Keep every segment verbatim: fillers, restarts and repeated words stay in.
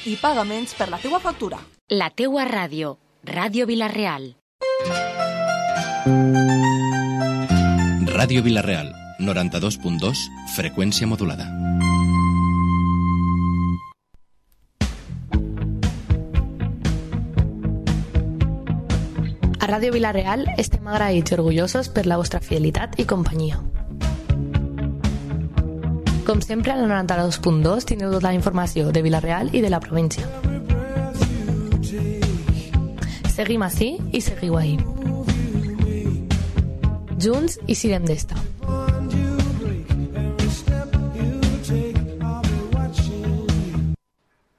i pagaments per la teua factura. La teua ràdio, Ràdio Vila-real. Ràdio Vila-real, noranta-dos punt dos, freqüència modulada. A Ràdio Vila-real estem agraïts i orgullosos per la vostra fidelitat i companyia. Com sempre, al noranta-dos punt dos tindreu tota la informació de Vila-real i de la província. Seguim ací i seguiu ahí. Junts i sirem d'esta.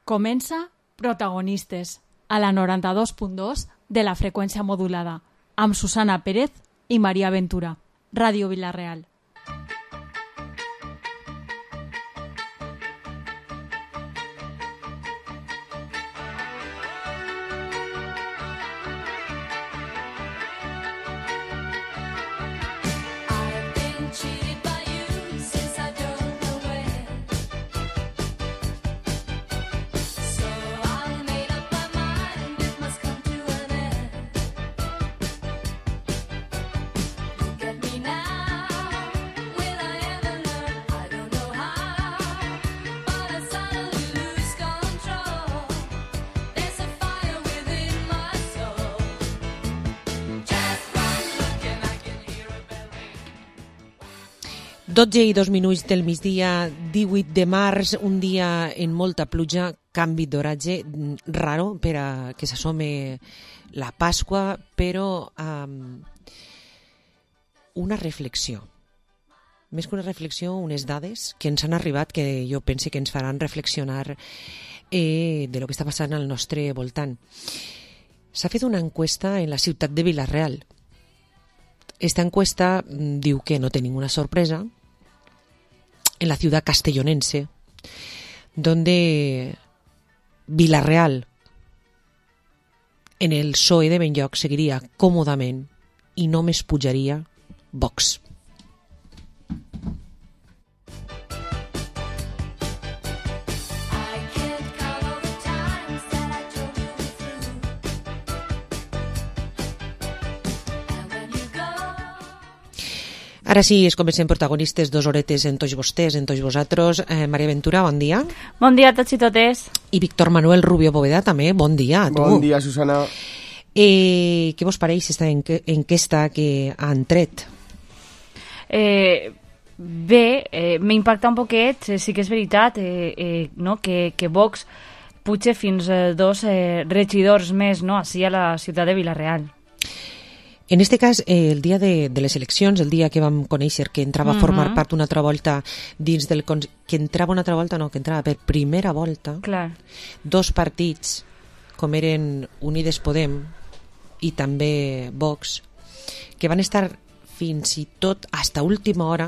Comença Protagonistes, a la noranta-dos punt dos de la freqüència modulada, amb Susana Pérez i Maria Ventura. Ràdio Vila-real. dotze i dos minuts del migdia, divuit de març, un dia en molta pluja, canvi d'oratge, raro per a que s'assome la Pasqua, però um, una reflexió. Més que una reflexió, unes dades que ens han arribat que jo pense que ens faran reflexionar eh, de lo que està passant al nostre voltant. S'ha fet una encuesta en la ciutat de Vila-real. Esta encuesta diu que no té ninguna sorpresa en la ciudad castellonense, donde Vila-real en el P S O E de Benlloc seguiria còmodament i només pujaria Vox. Ara sí, es comencem Protagonistes, dos horetes en tots vostès, en tots vosaltres. Eh, Maria Ventura, bon dia. Bon dia a tots i totes. I Víctor Manuel Rubio Bóveda, també, bon dia a tu. Bon dia, Susana. Eh, què vos pareix aquesta enquesta que han tret? Eh, bé, eh, m'impacta un poquet, eh, sí que és veritat, eh, eh, no? que, que Vox puja fins a dos eh, regidors més, no? Així a la ciutat de Vila-real. En este cas, eh, el dia de, de les eleccions, el dia que vam conèixer que entrava a formar uh-huh. part una altra volta dins del... que entrava una altra volta, no, que entrava per primera volta, clar, dos partits, com eren Unides Podem i també Vox, que van estar fins i tot hasta última hora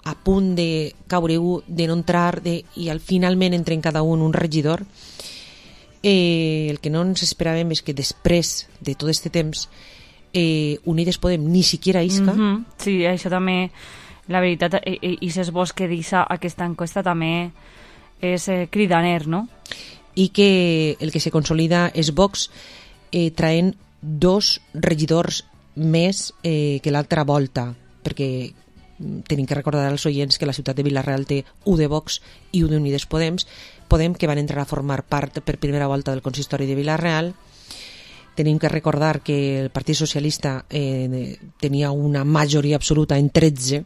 a punt de caure u, de no entrar, de, i al finalment entren cada un un regidor. Eh, el que no ens esperàvem és que després de tot este temps Eh, Unides Podem ni siquiera isca. Mm-hmm. Sí, això també, la veritat, i, i ses vos que deixa aquesta enquesta també és eh, cridaner, no? I que el que se consolida és Vox eh, traient dos regidors més eh, que l'altra volta, perquè tenim que recordar als oients que la ciutat de Vila-real té u de Vox i u d'Unides Podem, Podem que van entrar a formar part per primera volta del consistori de Vila-real. Tenim que recordar que el Partit Socialista eh, tenia una majoria absoluta en tretze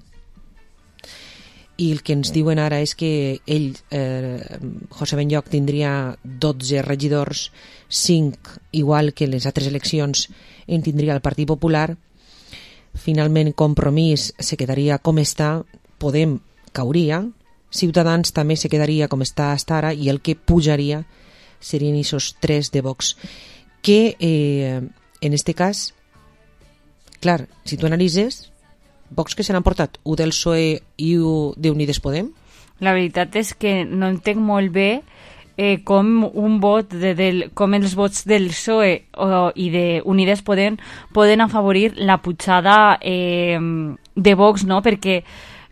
i el que ens diuen ara és que ell, eh, José Benlloc, tindria dotze regidors, cinc, igual que les altres eleccions, en tindria el Partit Popular. Finalment, Compromís se quedaria com està, Podem cauria, Ciutadans també se quedaria com està hasta ara i el que pujaria serien aquests tres de Vox. Que eh, en este cas, clar, si tu analitzes, Vox que se n'han portat u del P S O E i u d'Unides Podem? La veritat és que no entenc molt bé eh, com un vot de, del, com els vots del P S O E o, i d'Unides Podem poden afavorir la pujada eh, de Vox, no? Perquè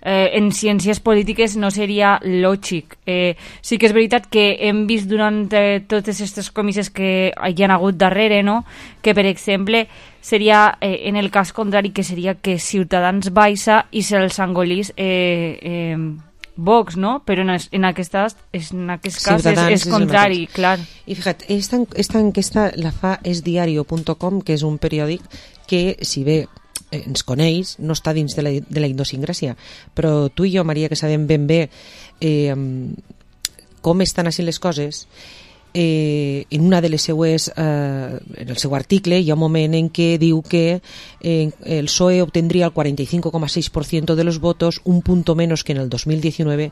eh, en ciències polítiques no seria lògic. Eh, sí que és veritat que hem vist durant eh, totes aquestes comisses que hi ha hagut darrere, no? Que, per exemple, seria, eh, en el cas contrari, que seria que Ciutadans baixa i se'ls engolís eh, eh, Vox, no? Però en, en, aquestes, en aquest cas és, és contrari, és clar. I fíjate, esta, esta enquesta la fa esdiario punto com, que és un periòdic que, si bé eh, ens coneix, no està dins de la, de la idiosincràsia, però tu i jo, Maria, que sabem ben bé eh, com estan així les coses, eh, en una de les seues, eh, en el seu article hi ha un moment en què diu que eh, el P S O E obtendría el cuarenta y cinco coma seis por ciento de los votos, un punto menos que en el dos mil diecinueve,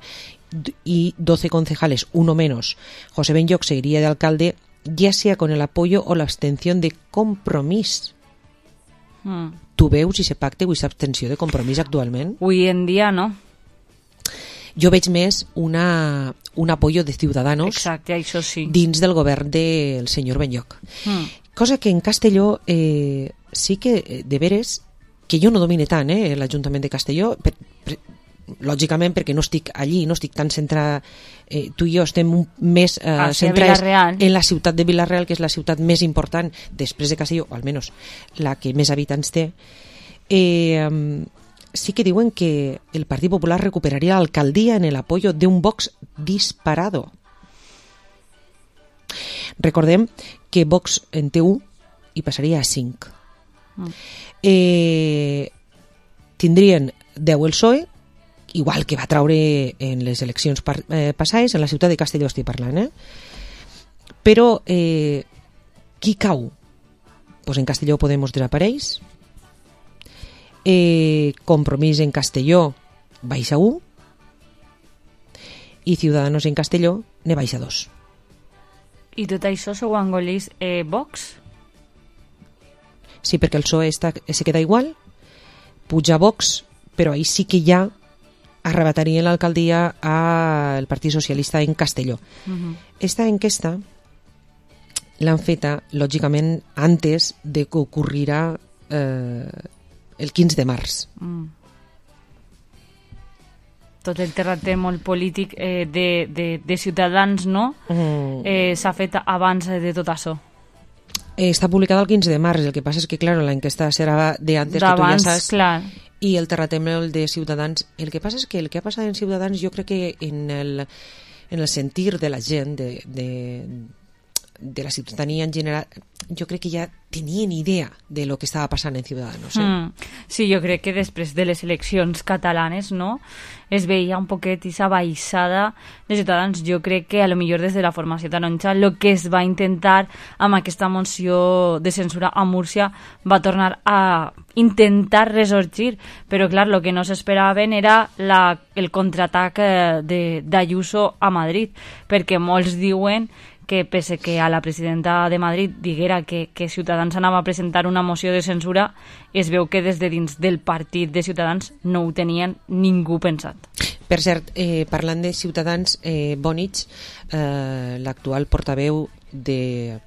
y doce concejales, uno menos. José Benlloch seguiría de alcalde, ya sea con el apoyo o la abstención de Compromís. Mm. Tu veus si se pacte o aquesta abstenció de Compromís actualment? Avui en dia no. Jo veig més una, un apoyo de Ciudadanos. Exacte, això sí. Dins del govern del senyor Benlloch. Mm. Cosa que en Castelló eh, sí que, de veres, que jo no domine tant, eh, l'Ajuntament de Castelló, per, per, lògicament perquè no estic allí, no estic tan centrada, eh, tu i jo estem un, més eh, ah, sí, centrats en la ciutat de Vila-real, que és la ciutat més important després de Castelló, o almenys la que més habitants té. Eh, sí que diuen que el Partit Popular recuperaría la alcaldía en el apoyo de un Vox disparado. Recordem que Vox en té u i passaria a cinc. Mm. Eh, tindrien deu el P S O E, igual que va traure en les eleccions par, eh, passades, en la ciutat de Castelló estic parlant, eh? Però eh, qui cau? Pues en Castelló Podemos desapareix, eh, Compromís en Castelló baixa u i Ciudadanos en Castelló ne baixa dos. I tot això s'ho engoleix eh, Vox? Sí, perquè el P S O E està, se queda igual, puja Vox, però ahí sí que ja arrebatarien l'alcaldia al Partit Socialista en Castelló. Uh-huh. Esta enquesta l'han feta, lògicament, antes de que ocorrirà eh, el quinze de març. Mm. Tot el terratrèmol polític eh, de, de, de Ciutadans, no? Mm. Eh, s'ha fet abans de tot això. Eh, està publicada el quinze de març, el que passa és que, clar, l'enquesta serà d'antes, que tu ja saps. Clar. I el terratrèmol de Ciutadans, el que passa és que el que ha passat en Ciutadans, jo crec que en el, en el sentir de la gent, de, de, de la ciutadania en general, jo crec que ja tenien idea de lo que estava passant en Ciudadanos. Eh? Mm. Sí, jo crec que després de les eleccions catalanes, no?, es veia un poquet aquesta baixada de Ciutadans. Jo crec que a lo millor des de la formació taronja el que es va intentar amb aquesta moció de censura a Múrcia va tornar a intentar resorgir, però clar, el que no s'esperaven era la, el contraatac d'Ayuso a Madrid, perquè molts diuen que pese que a la presidenta de Madrid diguera que, que Ciutadans anava a presentar una moció de censura, es veu que des de dins del partit de Ciutadans no ho tenien ningú pensat. Per cert, eh, parlant de Ciutadans, eh, Bonich, eh, l'actual portaveu de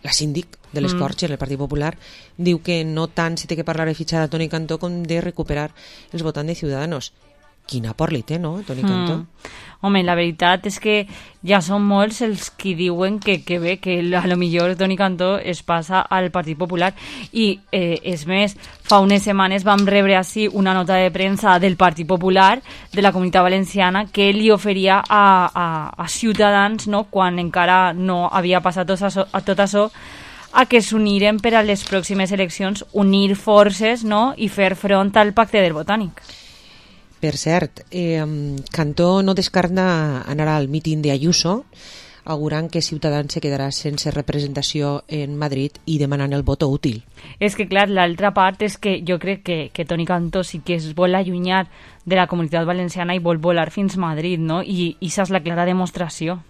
la síndic de les Corts mm. en el Partit Popular, diu que no tant se té que parlar de fitxar a Toni Cantó com de recuperar els votants de Ciudadanos. Quina por li té, no, Toni Cantó? Mm. Home, la veritat és que ja són molts els qui diuen que, que bé, que a lo millor Toni Cantó es passa al Partit Popular. I, eh, és més, fa unes setmanes vam rebre així una nota de premsa del Partit Popular, de la Comunitat Valenciana, que li oferia a, a, a Ciutadans, no?, quan encara no havia passat tot això, a tot això, a que s'uniren per a les pròximes eleccions, unir forces, no?, i fer front al pacte del Botànic. Per cert, eh, Cantó no descarta anar al míting d'Ayuso, augurant que Ciutadans se quedarà sense representació en Madrid i demanant el voto útil. És que, clar, l'altra part és que jo crec que, que Toni Cantó sí que es vol allunyar de la Comunitat Valenciana i vol volar fins a Madrid, no? I això és la clara demostració.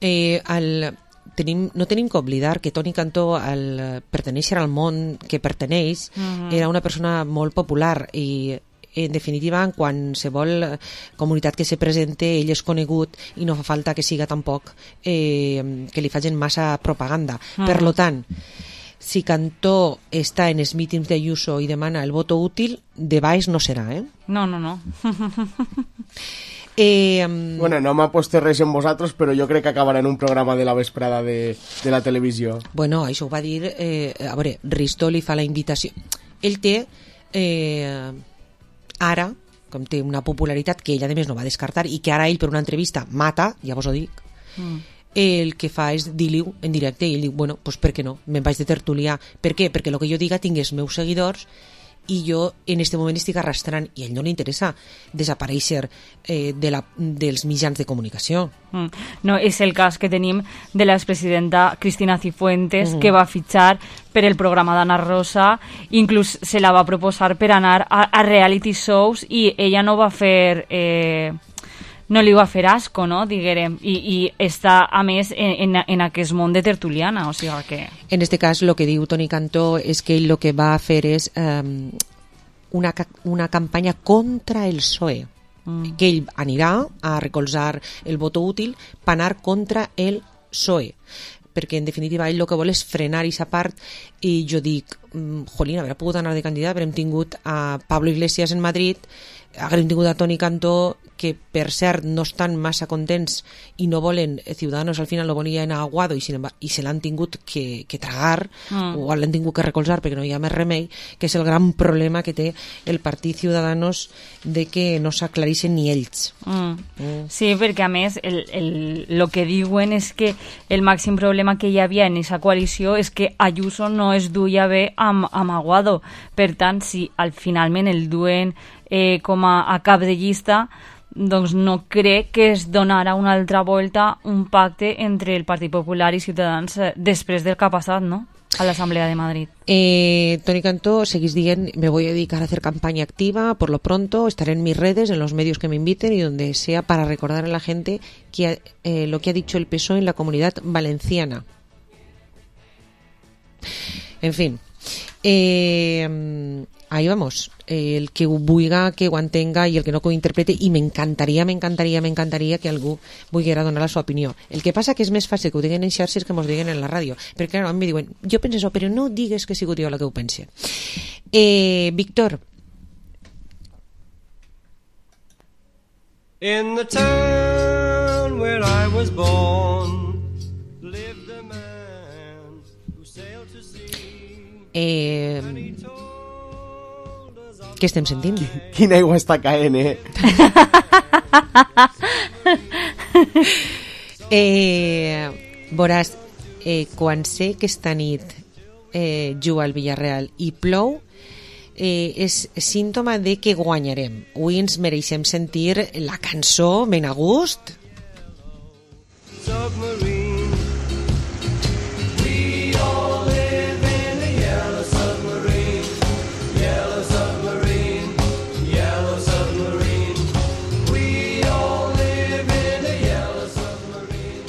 Eh, el... Tenim, no tenim que oblidar que Toni Cantó, al pertenèixer al món que perteneix, uh-huh. era una persona molt popular i en definitiva, en qualsevol comunitat que se presente, ell és conegut i no fa falta que siga tampoc eh, que li facin massa propaganda. Mm. Per lo tant, si Cantó està en els mítings d'Ayuso i demana el voto útil, de baix no serà, eh? No, no, no. Eh, um... Bueno, no m'ha posat res en vosaltres, però jo crec que acabarà en un programa de la vesprada de, de la televisió. Bueno, això ho va dir... Eh, a veure, Risto li fa la invitació. Ell té... Eh, ara, com té una popularitat que ell a més no va descartar i que ara ell per una entrevista mata, ja vos ho dic, mm. el que fa és dir-li en directe i ell diu, bueno, pues per què no? Me'n vaig de tertuliar. Per què? Perquè el que jo diga tingui els meus seguidors i jo en este moment estic arrastrant i a ell no li interessa desaparèixer eh, de la, dels mitjans de comunicació. Mm. No, és el cas que tenim de l'expresidenta Cristina Cifuentes, mm. que va fitxar per el programa d'Anna Rosa, inclús se la va proposar per anar a, a reality shows i ella no va fer... Eh, no li va fer asco, no?, diguérem, i, i està, a més, en, en, en aquest món de tertuliana, o sigui que... En este cas, el que diu Toni Cantó és que ell el que va fer és um, una, una campanya contra el P S O E, mm. que ell anirà a recolzar el voto útil per anar contra el P S O E, perquè en definitiva ell el que vol és frenar aquesta part i jo dic, jolín, haurà pogut anar de candidat, però hem tingut a Pablo Iglesias en Madrid, haguem tingut a Toni Cantó, que per cert no estan massa contents i no volen, Ciudadanos al final lo volien a Aguado i, sin, i se l'han tingut que, que tragar mm. o l'han tingut que recolzar perquè no hi ha més remei, que és el gran problema que té el partit Ciudadanos de que no s'aclareixen ni ells. Mm. Mm. Sí, perquè a més el, el, lo que diuen és que el màxim problema que hi havia en aquesta coalició és que Ayuso no es duia bé amb, amb Aguado. Per tant, si al finalment el duen eh, com a, a cap de llista, doncs no crec que es donarà una altra volta un pacte entre el Partit Popular i Ciutadans després del que ha passat, ¿no?, a l'Assemblea de Madrid. Eh, Toni Cantó seguís dient, me voy a dedicar a hacer campaña activa, por lo pronto estaré en mis redes, en los medios que me inviten y donde sea para recordar a la gente que, eh, lo que ha dicho el P S O E en la Comunidad Valenciana. En fin, eh, ahí vamos. El que ho vulga, que ho entenga i el que no que ho interprete, i m'encantaria, m'encantaria, m'encantaria que algú volguera donar la seva opinió. El que passa que és més fàcil que ho diguen en xarxes que mos diguen en la ràdio, perquè clar, em diuen, jo penso això, però no digues que sigut jo la que ho pense. Eh, Víctor. In the town where I was born lived a man who sailed to sea. Eh... Què estem sentint? Quina aigua està caent, eh? eh veuràs, eh, quan sé que esta nit eh, juga al Villarreal i plou, eh, és símptoma de que guanyarem. Avui ens mereixem sentir la cançó ben a gust. Submarine. We all live in a yellow submarine. Yellow submarine. Yellow submarine. We all live in a yellow submarine.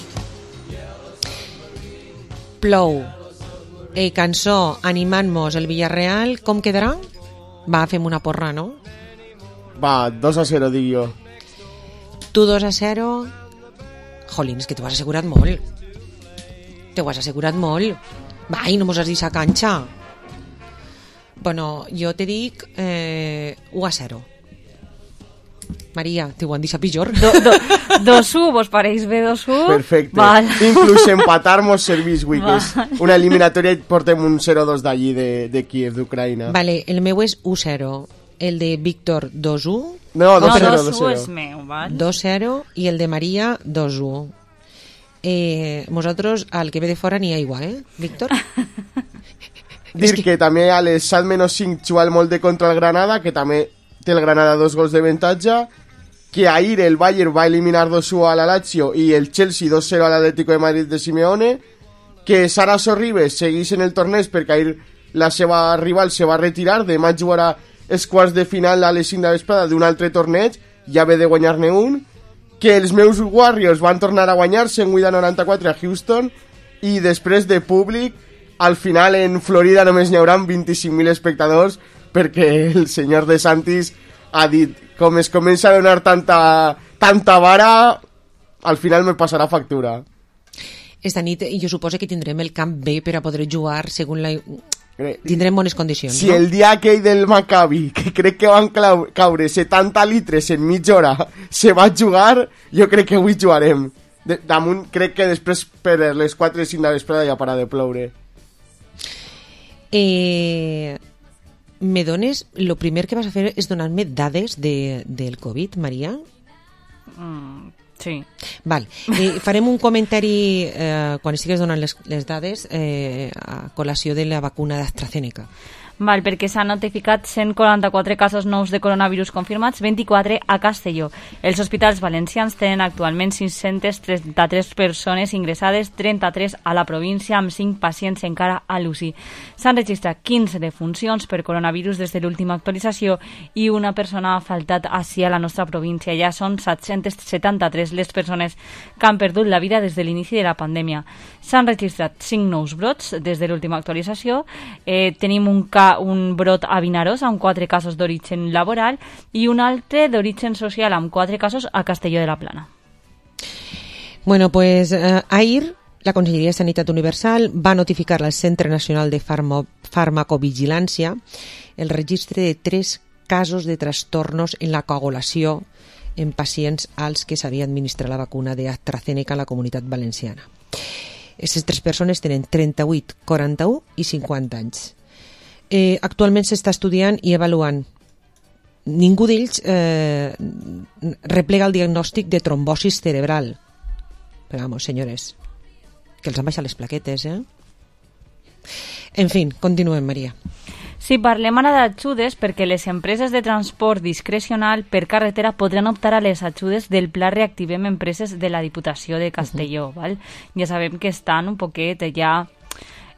Yellow submarine. Plou. Eh, cançó animant-nos el Villarreal. Com quedarà? Va, fem una porra, no? Va, dos a zero, dic jo. Tu dos a zero. Jolín, és que t'ho has assegurat molt. T'ho has assegurat molt. Va, i no mos has dit la canxa. Bueno, jo te dic eh, u a zero. Maria, t'ho han dit a pitjor. Do, do, dos u, vos pareix bé dos u? Perfecte. Val. Inclús empatar-nos servís, güey, que és una eliminatòria i portem un zero dos d'allí, de, de Kiev, d'Ucraïna. Vale, el meu és u zero. El de Víctor, dos u. No, dos zero, no, dos zero. És meu, val? dos zero. I el de Maria, dos u. Eh, nosaltres, al que ve de fora, ni aigua, eh, Víctor? Dir que... que també a les set menys cinc juga el Molde contra el Granada, que també té el Granada dos gols de avantatge, que ahir el Bayern va eliminar dos u a la Lazio i el Chelsea dos zero a l'Atlético de Madrid de Simeone, que Sara Sorribes segueix en el torneig perquè ahir la seva rival se va retirar, demà jugarà els quarts de final a les cinc de vesprada d'un altre torneig, ja ve de guanyar-ne un, que els meus Warriors van tornar a guanyar cent vuit a noranta-quatre a Houston, i després de públic, al final en Florida només n'hi haurà vint-i-cinc mil espectadors, perquè el senyor de Santis ha dit, com es comença a donar tanta, tanta vara, al final me passarà factura. Esta nit jo suposo que tindrem el camp bé per a poder jugar segons la... Tindrem bones condicions, si no? el dia aquell del Maccabi, que crec que van clau- caure setanta litres en mitja hora, se va jugar, jo crec que avui jugarem. De, damunt, crec que després per les quatre o cinc de vesprada ja para de ploure. Eh, me dones... Lo primer que vas a fer és donar-me dades de, del Covid, Maria? Mm, sí. Val. Eh, farem un comentari eh, quan estigues donant les, les dades eh, a col·lació de la vacuna d'AstraZeneca. Val, perquè s'han notificat cent quaranta-quatre casos nous de coronavirus confirmats, vint-i-quatre a Castelló. Els hospitals valencians tenen actualment cinc-centes trenta-tres persones ingressades, trenta-tres a la província, amb cinc pacients encara a l'U C I. S'han registrat quinze defuncions per coronavirus des de l'última actualització i una persona ha faltat així a la nostra província. Ja són set-cents setanta-tres les persones que han perdut la vida des de l'inici de la pandèmia. S'han registrat cinc nous brots des de l'última actualització. Eh, tenim un cas un brot a Vinaròs amb quatre casos d'origen laboral i un altre d'origen social amb quatre casos a Castelló de la Plana. Bueno, pues eh, ahir la Conselleria de Sanitat Universal va notificar al Centre Nacional de Farmo, Farmacovigilància el registre de tres casos de trastornos en la coagulació en pacients als que s'havia administrat la vacuna d'AstraZeneca a la Comunitat Valenciana. Aquestes tres persones tenen trenta-vuit, quaranta-u i cinquanta anys. Eh, actualment s'està estudiant i avaluant. Ningú d'ells eh, replega el diagnòstic de trombosis cerebral. Però vamos, senyores, que els han baixat les plaquetes, eh? En fi, continuem, Maria. Sí, parlem ara d'ajudes perquè les empreses de transport discrecional per carretera podran optar a les ajudes del Pla Reactivem Empreses de la Diputació de Castelló. Uh-huh. Val? Ja sabem que estan un poquet ja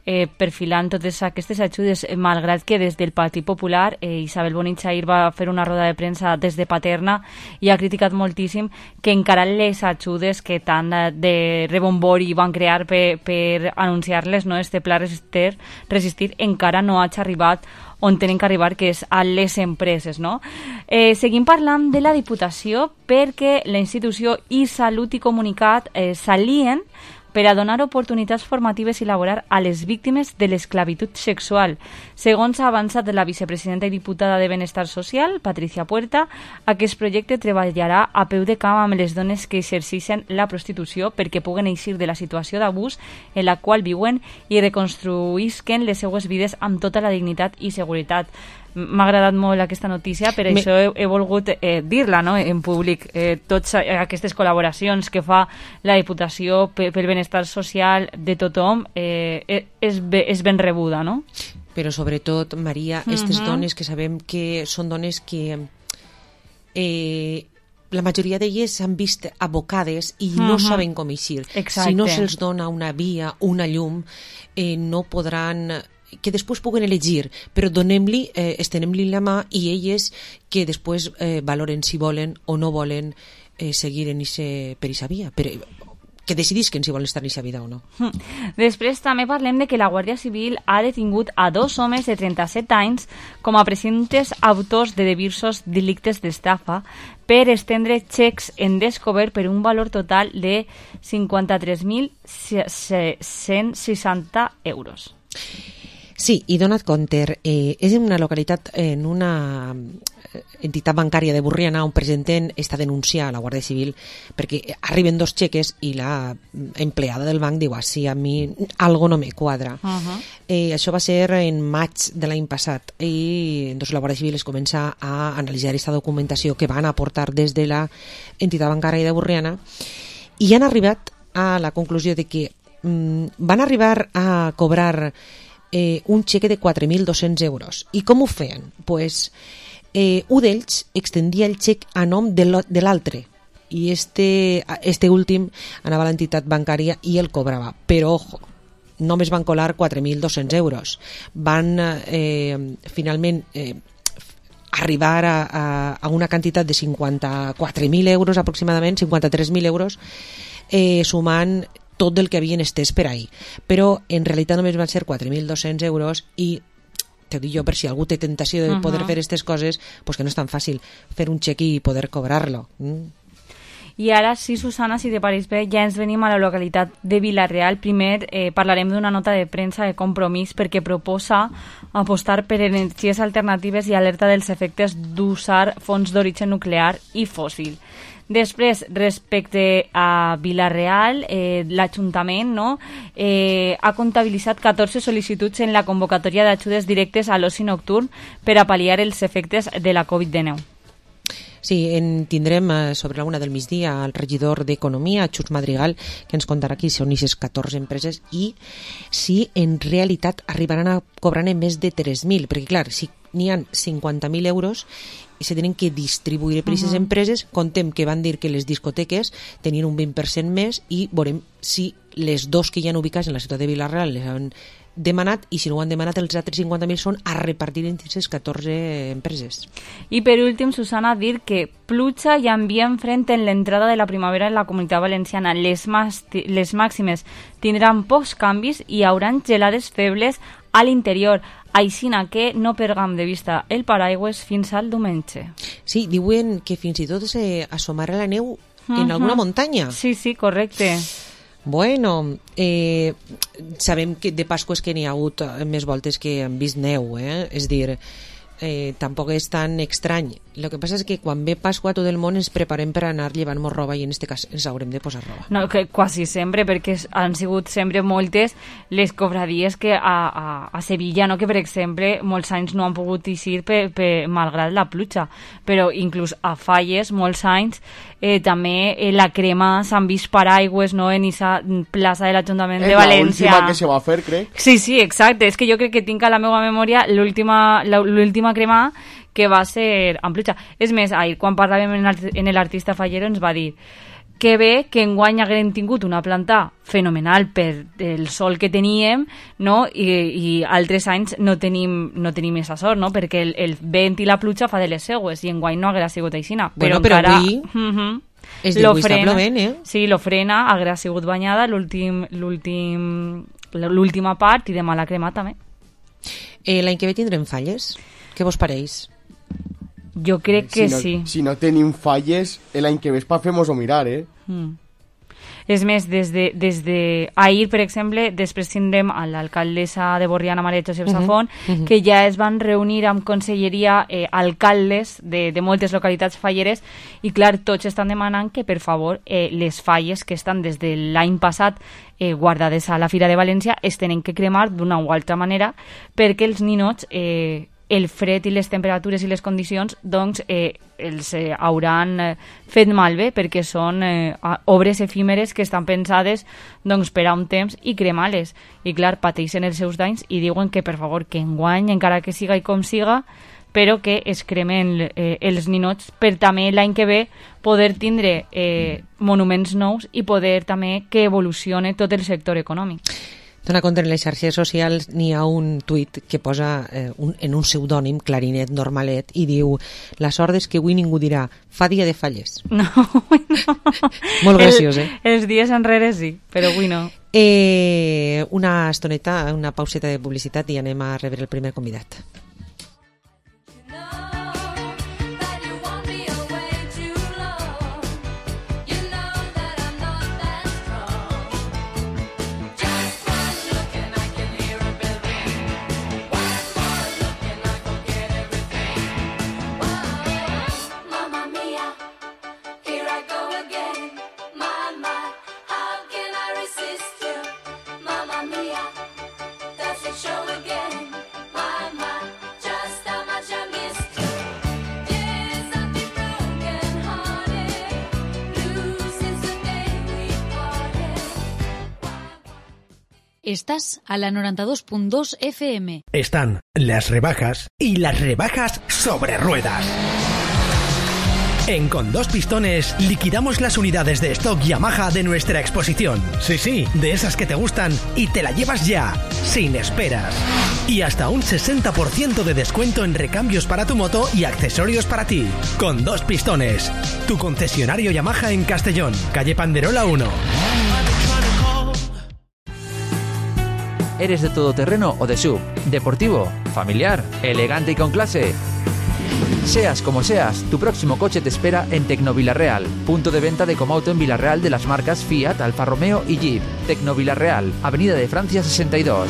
Eh, perfilant totes aquestes ajudes, eh, malgrat que des del Partit Popular eh, Isabel Bonich ahir va fer una roda de premsa des de Paterna i ha criticat moltíssim que encara les ajudes que tant de rebombori van crear per, per anunciar-les, no, este pla resistir, resistir encara no ha arribat on tenen que arribar, que és a les empreses, no? Eh, seguim parlant de la Diputació perquè la institució i Salut i Comunicat eh, s'alien per a donar oportunitats formatives i laborar a les víctimes de l'esclavitud sexual. Segons ha avançat la vicepresidenta i diputada de Benestar Social, Patricia Puerta, aquest projecte treballarà a peu de camp amb les dones que exerceixen la prostitució perquè puguen eixir de la situació d'abús en la qual viuen i reconstruïsquen les seues vides amb tota la dignitat i seguretat. M'ha agradat molt aquesta notícia, per Me... això he, he volgut eh, dir-la, no?, en públic. Eh, totes aquestes col·laboracions que fa la Diputació pel benestar social de tothom eh, és, és ben rebuda, no? Però sobretot, Maria, aquestes uh-huh. dones que sabem que són dones que eh, la majoria d'elles s'han vist abocades i uh-huh. no saben com eixir. Exacte. Si no se'ls dona una via, una llum, eh, no podran... que després puguen elegir, però donem-li, eh, estenem-li la mà i elles que després eh, valoren si volen o no volen eh, seguir en ese, per aquesta via, per, que decidisquen si volen estar en aquesta vida o no. Després també parlem de que la Guàrdia Civil ha detingut a dos homes de trenta-set anys com a presumptes autors de diversos delictes d'estafa per estendre xecs en descobert per un valor total de cinquanta-tres mil cent seixanta euros. Sí, i donat compte, eh, és en una localitat, en una entitat bancària de Borriana on presenten esta denúncia a la Guàrdia Civil perquè arriben dos xeques i la empleada del banc diu, ah, sí, a mi algo no me quadra. Uh-huh. Eh, això va ser en maig de l'any passat i doncs, la Guàrdia Civil es comença a analitzar aquesta documentació que van aportar des de la entitat bancària de Borriana i han arribat a la conclusió de que mm, van arribar a cobrar Eh, un xeque de quatre mil dos-cents euros. I com ho feien? Pues, eh, un d'ells extendia el xec a nom de l'altre i este, este últim anava a l'entitat bancària i el cobrava. Però, ojo, només van colar quatre mil dos-cents euros. Van, eh, finalment, eh, arribar a, a, a una quantitat de cinquanta-quatre mil euros aproximadament, cinquanta-tres mil euros, eh, sumant tot el que havien estès per ahir. Però en realitat només van ser quatre mil dos-cents euros i te dic jo, per si algú té tentació de poder uh-huh. fer aquestes coses, pues que no és tan fàcil fer un xec i poder cobrar-lo. Mm. I ara sí, Susana, si te pareix bé, ja ens venim a la localitat de Vila-real. Primer eh, parlarem d'una nota de premsa de Compromís perquè proposa apostar per energies alternatives i alerta dels efectes d'usar fonts d'origen nuclear i fòssil. Després, respecte a Vila-real, eh, l'Ajuntament no, eh, ha comptabilitzat catorze sol·licituds en la convocatòria d'ajudes directes a l'oci nocturn per a pal·liar els efectes de la covid dinou. Sí, en tindrem eh, sobre la una del migdia el regidor d'Economia, Xus Madrigal, que ens contarà qui són aquestes catorze empreses i si en realitat arribaran a cobrar més de tres mil, perquè clar, si n'hi ha cinquanta mil euros i se tenen que distribuir per aquestes uh -huh. empreses, contem que van dir que les discoteques tenien un vint per cent més i veurem si les dos que hi ha ubicats en la ciutat de Vila-real les han demanat i si no ho han demanat els altres cinquanta mil són a repartir entre aquestes catorze empreses. I per últim, Susana, dir que pluja i ambient frent en l'entrada de la primavera en la Comunitat Valenciana. Les, les màximes tindran pocs canvis i hi haurà gelades febles a l'interior. Aixina que no perdem de vista el paraigües fins al diumenge. Sí, diuen que fins i tot s'assomarà la neu en uh-huh. alguna muntanya. Sí, sí, correcte. Bueno, eh, sabem que de Pasqües que n'hi ha hagut més voltes que han vist neu, eh? És dir, eh, tampoc és tan estrany. El que passa és que quan ve Pasqua tot el món ens preparem per anar llevant-nos roba i en aquest cas ens haurem de posar roba. No, que quasi sempre, perquè han sigut sempre moltes les cofradies que a, a, a Sevilla, no? Que per exemple molts anys no han pogut eixir per, per, malgrat la pluja, però inclús a Falles molts anys eh, també eh, la crema s'han vist paraigües, no? En aquesta plaça de l'Ajuntament de València. És l'última que se va fer, crec. Sí, sí, exacte, és que jo crec que tinc a la meva memòria l'última l'última crema que va ser en pluja. És més, ahir, quan parlàvem en l'artista Fallero, ens va dir que bé que enguany haguem tingut una planta fenomenal per el sol que teníem, no? I, i altres anys no tenim, no tenim aquesta sort, no? Perquè el, el vent i la pluja fa de les seues i enguany no haguera sigut aixina. Bueno, però, però encara, avui uh-huh, és de avui està plovent, eh? Sí, lo frena, haguera sigut banyada l'últim l'últim l'última part i demà la crema també. Eh, L'any que ve tindrem Falles? Què vos pareix? Jo crec que si no, sí. Si no tenim Falles, l'any que ve pa fem-ho mirar, eh? Mm. És més, des de, des de ahir, per exemple, després tindrem a l'alcaldessa de Borriana, Maria Josep Safont, uh -huh, uh -huh. que ja es van reunir amb conselleria eh, alcaldes de, de moltes localitats falleres i, clar, tots estan demanant que, per favor, eh, les falles que estan des de l'any passat eh, guardades a la Fira de València es tenen que cremar d'una o altra manera perquè els ninots... Eh, el fred i les temperatures i les condicions doncs eh, els eh, hauran eh, fet malbé perquè són eh, obres efímeres que estan pensades doncs, per a un temps i cremar-les. I clar, pateixen els seus danys i diuen que per favor que enguany, encara que siga i com siga, però que es cremen eh, els ninots per també l'any que ve poder tindre eh, monuments nous i poder també que evolucione tot el sector econòmic. Dona compte, en les xarxes socials n'hi ha un tuit que posa eh, un, en un pseudònim, clarinet normalet, i diu: la sort és que avui ningú dirà fa dia de Falles. No, no. Molt graciós, eh? El, els dies enrere sí, però avui no. Eh, una estoneta, una pauseta de publicitat i anem a rebre el primer convidat. Estás a la noventa y dos punto dos F M. Están las rebajas y las rebajas sobre ruedas. En Con Dos Pistones liquidamos las unidades de stock Yamaha de nuestra exposición. Sí, sí, de esas que te gustan y te la llevas ya, sin esperas. Y hasta un sesenta por ciento de descuento en recambios para tu moto y accesorios para ti. Con Dos Pistones, tu concesionario Yamaha en Castellón, calle Panderola uno. ¿Eres de todoterreno o de sub? ¿Deportivo? ¿Familiar? ¿Elegante y con clase? Seas como seas, tu próximo coche te espera en Tecnovilarreal, punto de venta de Comauto en Villarreal de las marcas Fiat, Alfa Romeo y Jeep. Tecnovilarreal, Avenida de Francia sesenta y dos.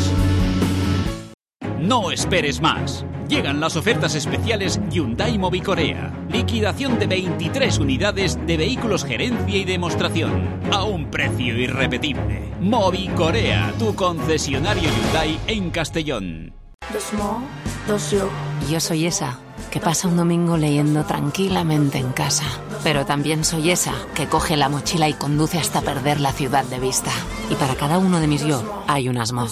No esperes más. Llegan las ofertas especiales Hyundai Mobicorea. Liquidación de veintitrés unidades de vehículos gerencia y demostración. A un precio irrepetible. Mobicorea, tu concesionario Hyundai en Castellón. Dos mo, dos yo. Yo soy esa que pasa un domingo leyendo tranquilamente en casa. Pero también soy esa que coge la mochila y conduce hasta perder la ciudad de vista. Y para cada uno de mis yo hay unas mo.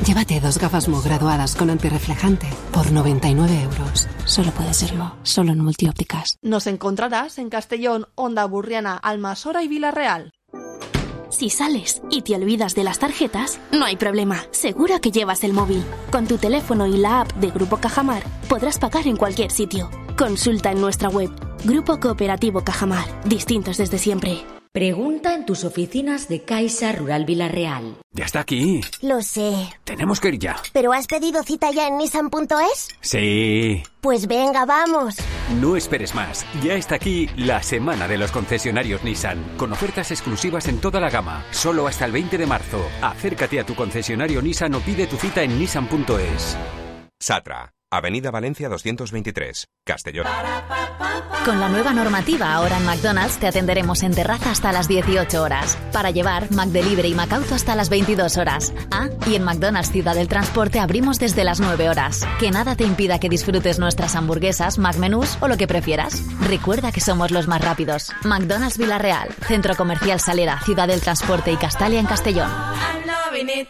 Llévate dos gafas Mo graduadas con antirreflejante por noventa y nueve euros. Solo puede ser Mo, solo en Multiópticas. Nos encontrarás en Castellón, Onda Burriana, Almasora y Villarreal. Si sales y te olvidas de las tarjetas, no hay problema. Seguro que llevas el móvil. Con tu teléfono y la app de Grupo Cajamar podrás pagar en cualquier sitio. Consulta en nuestra web. Grupo Cooperativo Cajamar. Distintos desde siempre. Pregunta en tus oficinas de Caixa Rural Villarreal. Ya está aquí. Lo sé. Tenemos que ir ya. ¿Pero has pedido cita ya en Nissan punto es? Sí. Pues venga, vamos. No esperes más. Ya está aquí la semana de los concesionarios Nissan, con ofertas exclusivas en toda la gama, solo hasta el veinte de marzo. Acércate a tu concesionario Nissan o pide tu cita en Nissan punto es. Satra, Avenida Valencia doscientos veintitrés, Castellón. Con la nueva normativa, ahora en McDonald's te atenderemos en terraza hasta las dieciocho horas. Para llevar, McDelivery y McAuto hasta las veintidós horas. Ah, y en McDonald's Ciudad del Transporte abrimos desde las nueve horas. Que nada te impida que disfrutes nuestras hamburguesas, McMenús o lo que prefieras. Recuerda que somos los más rápidos. McDonald's Villarreal, Centro Comercial Salera, Ciudad del Transporte y Castalia en Castellón. I'm loving it.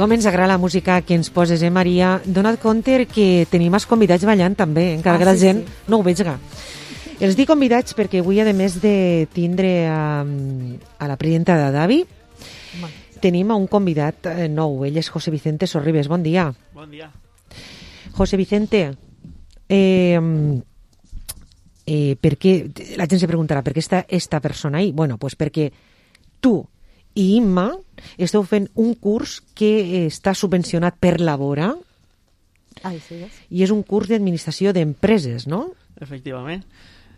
Com ens agrada la música que ens poses, eh, Maria? Dona't compte que tenim els convidats ballant també, encara ah, que la sí, gent sí. no ho veiga. Els dic convidats perquè avui, a més de tindre a, a la presidenta de Davi, bon. tenim a un convidat nou. Ell és José Vicente Sorribes. Bon dia. Bon dia. José Vicente, eh, eh, per què, la gent se preguntarà per què està esta persona ahí? Bueno, pues perquè tu i Imma esteu fent un curs que està subvencionat per Labora. Ai, sí, és. I és un curs d'administració d'empreses, no? Efectivament.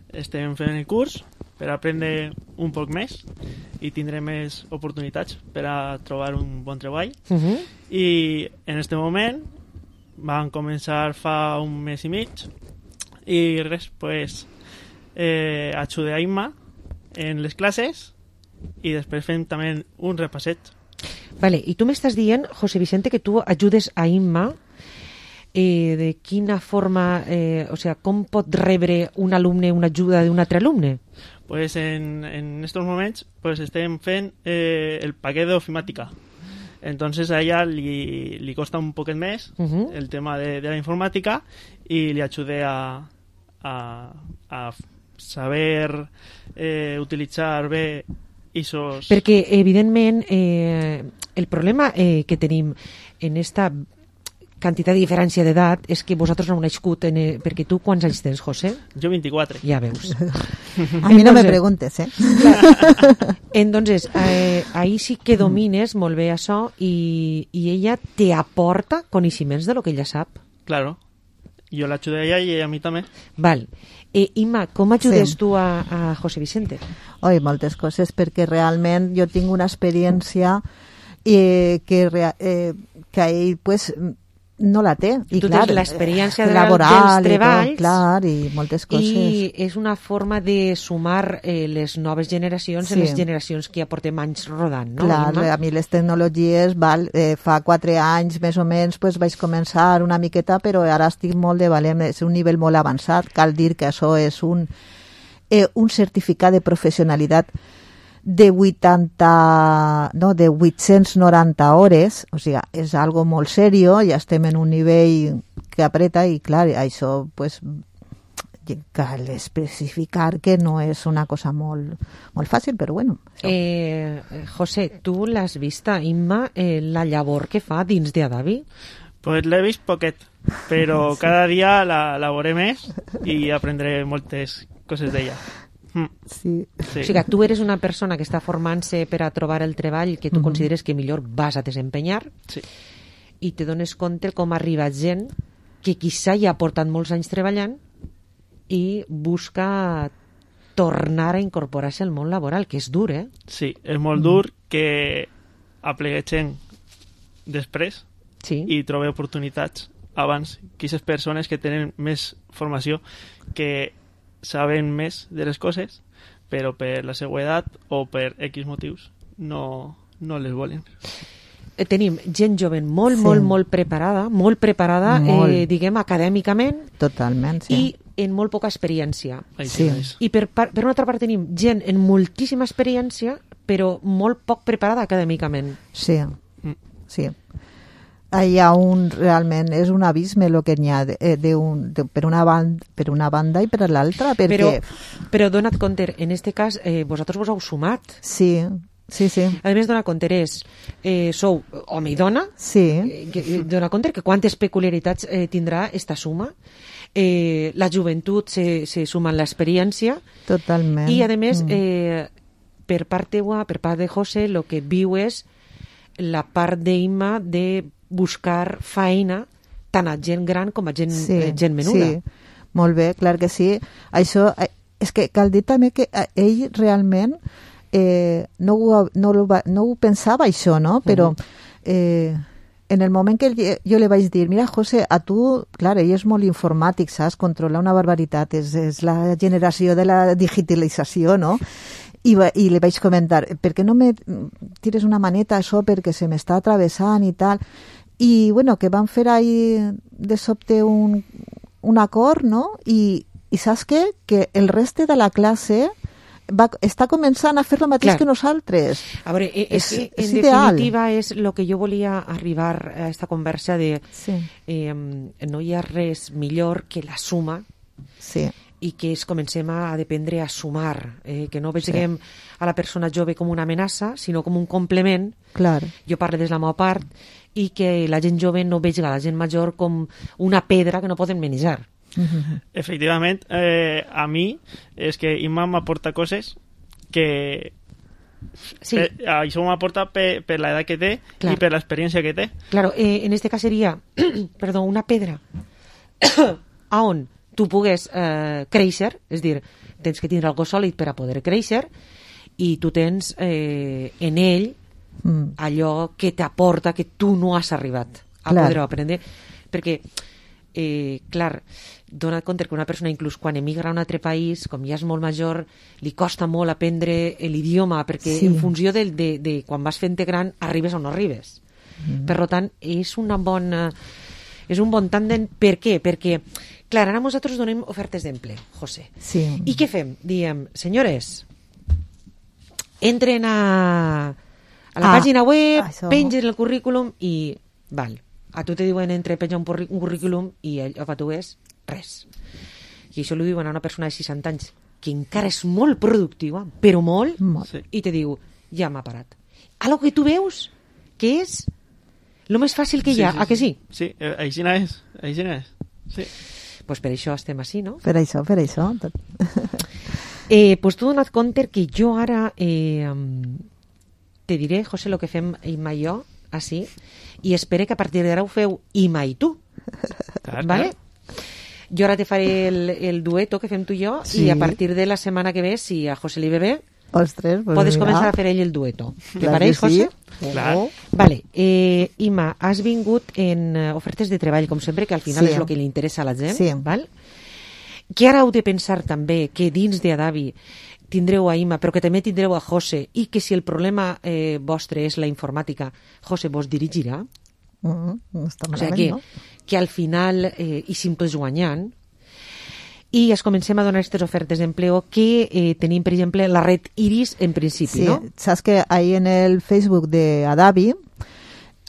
Estem fent el curs per aprendre un poc més i tindré més oportunitats per a trobar un bon treball. Uh-huh. I en aquest moment van començar fa un mes i mig i res, pues eh, ajudé a Imma en les classes i després fem també un repasset. Vale, i tu m'estàs dient, José Vicente, que tu ajudes a Imma eh, de quina forma, eh, o sea, com pot rebre un alumne una ajuda d'un altre alumne? Pues en, en estos moments pues estem fent eh, el paquet d'ofimàtica. Entonces a ella li, li costa un poquet més uh-huh. el tema de, de la informàtica i li ajudé a, a, a saber eh, utilitzar bé Isos... Perquè, evidentment, eh, el problema eh, que tenim en esta quantitat de diferència d'edat és que vosaltres no heu nascut, en, eh, perquè tu quants anys tens, José? Jo vint-i-quatre. Ja veus. A mi no me preguntes, eh? Entonces, eh, ahí sí que domines molt bé això i, i ella te aporta coneixements de lo que ella sap. Claro. Jo l'ajudé a ella i ella a mi també. Val. Eh, Imma, com ajudes sí. tu a, a José Vicente? Oi, moltes coses, perquè realment jo tinc una experiència eh, que, eh, que a ell pues, no la té. I tu clar, tens l'experiència de laboral dels treballs i, tot, clar, i moltes coses. I és una forma de sumar eh, les noves generacions sí. a les generacions que ja portem anys rodant, no? Clar, Imma? a mi les tecnologies, val, eh, fa quatre anys més o menys pues, vaig començar una miqueta, però ara estic molt de valent, és un nivell molt avançat. Cal dir que això és un, eh, un certificat de professionalitat de vuitanta, no, de vuit-cents noranta hores, o sigui, és algo molt serio, ja estem en un nivell que apreta i clar, això pues, cal especificar que no és una cosa molt, molt fàcil, però bueno. Eh, José, tu l'has vista, Imma, eh, la llavor que fa dins de Adavi? Pues l'he vist poquet, però sí. cada dia la, la veuré més i aprendré moltes coses d'ella. Mm. Sí. sí. O sigui, tu eres una persona que està formant-se per a trobar el treball que tu mm-hmm. consideres que millor vas a desempenyar sí. i te dones compte com arriba gent que quizà ja ha portat molts anys treballant i busca tornar a incorporar-se al món laboral, que és dur, eh? Sí, és molt dur que aplegueixen després sí. i trobe oportunitats abans que aquestes persones que tenen més formació, que saben més de les coses, però per la seva edat o per X motius no, no les volen. Tenim gent jove molt, sí. molt, molt preparada, molt preparada, molt. Eh, diguem, acadèmicament. Totalment, sí. I en molt poca experiència. Sí. I per, per una altra part tenim gent en moltíssima experiència, però molt poc preparada acadèmicament. Sí, sí. Hi ha un, realment, és un abisme el que n'hi ha de, de un, de, per, una banda, per una banda i per l'altra, perquè... Però, però dona't compte, en este cas, eh, vosaltres vos heu sumat. Sí, sí, sí. A més, dona't compte, és, eh, sou home i dona, sí. eh, dona't compte que quantes peculiaritats eh, tindrà esta suma, eh, la joventut se, se suma en l'experiència. Totalment. I, a més, mm. eh, per part teua, per part de José, el que viu és la part d'Imma de buscar feina tant a gent gran com a gent, sí, eh, gent menuda. Sí, molt bé, clar que sí. Això, eh, és que cal dir també que ell realment eh, no, ho, no, ho, no ho pensava això, no? Però eh, en el moment que jo li vaig dir, mira, José, a tu, clar, ell és molt informàtic, saps? Controla una barbaritat, és, és la generació de la digitalització, no? I, va, i li vaig comentar, per què no me tires una maneta això perquè se m'està atravessant i tal? I, bueno, que van fer ahí de sobte un, un acord, no? I, i saps què? Que el reste de la classe va, està començant a fer el mateix Clar. que nosaltres. A veure, és, és, és, en ideal. definitiva és el que jo volia arribar a aquesta conversa de sí. eh, no hi ha res millor que la suma sí. i que es comencem a dependre a sumar, eh, que no veiem sí. a la persona jove com una amenaça, sinó com un complement. Clar. Jo parlo des de la meva part, i que la gent jove no vegi la gent major com una pedra que no poden manejar. Uh-huh. Efectivament, eh, a mi és que Imma m'aporta coses que sí. per, això m'aporta per, per l'edat que té Clar. i per l'experiència que té. Claro, eh, en este cas seria perdó, una pedra a on tu pugues eh, créixer, és dir, tens que tindre algo sòlid per a poder créixer, i tu tens eh, en ell mm. allò que t'aporta que tu no has arribat a clar. poder aprendre, perquè eh, clar, dona't compte que una persona inclús quan emigra a un altre país, com ja és molt major, li costa molt aprendre l'idioma, perquè sí. en funció de, de, de quan vas fent-te gran arribes o no arribes. Mm. Per tant, és una bona és un bon tàndem. Per què? Perquè clar, ara nosaltres donem ofertes d'emple, José. Sí. I què fem? Diem, senyores, entren a, a la ah, pàgina web, això. pengen el currículum i, val, a tu te diuen entre penja un, un currículum i allò que tu és res. I això li diuen a una persona de seixanta anys que encara és molt productiva, però molt, molt. Sí. i te diu, ja m'ha parat. Algo que tu veus que és el més fàcil que hi ha, sí, sí, a que sí? Sí, eh, així no és, així no és. Sí. Pues per això estem així, no? Per això, per això. eh, pues tu dona't compte que jo ara eh, te diré, José, el que fem Imma i jo, així, i espero que a partir d'ara ho feu Imma i tu. Clar, ¿vale? clar. Jo ara te faré el, el dueto que fem tu i jo, sí. i a partir de la setmana que ve, si a José li ve bé, Ostres, pues Podes mira. començar a fer ell el dueto. Te Clar pareix, que sí. José? Clar. Vale, eh, Ima, has vingut en eh, ofertes de treball, com sempre, que al final Sí. és el que li interessa a la gent. Sí. Val? Que ara heu de pensar també que dins d'Adavi tindreu a Ima, però que també tindreu a José, i que si el problema eh, vostre és la informàtica, José vos dirigirà. Mm, no està O sigui malament, que, no? que al final eh, hi simples guanyant. I es comencem a donar aquestes ofertes d'empleo que eh, tenim, per exemple, la red Iris en principi, Sí, ¿no? sabes que ahí en el Facebook de Adavi,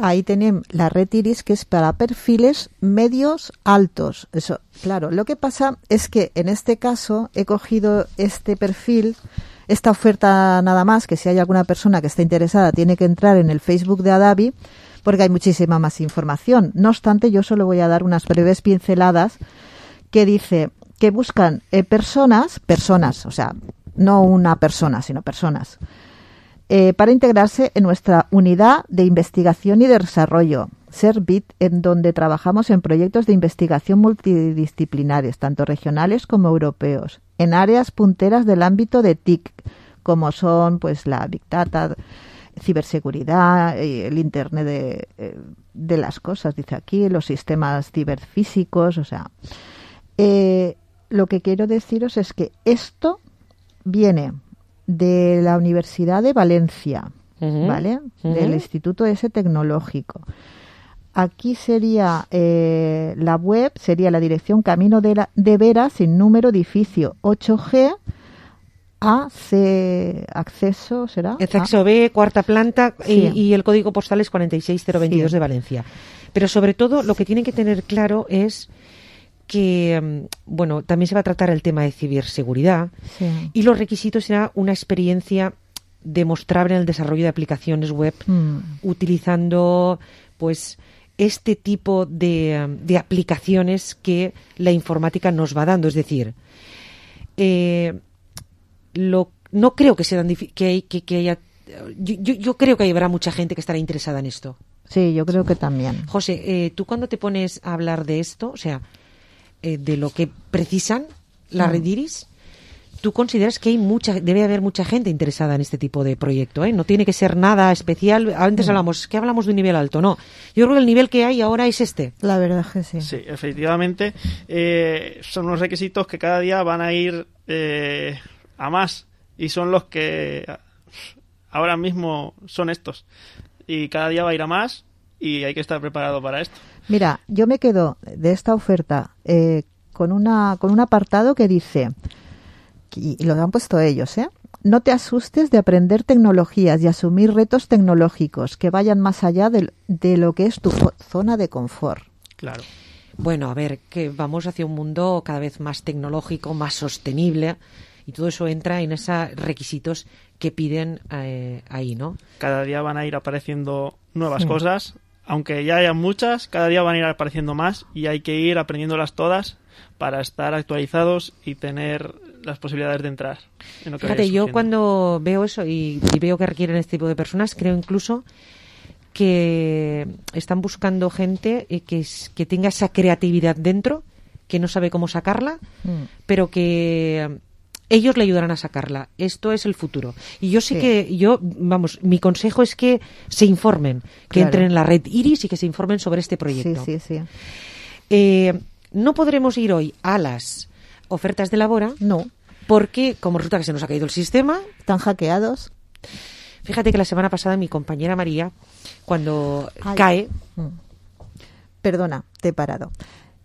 ahí tenemos la red Iris, que es para perfiles medios altos. Eso, claro, lo que pasa es que en este caso he cogido este perfil, esta oferta nada más, que si hay alguna persona que está interesada tiene que entrar en el Facebook de Adavi, porque hay muchísima más información. No obstante, yo solo voy a dar unas breves pinceladas que dice que buscan eh, personas, personas, o sea, no una persona, sino personas, eh, para integrarse en nuestra unidad de investigación y de desarrollo, Servit, en donde trabajamos en proyectos de investigación multidisciplinarios, tanto regionales como europeos, en áreas punteras del ámbito de T I C, como son pues la Big Data, ciberseguridad, el Internet de, de las cosas, dice aquí, los sistemas ciberfísicos, o sea... Eh, lo que quiero deciros es que esto viene de la Universidad de Valencia, Uh-huh. ¿vale? Uh-huh. Del Instituto ese Tecnológico. Aquí sería eh, la web, sería la dirección Camino de, la, de Vera, sin número, edificio ocho G, A, C, acceso, ¿será? Acceso A. B, cuarta planta, Sí. y, y el código postal es cuarenta y seis cero veintidós Sí. de Valencia. Pero sobre todo lo que tienen que tener claro es que, bueno, también se va a tratar el tema de ciberseguridad Sí. y los requisitos será una experiencia demostrable en el desarrollo de aplicaciones web Mm. utilizando, pues, este tipo de, de aplicaciones que la informática nos va dando. Es decir, eh, lo, no creo que sean difi- que, hay- que, que haya... Yo, yo, yo creo que habrá mucha gente que estará interesada en esto. Sí, yo creo que también. José, eh, tú cuando te pones a hablar de esto, o sea, eh, de lo que precisan la Mm. red Iris, tú consideras que hay mucha, debe haber mucha gente interesada en este tipo de proyecto, ¿eh? No tiene que ser nada especial. Antes Mm. hablamos, ¿qué hablamos de un nivel alto? No, yo creo que el nivel que hay ahora es este. La verdad es que sí. Sí, efectivamente. Eh, son unos requisitos que cada día van a ir eh, a más y son los que ahora mismo son estos. Y cada día va a ir a más y hay que estar preparado para esto. Mira, yo me quedo de esta oferta eh, con una con un apartado que dice, y lo han puesto ellos, ¿eh? No te asustes de aprender tecnologías y asumir retos tecnológicos que vayan más allá de, de lo que es tu fo- zona de confort. Claro. Bueno, a ver, que vamos hacia un mundo cada vez más tecnológico, más sostenible, y todo eso entra en esos requisitos que piden eh, ahí, ¿no? Cada día van a ir apareciendo nuevas Sí. cosas. Aunque ya hayan muchas, cada día van a ir apareciendo más y hay que ir aprendiéndolas todas para estar actualizados y tener las posibilidades de entrar en lo que Fíjate, vaya yo surgiendo. cuando veo eso y, y veo que requieren este tipo de personas, creo incluso que están buscando gente eh, que, es- que tenga esa creatividad dentro, que no sabe cómo sacarla, Mm. pero que eh, ellos le ayudarán a sacarla. Esto es el futuro. Y yo sé Sí. que, yo, vamos, mi consejo es que se informen, que Claro. entren en la red Iris y que se informen sobre este proyecto. Sí, sí, sí. Eh, no podremos ir hoy a las ofertas de Labora. No. Porque, como resulta que se nos ha caído el sistema. Están hackeados. Fíjate que la semana pasada mi compañera María, cuando Ay. cae. Mm. Perdona, te he parado.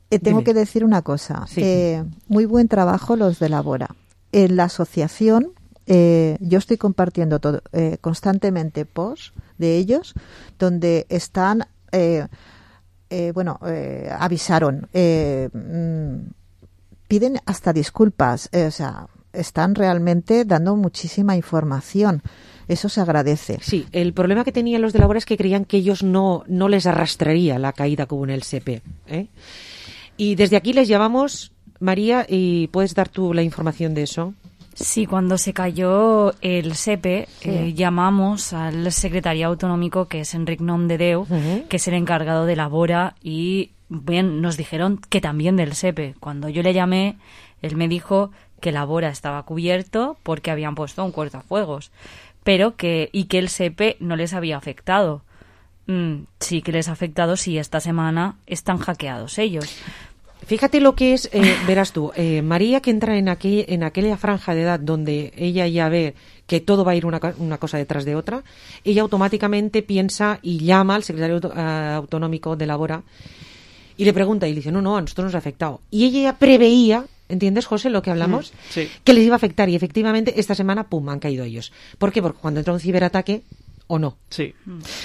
Eh, tengo Dime. que decir una cosa. Sí. Eh, muy buen trabajo los de Labora. En la asociación, eh, yo estoy compartiendo todo, eh, constantemente posts de ellos donde están, eh, eh, bueno, eh, avisaron, eh, mm, piden hasta disculpas, eh, o sea, están realmente dando muchísima información. Eso se agradece. Sí, el problema que tenían los de Labora es que creían que ellos no, no les arrastraría la caída como en el S P. ¿eh? Y desde aquí les llamamos, María, y puedes dar tú la información de eso. Sí, cuando se cayó el S E P E, Sí. eh, llamamos al secretariado autonómico, que es Enric Nomdedeu, Ujú. que es el encargado de Labora, y bien, nos dijeron que también del S E P E. Cuando yo le llamé, él me dijo que la Bora estaba cubierto porque habían puesto un cortafuegos, pero que y que el S E P E no les había afectado. Mm, sí que les ha afectado si esta semana están hackeados ellos. Fíjate lo que es, eh, verás tú, eh, María, que entra en, aquel, en aquella franja de edad donde ella ya ve que todo va a ir una, una cosa detrás de otra, ella automáticamente piensa y llama al secretario auto, uh, autonómico de la Bora y le pregunta y le dice, no, no, a nosotros nos ha afectado. Y ella ya preveía, ¿entiendes, José, lo que hablamos? Mm, sí. Que les iba a afectar y efectivamente esta semana, pum, han caído ellos. ¿Por qué? Porque cuando entra un ciberataque, ¿o no? Sí,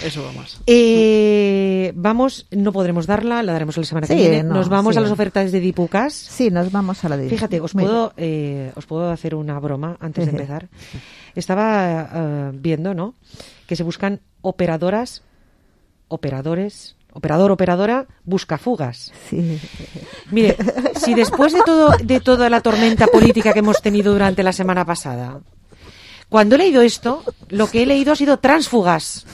eso va más. Eh, vamos, no podremos darla, la daremos la semana Sí, que viene. no, nos vamos sí. a las ofertas de Dipucas. Sí, nos vamos a la de Fíjate, os Muy puedo, eh, os puedo hacer una broma antes de Ejé. empezar. Estaba eh, viendo, ¿no?, que se buscan operadoras, operadores, operador, operadora, buscafugas. Sí. Mire, si después de todo, de toda la tormenta política que hemos tenido durante la semana pasada, cuando he leído esto, lo que he leído ha sido tránsfugas.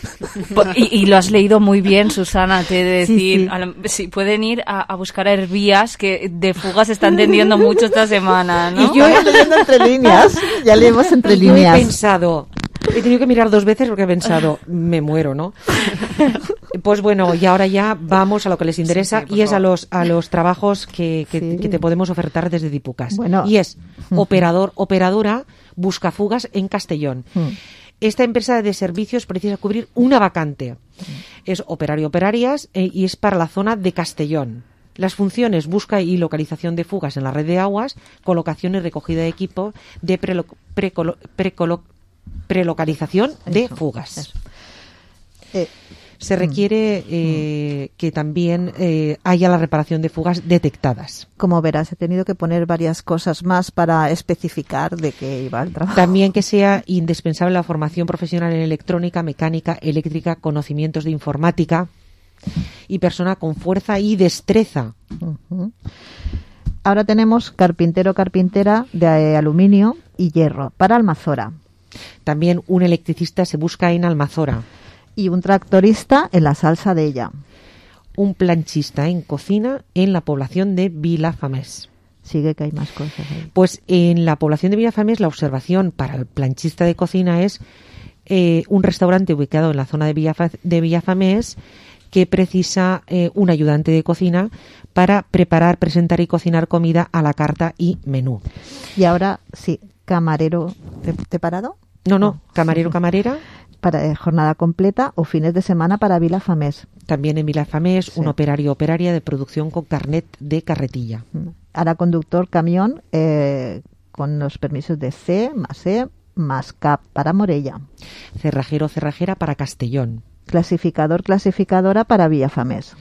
Y, y lo has leído muy bien, Susana, te he de Sí, decir. sí. A lo- si pueden ir a, a buscar a Hervías, que de fugas se están tendiendo mucho esta semana, ¿no? Y yo he leyendo entre líneas, ya leemos entre Y yo líneas. he pensado, he tenido que mirar dos veces porque he pensado, me muero, ¿no? Pues bueno, y ahora ya vamos a lo que les interesa, Sí, sí, por y es a favor. los a los trabajos que, que, Sí. que te podemos ofertar desde Dipucas. Bueno. Y es operador, operadora, buscafugas en Castellón. Mm. Esta empresa de servicios precisa cubrir una vacante. Es operario operarias eh, y es para la zona de Castellón. Las funciones: busca y localización de fugas en la red de aguas, colocación y recogida de equipo de prelo- precolo- precolo- prelocalización de Eso, fugas. eso. Eh, Se requiere eh, que también eh, haya la reparación de fugas detectadas. Como verás, he tenido que poner varias cosas más para especificar de qué iba el trabajo. También que sea indispensable la formación profesional en electrónica, mecánica, eléctrica, conocimientos de informática y persona con fuerza y destreza. Ujú. Ahora tenemos carpintero, carpintera de eh, aluminio y hierro para Almazora. También un electricista se busca en Almazora. Y un tractorista en la Salsa de ella. Un planchista en cocina en la población de Vilafamés. Sigue que hay más cosas ahí. Pues en la población de Vilafamés la observación para el planchista de cocina es eh, un restaurante ubicado en la zona de, Villafa- de Villafamés que precisa eh, un ayudante de cocina para preparar, presentar y cocinar comida a la carta y menú. Y ahora, sí, camarero, ¿te, te he parado? No, no, camarero, camarera. Para eh, jornada completa o fines de semana para Vilafamés. También en Vilafamés, Sí. un operario o operaria de producción con carnet de carretilla. Ahora conductor camión eh, con los permisos de C, más E, más C A P para Morella. Cerrajero o cerrajera para Castellón. Clasificador, clasificadora para Villafamés.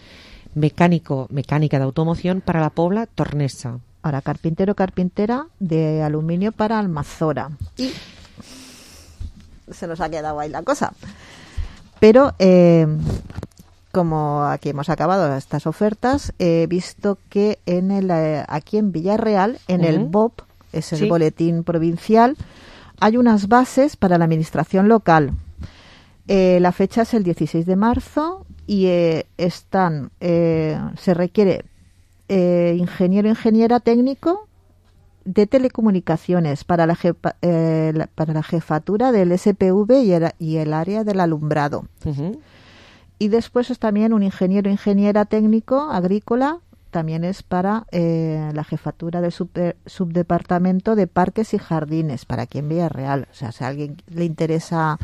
Mecánico, mecánica de automoción para la Pobla Tornesa. Ahora carpintero, carpintera de aluminio para Almazora. Y se nos ha quedado ahí la cosa. Pero eh, como aquí hemos acabado estas ofertas, he visto que en el eh, aquí en Villarreal, en el Ujú. B O P, es el Sí. boletín provincial, hay unas bases para la administración local. Eh, la fecha es el dieciséis de marzo y eh, están eh, se requiere eh, ingeniero ingeniera técnico de telecomunicaciones para la, jefa- eh, la- para la jefatura del S P V y el, y el área del alumbrado. Ujú. Y después es también un ingeniero ingeniera técnico agrícola, también es para eh, la jefatura del super- subdepartamento de parques y jardines, para aquí en Villarreal. O sea, si a alguien le interesa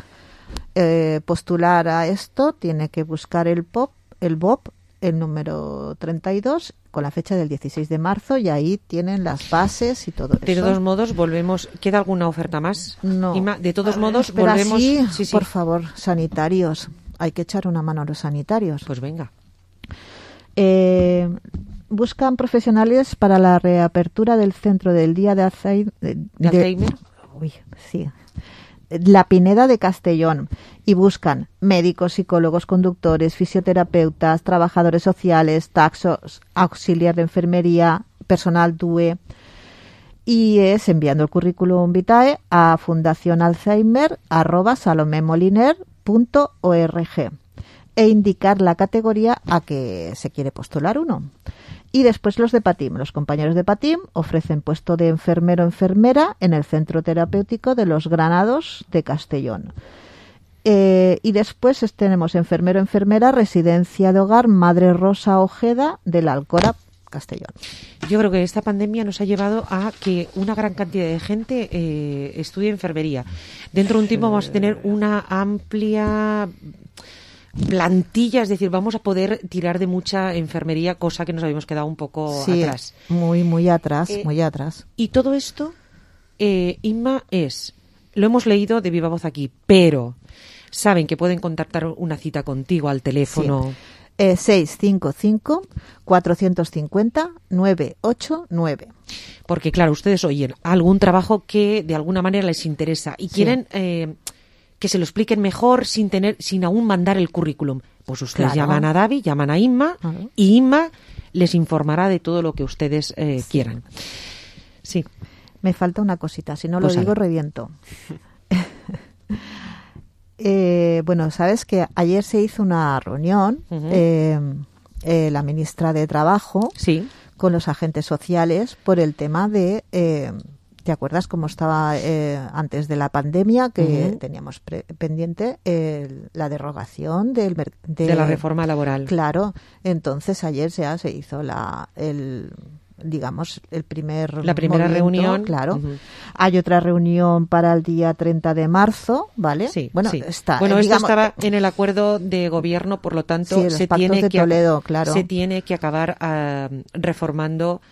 eh, postular a esto, tiene que buscar el P O P, el B O P, el número treinta y dos, con la fecha del dieciséis de marzo, y ahí tienen las bases y todo De eso. todos modos, volvemos. ¿Queda alguna oferta más? No. Inma? De todos modos, Espera, volvemos. sí, Sí, sí. por favor, sanitarios. Hay que echar una mano a los sanitarios. Pues venga. Eh, buscan profesionales para la reapertura del centro del día de, Alzheimer, de, ¿De Alzheimer? Uy, sí. La Pineda de Castellón, y buscan médicos, psicólogos, conductores, fisioterapeutas, trabajadores sociales, taxos, auxiliar de enfermería, personal D U E, y es enviando el currículum vitae a fundación alzheimer arroba salomemoliner punto org e indicar la categoría a que se quiere postular uno. Y después los de PATIM. Los compañeros de PATIM ofrecen puesto de enfermero o enfermera en el Centro Terapéutico de los Granados de Castellón. Eh, y después tenemos enfermero o enfermera, residencia de hogar Madre Rosa Ojeda de la Alcora, Castellón. Yo creo que esta pandemia nos ha llevado a que una gran cantidad de gente eh, estudie enfermería. Dentro de un tiempo vamos a tener una amplia plantilla, es decir, vamos a poder tirar de mucha enfermería, cosa que nos habíamos quedado un poco sí, atrás. Muy, muy atrás, Eh, muy atrás. Y todo esto, eh, Inma, es, lo hemos leído de viva voz aquí, pero saben que pueden contactar una cita contigo al teléfono. Sí. Eh, seis cinco cinco, cuatro cinco cero, nueve ocho nueve. Porque, claro, ustedes oyen algún trabajo que de alguna manera les interesa y Sí. quieren eh, que se lo expliquen mejor sin tener, sin aún mandar el currículum. Pues ustedes Claro. llaman a Davi, llaman a Inma Claro. y Inma les informará de todo lo que ustedes eh, Sí. quieran. Sí. Me falta una cosita, si no Pues lo digo ala. reviento. Eh, bueno, sabes que ayer se hizo una reunión, Ujú. eh, eh, la ministra de Trabajo, Sí. con los agentes sociales por el tema de, eh, ¿te acuerdas cómo estaba eh, antes de la pandemia que Ujú. teníamos pre- pendiente el- la derogación del mer- De la reforma laboral. Claro, entonces ayer ya se hizo la el digamos el primer La primera movimiento, reunión. claro. Ujú. Hay otra reunión para el día treinta de marzo, ¿vale? Sí, bueno, sí. está Bueno, eh, esto digamos, estaba en el acuerdo de gobierno, por lo tanto, Sí, los se pactos tiene de que Toledo, claro. se tiene que acabar ah, reformando,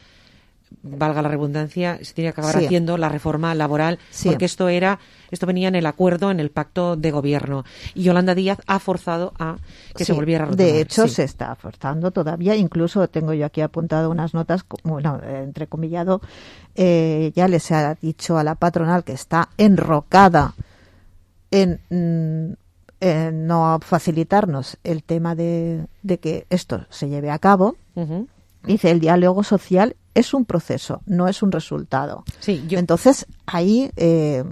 valga la redundancia, se tiene que acabar Sí. haciendo la reforma laboral, Sí. porque esto era, esto venía en el acuerdo, en el pacto de gobierno, y Yolanda Díaz ha forzado a que se Sí, volviera a retomar. de hecho, Sí. se está forzando todavía. Incluso tengo yo aquí apuntado unas notas, co- bueno, eh, entrecomillado. Eh, ya les ha dicho a la patronal que está enrocada en, mm, en no facilitarnos el tema de, de que esto se lleve a cabo. Ujú. Dice, el diálogo social es un proceso, no es un resultado. Sí, yo- Entonces, ahí eh,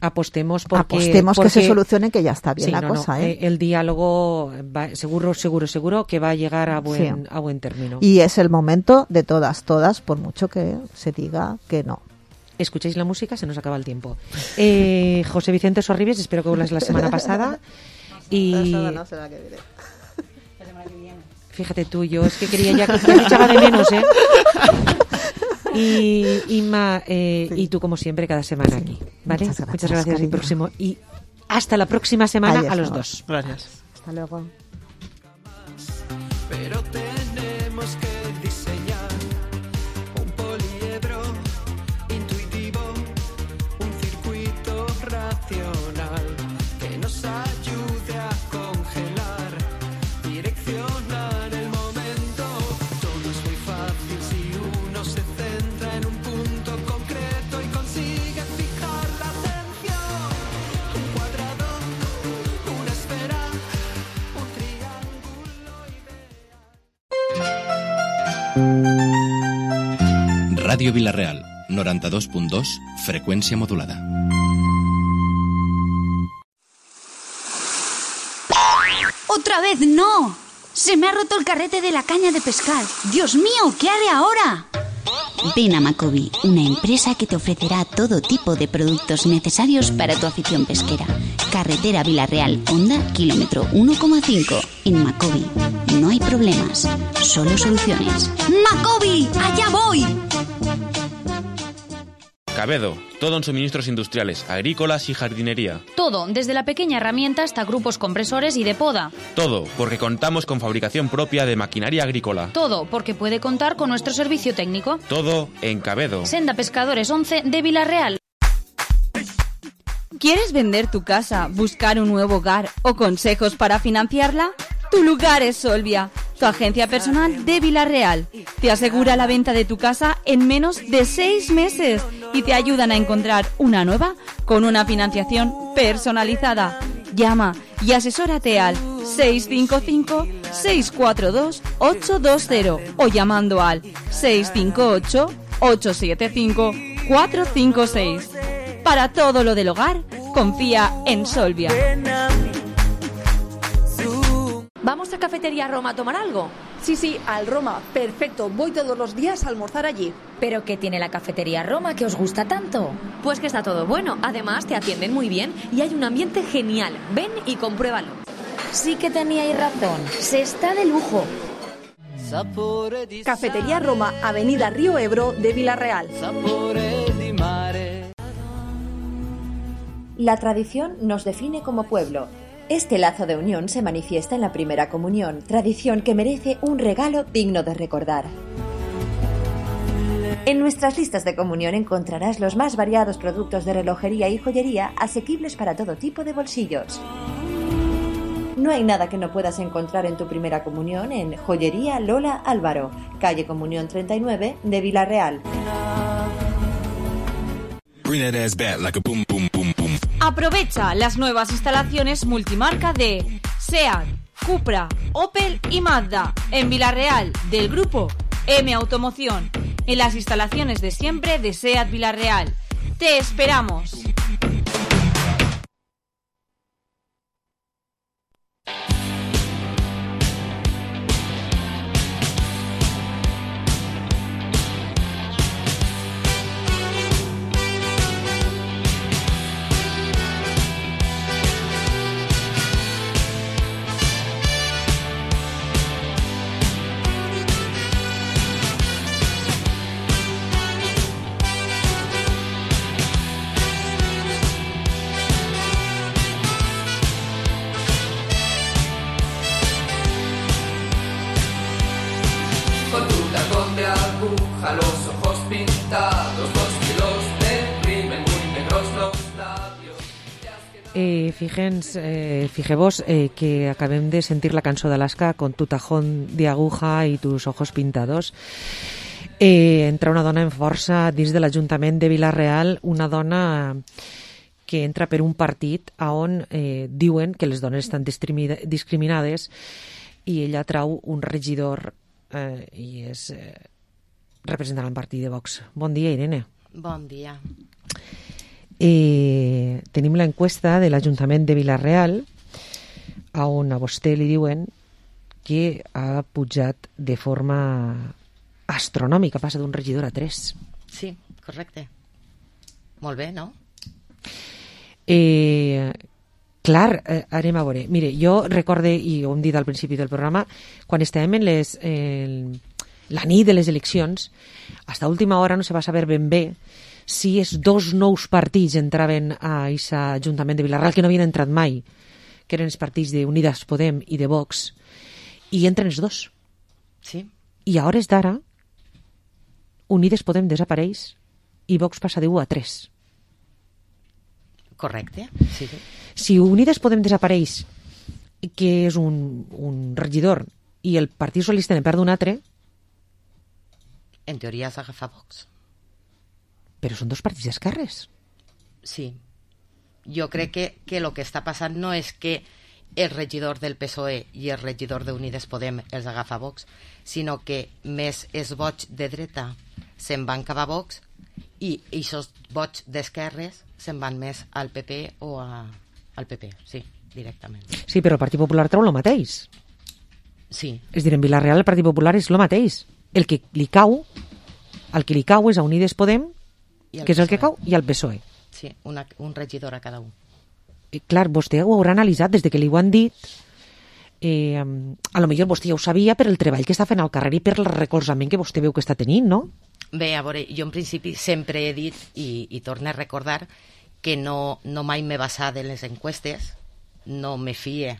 apostemos porque apostemos que se porque- solucione, que ya está bien Sí, la no, no, cosa. ¿eh? eh, el diálogo va- seguro, seguro, seguro que va a llegar a buen, Sí. a buen término. Y es el momento de todas, todas, por mucho que se diga que no. Escucháis la música, se nos acaba el tiempo. Eh, José Vicente Sorribes, espero que vuelvas la semana pasada. Y fíjate tú, yo es que quería ya que ya te echaba de menos, ¿eh? Y Inma, eh, y tú como siempre cada semana aquí, ¿vale? Muchas gracias, Muchas gracias y cariño. próximo y hasta la próxima semana Adiós, a los amor. dos. Gracias. Hasta luego. Pero tenemos que diseñar un poliedro intuitivo, un circuito racional que nos ayude a congelar, direccionar el momento. Todo es muy fácil si uno se centra en un punto concreto y consigue fijar la atención. Un cuadrado, una esfera, un triángulo. Ràdio Vila-real, noranta-dos punt dos, freqüència modulada. ¡Otra vez no! Se me ha roto el carrete de la caña de pescar. ¡Dios mío! ¿Qué haré ahora? Ven a Macobi, una empresa que te ofrecerá todo tipo de productos necesarios para tu afición pesquera. Carretera Vila-real, Honda, kilómetro uno coma cinco. En Macobi no hay problemas, solo soluciones. ¡Macobi! ¡Allá voy! Cabedo, todo en suministros industriales, agrícolas y jardinería. Todo, desde la pequeña herramienta hasta grupos compresores y de poda. Todo, porque contamos con fabricación propia de maquinaria agrícola. Todo, porque puede contar con nuestro servicio técnico. Todo en Cabedo. Senda Pescadores once de Vila-real. ¿Quieres vender tu casa, buscar un nuevo hogar o consejos para financiarla? Tu lugar es Solvia, tu agencia personal de Vila-real. Te asegura la venta de tu casa en menos de seis meses y te ayudan a encontrar una nueva con una financiación personalizada. Llama y asesórate al seis cinco cinco, seis cuatro dos, ocho dos cero o llamando al seis cinco ocho, ocho siete cinco, cuatro cinco seis. Para todo lo del hogar, confía en Solvia. ¿Vamos a Cafetería Roma a tomar algo? Sí, sí, al Roma. Perfecto. Voy todos los días a almorzar allí. ¿Pero qué tiene la cafetería Roma que os gusta tanto? Pues que está todo bueno. Además, te atienden muy bien y hay un ambiente genial. Ven y compruébalo. Sí que teníais razón. Se está de lujo. Cafetería Roma, Avenida Río Ebro de Villarreal. La tradición nos define como pueblo. Este lazo de unión se manifiesta en la primera comunión, tradición que merece un regalo digno de recordar. En nuestras listas de comunión encontrarás los más variados productos de relojería y joyería asequibles para todo tipo de bolsillos. No hay nada que no puedas encontrar en tu primera comunión en Joyería Lola Álvaro, calle Comunión treinta y nueve de Villarreal. Aprovecha las nuevas instalaciones multimarca de SEAT, Cupra, Opel y Mazda en Villarreal del grupo M Automoción, en las instalaciones de siempre de SEAT Villarreal. ¡Te esperamos! Con tu tacón de aguja, los ojos pintados, dos kilos de rímel muy negros los labios. Eh, fíjense, eh, fijeu-vos eh, que acabem de sentir la cançó d'Alaska con tu tajón de aguja i tus ojos pintados. Eh, entra una dona en força dins de l'Ajuntament de Villarreal, una dona que entra per un partit on eh, diuen que les dones estan discriminades i ella trau un regidor eh, i és eh, representant el partit de Vox. Bon dia, Irene. Bon dia. Eh, tenim l'enquesta de l'Ajuntament de Villarreal on a vostè li diuen que ha pujat de forma astronòmica, passa d'un regidor a tres. Sí, correcte. Molt bé, no? Eh, clar, eh, anem a veure. Mire, jo recorde, i ho hem dit al principi del programa, quan estàvem en les, eh, la nit de les eleccions, fins a última hora no se va saber ben bé si els dos nous partits entraven a aquest Ajuntament de Villarreal, que no havien entrat mai, que eren els partits d'Unides Podem i de Vox, i entren els dos. Sí. I a hores d'ara, Unides Podem desapareix i Vox passa de u a tres. Correcte, sí. Si Unides Podem desapareix, que és un, un regidor, i el Partit Socialista ne perd un altre... En teoria s'agafa Vox. Però són dos partits d'esquerres. Sí. Jo crec que, que el que està passant no és que el regidor del P S O E i el regidor d'Unides Podem els agafa Vox, sinó que més els vots de dreta se'n van cap a Vox i aquests vots d'esquerres se'n van més al P P o a, al P P, sí, directament. Sí, però el Partit Popular treu el mateix. Sí. És dir, en Villarreal el Partit Popular és el mateix. El que li cau, el que li cau és a Unides Podem, que és el que cau, i al P S O E. Sí, una, un regidor a cada un. I, clar, vostè ho haurà analitzat des de que li ho han dit. Eh, a lo millor vostè ja ho sabia per el treball que està fent al carrer i per el recolzament que vostè veu que està tenint, no? Bé, a veure, jo en principi sempre he dit, i, i torno a recordar, que no, no mai m'he basat en les enquestes, no me fie,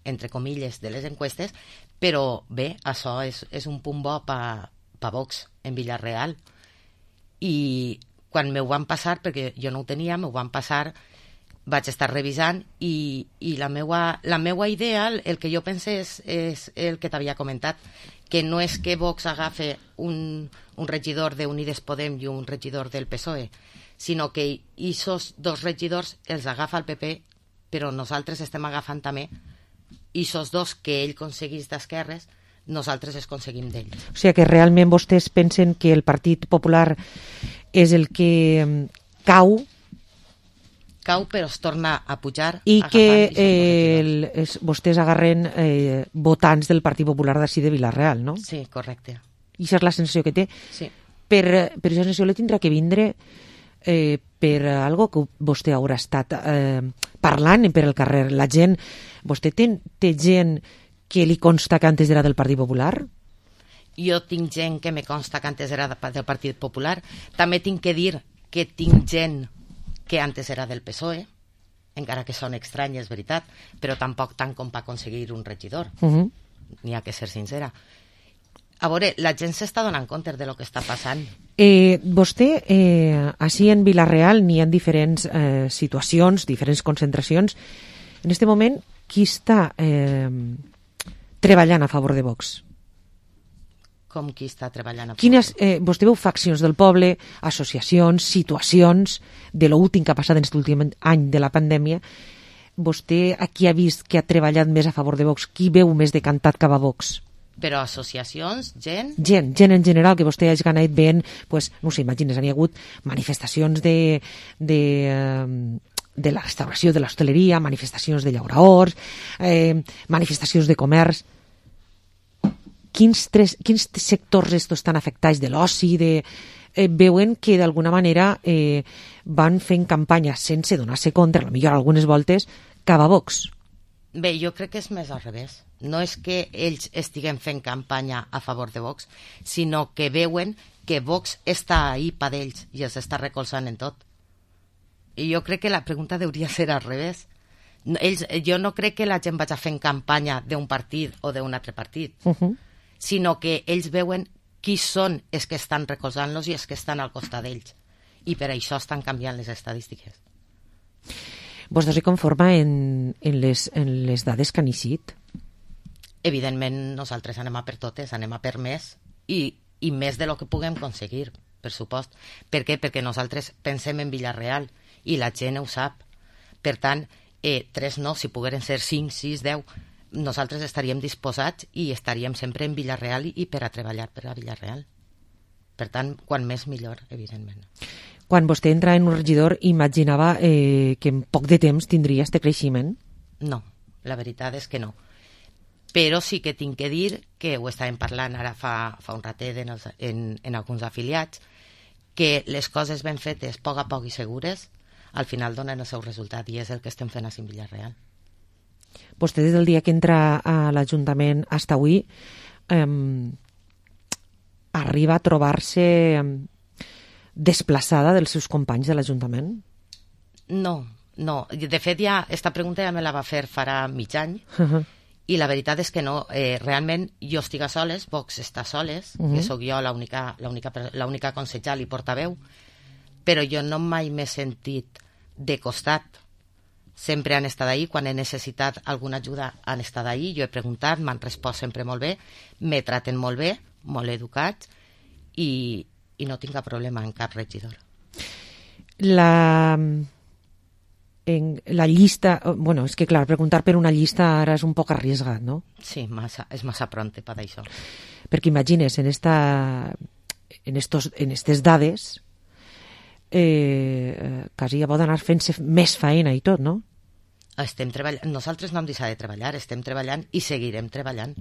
entre comilles, de les enquestes, però bé, això és, és un punt bo pa, pa Vox en Villarreal. I quan m'ho van passar, perquè jo no ho tenia, m'ho van passar, vaig estar revisant i, i la, meua, la meua idea, el que jo pense és, és el que t'havia comentat, que no és que Vox agafe un, un regidor d'Unides Podem i un regidor del P S O E, sinó que aquests dos regidors els agafa el P P, però nosaltres estem agafant també aquests dos que ell aconseguís d'esquerres, nosaltres els aconseguim d'ell. O sigui que realment vostès pensen que el Partit Popular és el que cau cau però es torna a pujar i agafant, que i eh, el, es, vostès agarren eh, votants del Partit Popular d'ací de Vila-real, no? Sí, correcte. I això és la sensació que té. Sí. Per, per aquesta sensació li tindrà que vindre eh, per algo que vostè haurà estat eh, parlant per el carrer. La gent, vostè té, té gent que li consta que antes era del Partit Popular? Jo tinc gent que me consta que antes era del Partit Popular. També tinc que dir que tinc gent que antes era del P S O E, encara que són estranyes, és veritat, però tampoc tant com per aconseguir un regidor. Uh -huh. N'hi ha que ser sincera. A veure, la gent s'està donant compte de lo que està passant. Eh, vostè, eh, així en Vila-real n'hi ha diferents eh, situacions, diferents concentracions. En aquest moment, qui està eh, treballant a favor de Vox? Com qui està treballant a favor? Quines, eh, vostè veu faccions del poble, associacions, situacions de l'últim que ha passat en aquest últim any de la pandèmia. Vostè aquí ha vist que ha treballat més a favor de Vox? Qui veu més decantat cap a Vox? Però associacions, gent... Gent, gent en general, que vostè hagi anat veient, pues, no sé, imagines, hi ha hagut manifestacions de, de, de la restauració de l'hostaleria, manifestacions de llauraors, eh, manifestacions de comerç. Quins, tres, quins sectors estos estan afectats de l'oci, de... Eh, veuen que d'alguna manera eh, van fent campanya sense donar-se compte, potser algunes voltes, cap a Vox? Bé, jo crec que és més al revés. No és que ells estiguen fent campanya a favor de Vox, sinó que veuen que Vox està ahí per ells i els està recolzant en tot. I jo crec que la pregunta hauria ser al revés. Ells, jo no crec que la gent vagi fent campanya d'un partit o d'un altre partit, uh -huh. sinó que ells veuen qui són els que estan recolzant-los i els que estan al costat d'ells. I per això estan canviant les estadístiques. Vostè se conforma en, en, les, en les dades que han eixit? Evidentment, nosaltres anem a per totes, anem a per més, i, i més de lo que puguem aconseguir, per supost. Per què? Perquè nosaltres pensem en Vila-real, i la gent ho sap. Per tant, eh, tres no, si pogueren ser cinc, sis, deu, nosaltres estaríem disposats i estaríem sempre en Vila-real i, i per a treballar per a Vila-real. Per tant, quan més millor, evidentment. Quan vostè entra en un regidor, imaginava eh, que en poc de temps tindria este creixement? No, la veritat és que no. Però sí que tinc que dir que ho estàvem parlant ara fa, fa un ratet en, els, en, en alguns afiliats, que les coses ben fetes, a poc a poc i segures, al final donen el seu resultat, i és el que estem fent a Vila-real. Vostè, des del dia que entra a l'Ajuntament fins avui, eh, arriba a trobar-se eh, desplaçada dels seus companys de l'Ajuntament? No, no. De fet, ja, esta pregunta ja me la va fer farà mig any, Uh -huh. i la veritat és que no. Eh, realment, jo estic a soles, Vox està soles, uh -huh. que sóc jo l'única l'única consellera i portaveu, però jo no mai m'he sentit de costat. Sempre han estat ahí, quan he necessitat alguna ajuda han estat ahí, jo he preguntat, m'han respost sempre molt bé, me traten molt bé, molt educats, i, i no tinc cap problema en cap regidor. La, en la llista, bueno, és que clar, preguntar per una llista ara és un poc arriesgat, no? Sí, massa, és massa pronte per això. Perquè imagines, en esta, en estos, en estes dades, eh, quasi ja pot anar fent-se més feina i tot, no? Estem treballant, nosaltres no hem deixat de treballar, estem treballant i seguirem treballant.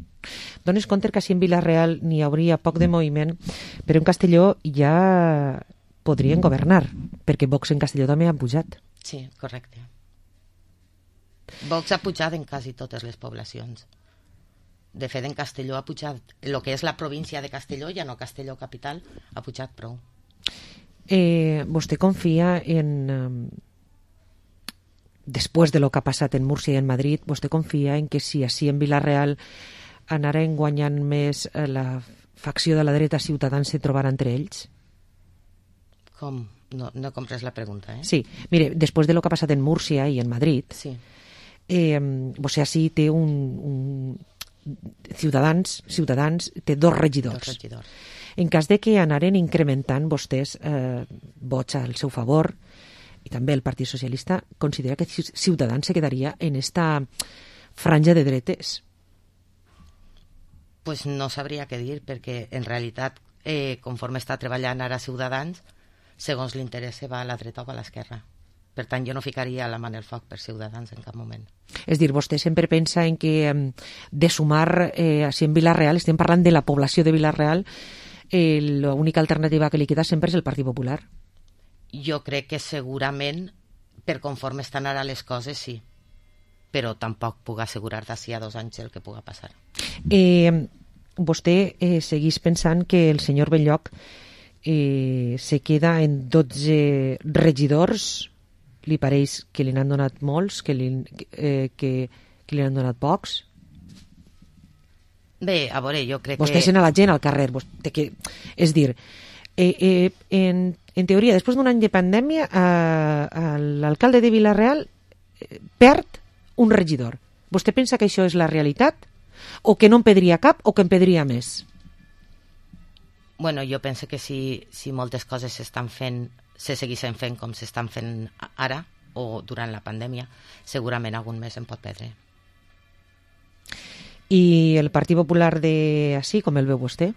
Dones compte que així en Vila-real n'hi hauria poc de moviment, però en Castelló ja podrien governar, perquè Vox en Castelló també ha pujat. Sí, correcte. Vox ha pujat en quasi totes les poblacions. De fet, en Castelló ha pujat, el que és la província de Castelló, ja no Castelló capital, ha pujat prou. Eh, vostè confia en... Eh, després de lo que ha passat en Múrcia i en Madrid, vostè confia en que si així en Vila-real anaren guanyant més eh, la facció de la dreta Ciutadans se trobarà entre ells? Com? No, no compres la pregunta, eh? Sí, mire, després de lo que ha passat en Múrcia i en Madrid, sí. eh, vostè així té un, un Ciutadans, Ciutadans té dos regidors. Dos regidors. En cas de que anaren incrementant vostès eh, vots al seu favor, i també el Partit Socialista, considera que Ciutadans se quedaria en esta franja de dretes? Pues no sabria què dir, perquè en realitat, eh, conforme està treballant ara Ciutadans, segons l'interès va a la dreta o a l'esquerra. Per tant, jo no ficaria la mà en el foc per Ciutadans en cap moment. És dir, vostè sempre pensa en que de sumar, eh, així en Vila-real, estem parlant de la població de Vila-real, eh, l'única alternativa que li queda sempre és el Partit Popular. Jo crec que segurament, per conforme estan ara les coses, sí. Però tampoc puc assegurar d'ací a dos anys el que puga passar. Eh, vostè eh, seguís pensant que el senyor Belloc eh, se queda en dotze regidors. Li pareix que li n'han donat molts, que li, eh, que, que li han donat pocs? Bé, a veure, jo crec vostè que... Vostè sent a la gent al carrer. Vostè que, és dir, eh, eh, en, en teoria, després d'un any de pandèmia, eh, l'alcalde de Vila-real eh, perd un regidor. Vostè pensa que això és la realitat? O que no en perdria cap o que en perdria més? Bueno, jo penso que si, si moltes coses s'estan fent, se seguissin fent com s'estan fent ara o durant la pandèmia, segurament algun més en pot perdre. I el Partit Popular de així, com el veu vostè?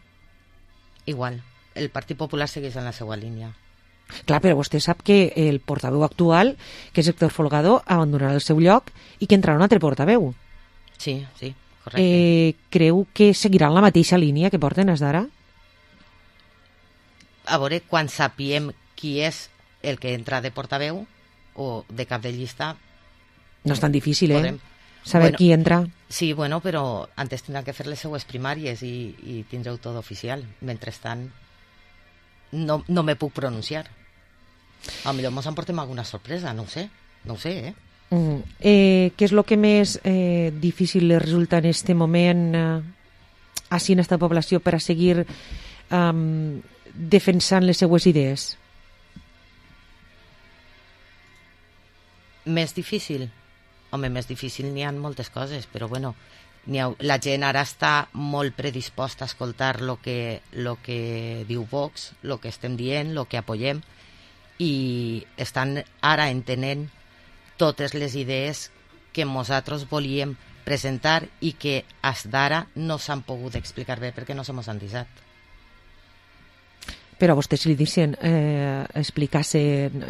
Igual. El Partit Popular segueix en la seva línia. Clar, però vostè sap que el portaveu actual, que és Héctor Folgado, abandonarà el seu lloc i que entrarà un altre portaveu. Sí, sí, correcte. Eh, creu que seguiran la mateixa línia que porten des d'ara? A veure, quan sapiem qui és el que entra de portaveu o de cap de llista... No és tan difícil, eh? Podem... Saber bueno, qui entra. Sí, bueno, però antes tindran que fer les seues primàries i, i tindreu tot oficial. Mentrestant, no, no me puc pronunciar. A millor mos emportem alguna sorpresa, no ho sé. No ho sé, eh? Mm. eh què és el que més eh, difícil li resulta en este moment eh, així en esta població per a seguir um, defensant les seues idees? Més difícil? Home, més difícil n'hi ha moltes coses, però bueno, ha, la gent ara està molt predisposta a escoltar el que, lo que diu Vox, el que estem dient, el que apoyem, i estan ara entenent totes les idees que nosaltres volíem presentar i que fins d'ara no s'han pogut explicar bé perquè no se mos han disat. Però a vostè si li deixen eh, explicar-se en,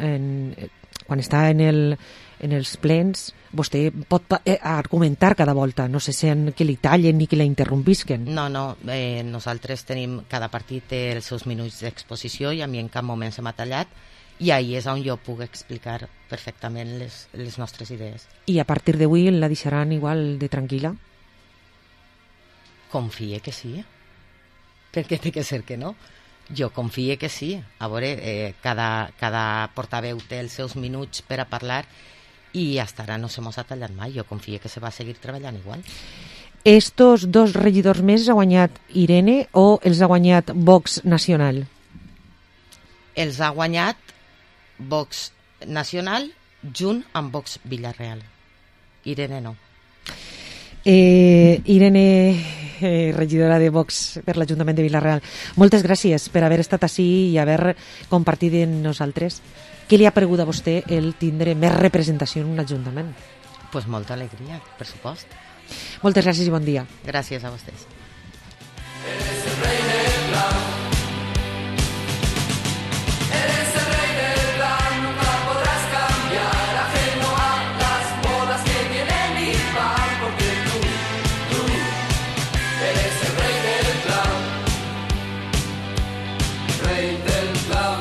en, quan està en, el, en els plens, vostè pot eh, argumentar cada volta, no se sent que li tallen ni que la interrompisquen. No, no, eh, nosaltres tenim, cada partit té els seus minuts d'exposició i a mi en cap moment se m'ha tallat i ahí és on jo puc explicar perfectament les, les nostres idees. I a partir d'avui la deixaran igual de tranquil·la? Confie que sí, perquè té que ser que no. Jo confie que sí. A veure, eh, cada, cada portaveu té els seus minuts per a parlar i fins ara no se mos ha tallat mai. Jo confie que se va seguir treballant igual. Estos dos regidors més ha guanyat Irene o els ha guanyat Vox Nacional? Els ha guanyat Vox Nacional junt amb Vox Vila-real. Irene no. Eh, Irene, eh, regidora de Vox per l'Ajuntament de Vila-real, moltes gràcies per haver estat ací i haver compartit amb nosaltres. Què li ha paregut a vostè el tindre més representació en un ajuntament? Pues molta alegria, per supost. Moltes gràcies i bon dia. Gràcies a vostès. Eres el rei del blau. Eres el rei del blau, nunca podrás cambiar, ajeno a las modas que vienen y van, porque tú, tú, eres el rey del blau. Rey del blau.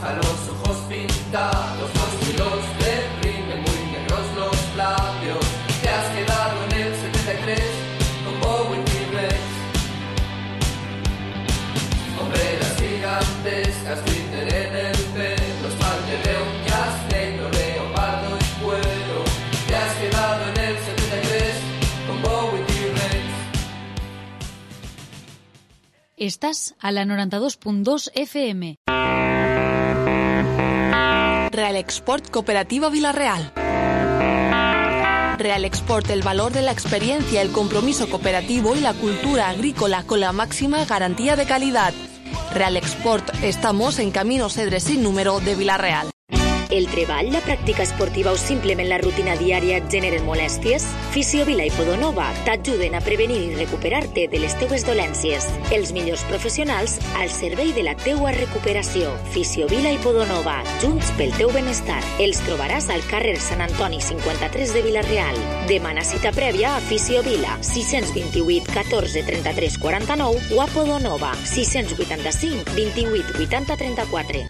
Los ojos pintados, los hilos deprimen, muy negros los labios. Te has quedado en el setenta y tres con Bowie T-Rex. Hombreras gigantescas, glitter en el pelo, espalda de león, jazz negro, leopardo y cuero. Te has quedado en el setenta y tres con Bowie T-Rex. Estás a la noranta-dos punt dos F M. Real Export Cooperativa Vila-real. Real Export, el valor de la experiencia, el compromiso cooperativo y la cultura agrícola con la máxima garantía de calidad. Real Export, estamos en Camino Cedre sin número de Vila-real. El treball, la pràctica esportiva o simplement la rutina diària et generen molèsties? Fisiovila i Podonova t'ajuden a prevenir i recuperar-te de les teues dolències. Els millors professionals al servei de la teua recuperació. Fisiovila i Podonova, junts pel teu benestar. Els trobaràs al carrer Sant Antoni cinquanta-tres de Vila-real. Demana cita prèvia a Fisiovila, sis dos vuit, catorze, trenta-tres, quaranta-nou o a Podonova, sis vuit cinc, vint-i-vuit, vuitanta, trenta-quatre.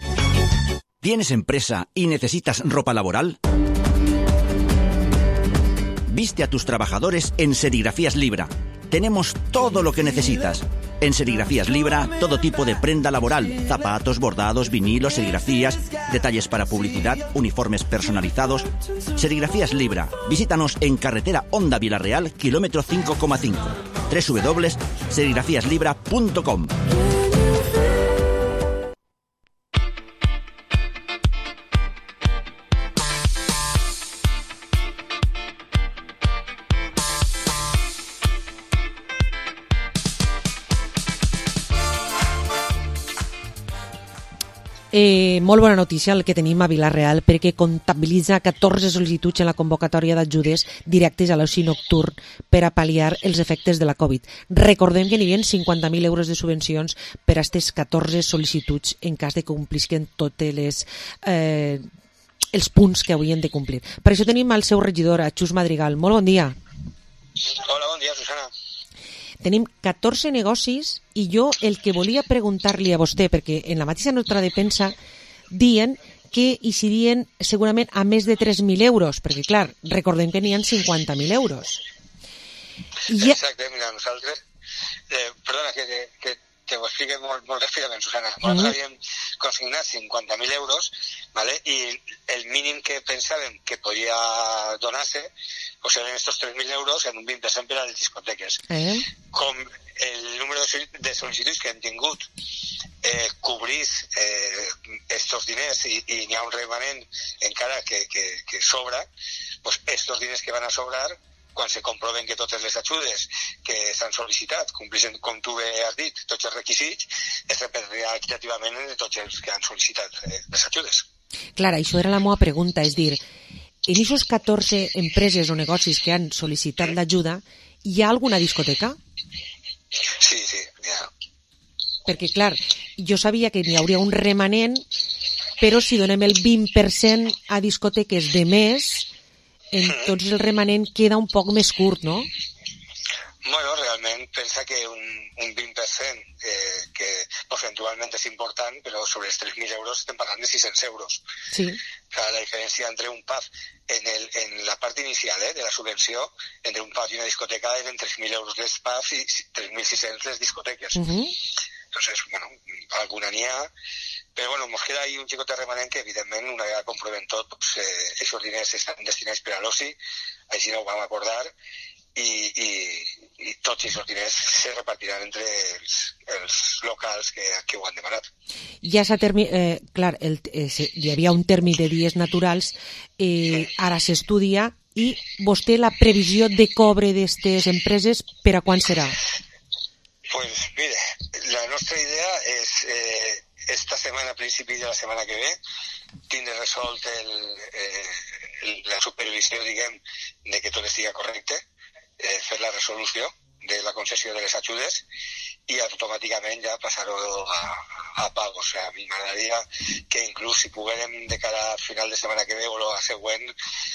¿Tienes empresa y necesitas ropa laboral? Viste a tus trabajadores en Serigrafías Libra. Tenemos todo lo que necesitas. En Serigrafías Libra, todo tipo de prenda laboral, zapatos, bordados, vinilos, serigrafías, detalles para publicidad, uniformes personalizados. Serigrafías Libra. Visítanos en carretera Honda Vila-real, kilómetro cinco coma cinco. doble u doble u doble u punto serigrafías libra punto com. Eh, molt bona notícia el que tenim a Vila-real perquè comptabilitza catorze sol·licituds en la convocatòria d'ajudes directes a l'oci nocturn per a pal·liar els efectes de la Covid. Recordem que n'hi havia cinquanta mil euros de subvencions per a aquestes catorze sol·licituds en cas de que complisquen tots les, eh, els punts que haurien de complir. Per això tenim el seu regidor, a Xus Madrigal. Molt bon dia. Hola, bon dia, Susana. Tenim catorze negocis i jo el que volia preguntar-li a vostè, perquè en la mateixa nota de premsa diuen que hi serien segurament a més de tres mil euros, perquè clar, recordem que n'hi ha cinquanta mil euros. I... Exacte, mira, nosaltres... Eh, perdona, que, que, que te ho explique molt, molt ràpidament, Susana. Nosaltres mm. havíem consignat cinquanta mil euros, ¿vale? I el mínim que pensàvem que podia donar-se o sea, en estos tres mil euros en un vint per cent per a les discoteques. Eh? Com el número de sol·licituds que hem tingut eh, cobrís eh, estos diners i, i n'hi ha un remanent encara que, que, que sobra, pues estos diners que van a sobrar, quan se comproven que totes les ajudes que s'han sol·licitat compleixen, com tu has dit, tots els requisits, es repartirà equitativament de tots els que han sol·licitat eh, les ajudes. Clar, això era la meva pregunta, és dir, en aquestes catorze empreses o negocis que han sol·licitat l'ajuda, hi ha alguna discoteca? Sí, sí, hi ha. Perquè, clar, jo sabia que n'hi hauria un remanent, però si donem el vint per cent a discoteques de més, entonces el remanent queda un poc més curt, no? Bueno, realment pensa que un, un vint per cent eh, que percentualment és important, però sobre els tres mil euros estem parlant de sis-cents euros. Sí. O sea, la diferència entre un pub en, el, en la part inicial eh, de la subvenció, entre un pub i una discoteca eren tres mil euros les pubs i tres mil sis-cents les discoteques. Uh-huh. Entonces, bueno, alguna n'hi ha, però bueno, ens queda ahí un xicot de remanent que evidentment una vegada comprovem tot, pues, eh, aquests diners estan destinats per a l'oci, així no ho vam acordar, i, i, i tots aquests diners se repartiran entre els, els locals que, que ho han demanat. Ja s'ha terminat, eh, clar, el, eh, hi havia un termini de dies naturals, eh, ara s'estudia, i vostè la previsió de cobre d'aquestes empreses per a quan serà? Pues mire, la nostra idea és eh, esta setmana, a principi de la setmana que ve, tindre resolt el, eh, la supervisió, diguem, de que tot estigui correcte, eh, fer la resolució de la concessió de les ajudes i automàticament ja passar-ho a, a pago. O sea, a mi m'agradaria que inclús si poguérem de cara a final de setmana que ve o la següent,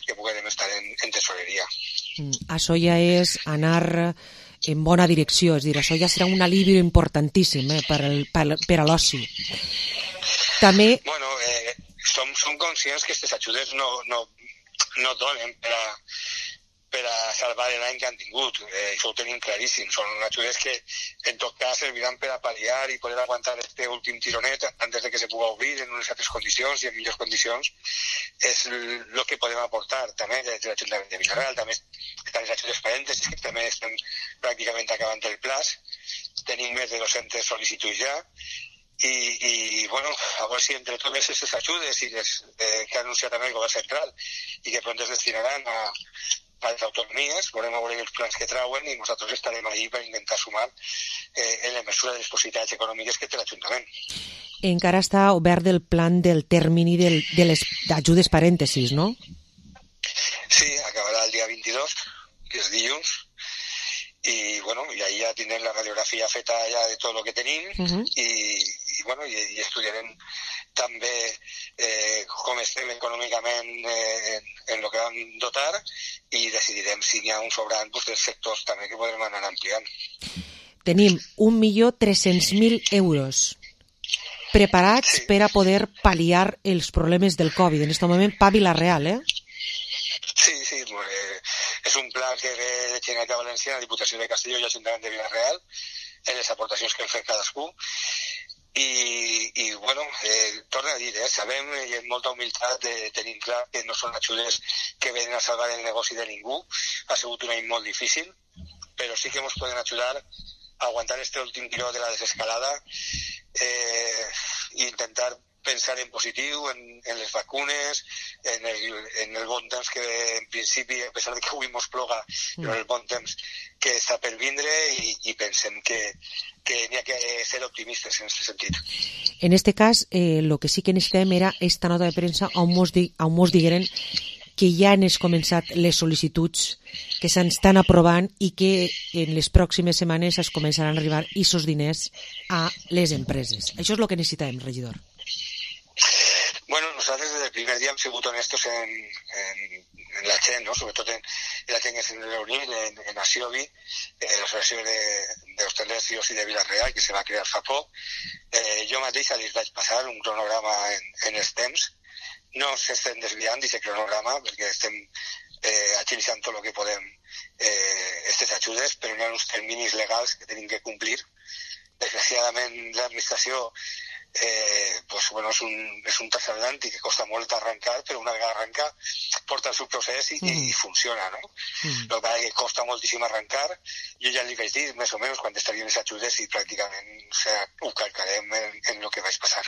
que poguérem estar en, en tesoreria. Mm, això ja és anar en bona direcció, és dir, això ja serà un alivi importantíssim eh, per, el, per, per a l'oci. També... Bueno, eh, som, som conscients que aquestes ajudes no, no, no donen per a, per a salvar l'any que han tingut. Eh, això ho tenim claríssim. Són ajudes que en tot cas serviran per a pal·liar i poder aguantar este últim tironet antes de que se pugui obrir en unes altres condicions i en millors condicions. És el que podem aportar també des de l'Ajuntament de Vila-real. També estan les ajudes parèntesis, que també estem pràcticament acabant el plaç. Tenim més de dos-centes sol·licituds ja. I, i bueno, a veure si entre totes aquestes ajudes i les eh, que ha anunciat també el govern central i que pront es destinaran a, a les autonomies, veurem a veure els plans que trauen i nosaltres estarem ahí per intentar sumar eh, en la mesura de les possibilitats econòmiques que té l'Ajuntament. Encara està obert el plan del termini del, de les ajudes parèntesis, no? Sí, acabarà el dia vint-i-dos, que és dilluns, i bueno, i ahí ja tindrem la radiografia feta ja de tot el que tenim uh-huh. i, i bueno, i, i estudiarem també eh, com estem econòmicament eh, en, en el que vam dotar i decidirem si n'hi ha un sobrant pues, dels sectors també que podrem anar ampliant. Tenim un milió tres-cents mil euros preparats sí. per a poder pal·liar els problemes del Covid. En aquest moment, pa Vila-real, eh? Sí, sí, eh, és un pla que ve de Generalitat Valenciana, Diputació de Castelló i Ajuntament de Vila-real, en les aportacions que hem fet cadascú. I, i bueno, eh, torno a dir, eh, sabem i amb molta humilitat de tenir clar que no són ajudes que venen a salvar el negoci de ningú. Ha sigut un any molt difícil, però sí que ens poden ajudar a aguantar este últim tiró de la desescalada eh, i intentar pensar en positiu, en, en les vacunes, en el, en el bon temps que en principi, a pesar de que avui mos ploga, mm. però el bon temps que està per vindre i, i pensem que, que n'hi ha que ser optimistes en aquest sentit. En este cas, eh, lo que sí que necessitem era esta nota de premsa on mos, di, on mos digueren que ja han començat les sol·licituds que s'estan aprovant i que en les pròximes setmanes es començaran a arribar aquests diners a les empreses. Això és el que necessitem, regidor. Bueno, nosaltres des del primer dia hem sigut honestos en, en, en la gent, ¿no? Sobretot en, en la gent que s'ha reunit en, en Asiobi, eh, l'associació d'hostalers i oci de Vila-real, que se va crear fa poc. Eh, jo mateix els vaig passar un cronograma en, en els temps. No s'estem desviant d'aquest cronograma perquè estem eh, agilitzant tot el que podem eh, aquestes ajudes, però hi ha uns terminis legals que tenim que complir. Desgraciadament, l'administració Eh, pues, bueno, és un, és un transatlàntic que costa molt arrencar, però una vegada arrenca porta el seu procés i, mm. i funciona, no? Mm. El que, que costa moltíssim arrencar, jo ja li vaig dir més o menys quan estarien les ajudes i pràcticament o sea, ho calcarem en, en el que vaig passar.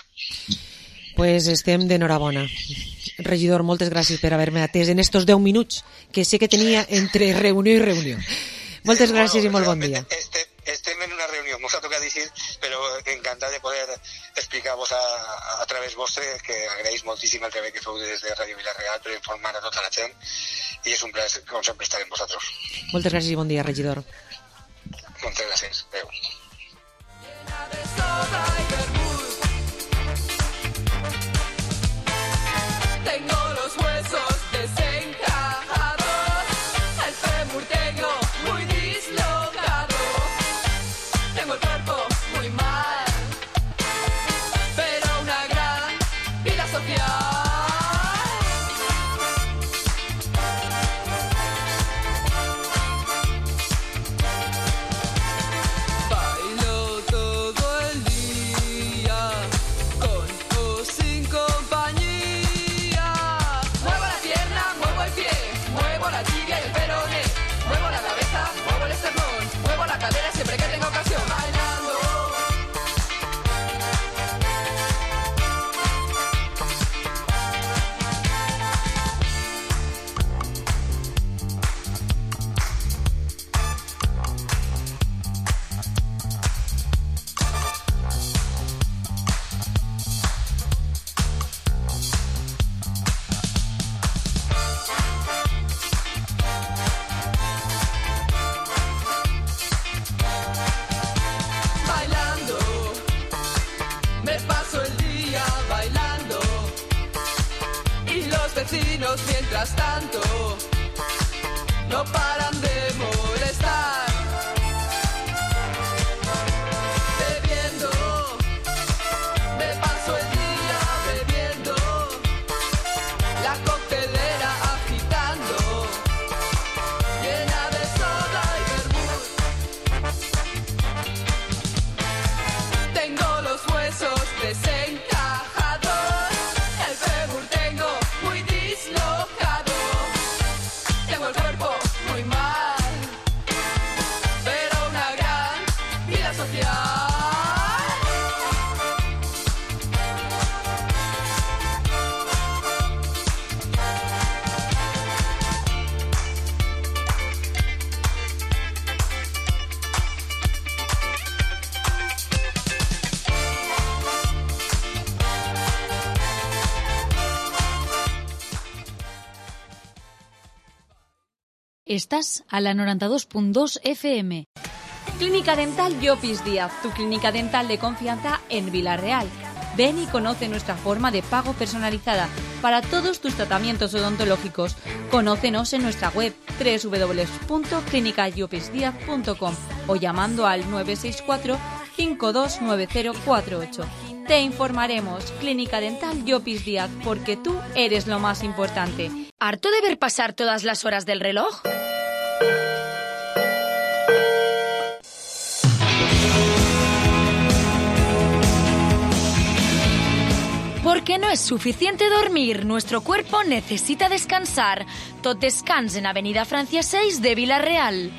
Pues estem d'enhorabona. Regidor, moltes gràcies per haver-me atès en estos deu minuts que sé que tenia entre reunió i reunió. Moltes gràcies bueno, i molt bon dia. Estem, estem en una reunió, mos ha tocat dir, però encantat de poder explicar-vos a, a través vostre, que agraeix moltíssim el treball que feu des de Ràdio Vila-real per informar a tota la gent, i és un plaer, com sempre, estar amb vosaltres. Moltes gràcies i bon dia, regidor. Moltes gràcies. Adéu. Tengo los huesos desencajados, el fémur tengo muy dislocado, tengo el cuerpo muy mal, pero una gran vida social. Bailo todo el día, con o sin compañía. Muevo la pierna, muevo el pie, muevo la tibia y el peroné, muevo la cabeza, muevo el esternón, muevo la cadera siempre que tenga ocasión. Bailando. Bailando, me paso el día bailando y los vecinos mientras tanto no paran de molestar. Bebiendo, me paso el día bebiendo, la coctelera agitando, llena de soda y vermut. Tengo los huesos desencajados, el fémur tengo muy dislocado, tengo el cuerpo muy mal. Estás a la noventa y dos punto dos F M. Clínica Dental Llopis Díaz, tu clínica dental de confianza en Villarreal. Ven y conoce nuestra forma de pago personalizada para todos tus tratamientos odontológicos. Conócenos en nuestra web doble u doble u doble u punto clínica llopis díaz punto com o llamando al nueve seis cuatro, cinco dos nueve cero cuatro ocho. Te informaremos. Clínica Dental Llopis Díaz, porque tú eres lo más importante. ¿Harto de ver pasar todas las horas del reloj? Porque no es suficiente dormir, nuestro cuerpo necesita descansar. Tot Descans en Avenida Francia seis de Villarreal.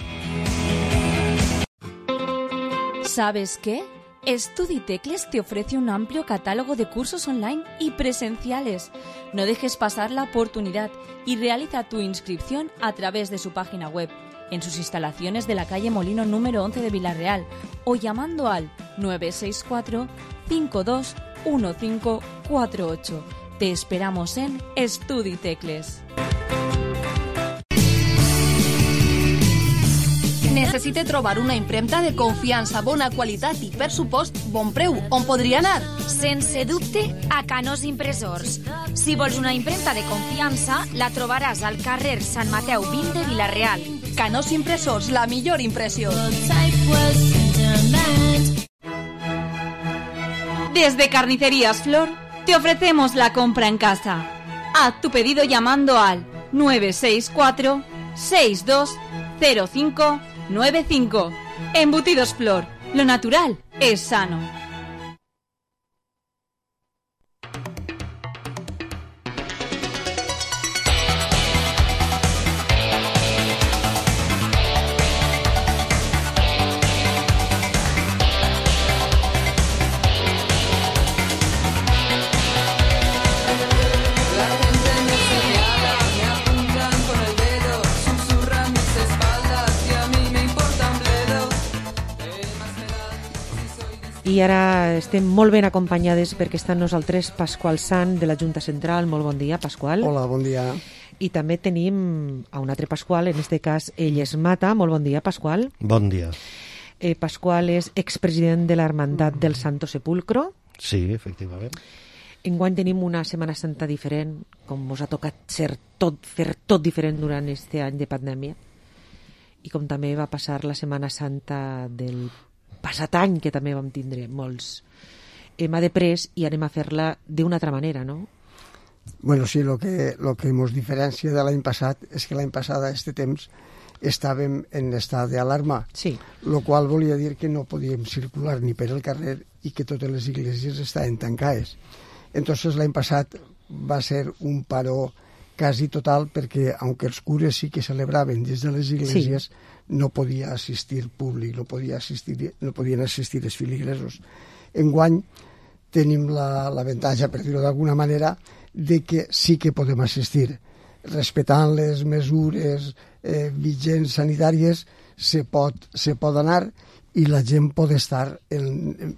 ¿Sabes qué? Studitecles te ofrece un amplio catálogo de cursos online y presenciales. No dejes pasar la oportunidad y realiza tu inscripción a través de su página web, en sus instalaciones de la calle Molino número once de Villarreal o llamando al nueve seis cuatro, cinco dos uno cinco cuatro ocho. Te esperamos en Studitecles. Necessite trobar una impremta de confiança, bona qualitat i, per supost, bon preu. On podria anar? Sense dubte, a Canós Impressors. Si vols una impremta de confiança, la trobaràs al carrer Sant Mateu vint de Villarreal. Canós Impressors, la millor impressió. Desde Carnicerías Flor te ofrecemos la compra en casa. Haz tu pedido llamando al nueve seis cuatro, seis dos cero cinco nueve cinco. Embutidos Flor, lo natural es sano. I ara estem molt ben acompanyades perquè està amb nosaltres Pasqual Sant de la Junta Central. Molt bon dia, Pasqual. Hola, bon dia. I també tenim a un altre Pasqual, en aquest cas ell és Mata. Molt bon dia, Pasqual. Bon dia. Eh, Pasqual és expresident de l'Hermandat del Santo Sepulcro. Sí, efectivament. Enguany tenim una Setmana Santa diferent, com us ha tocat ser tot, fer tot diferent durant aquest any de pandèmia. I com també va passar la Setmana Santa del passat any, que també vam tindre molts. Hem après i anem a fer-la d'una altra manera, no? Bueno, sí, lo que, lo que ens diferencia de l'any passat és que l'any passat a este temps estàvem en estat d'alarma, sí. Lo qual volia dir que no podíem circular ni per el carrer i que totes les iglesias estaven tancades. Entonces l'any passat va ser un paró quasi total perquè, aunque els cures sí que celebraven des de les iglesias, sí. no podia assistir públic, no, podia assistir, no podien assistir els filigresos. Enguany tenim l'avantatge, per dir-ho d'alguna manera, de que sí que podem assistir. Respectant les mesures eh, vigents sanitàries, se pot, se pot anar i la gent pot estar en, en,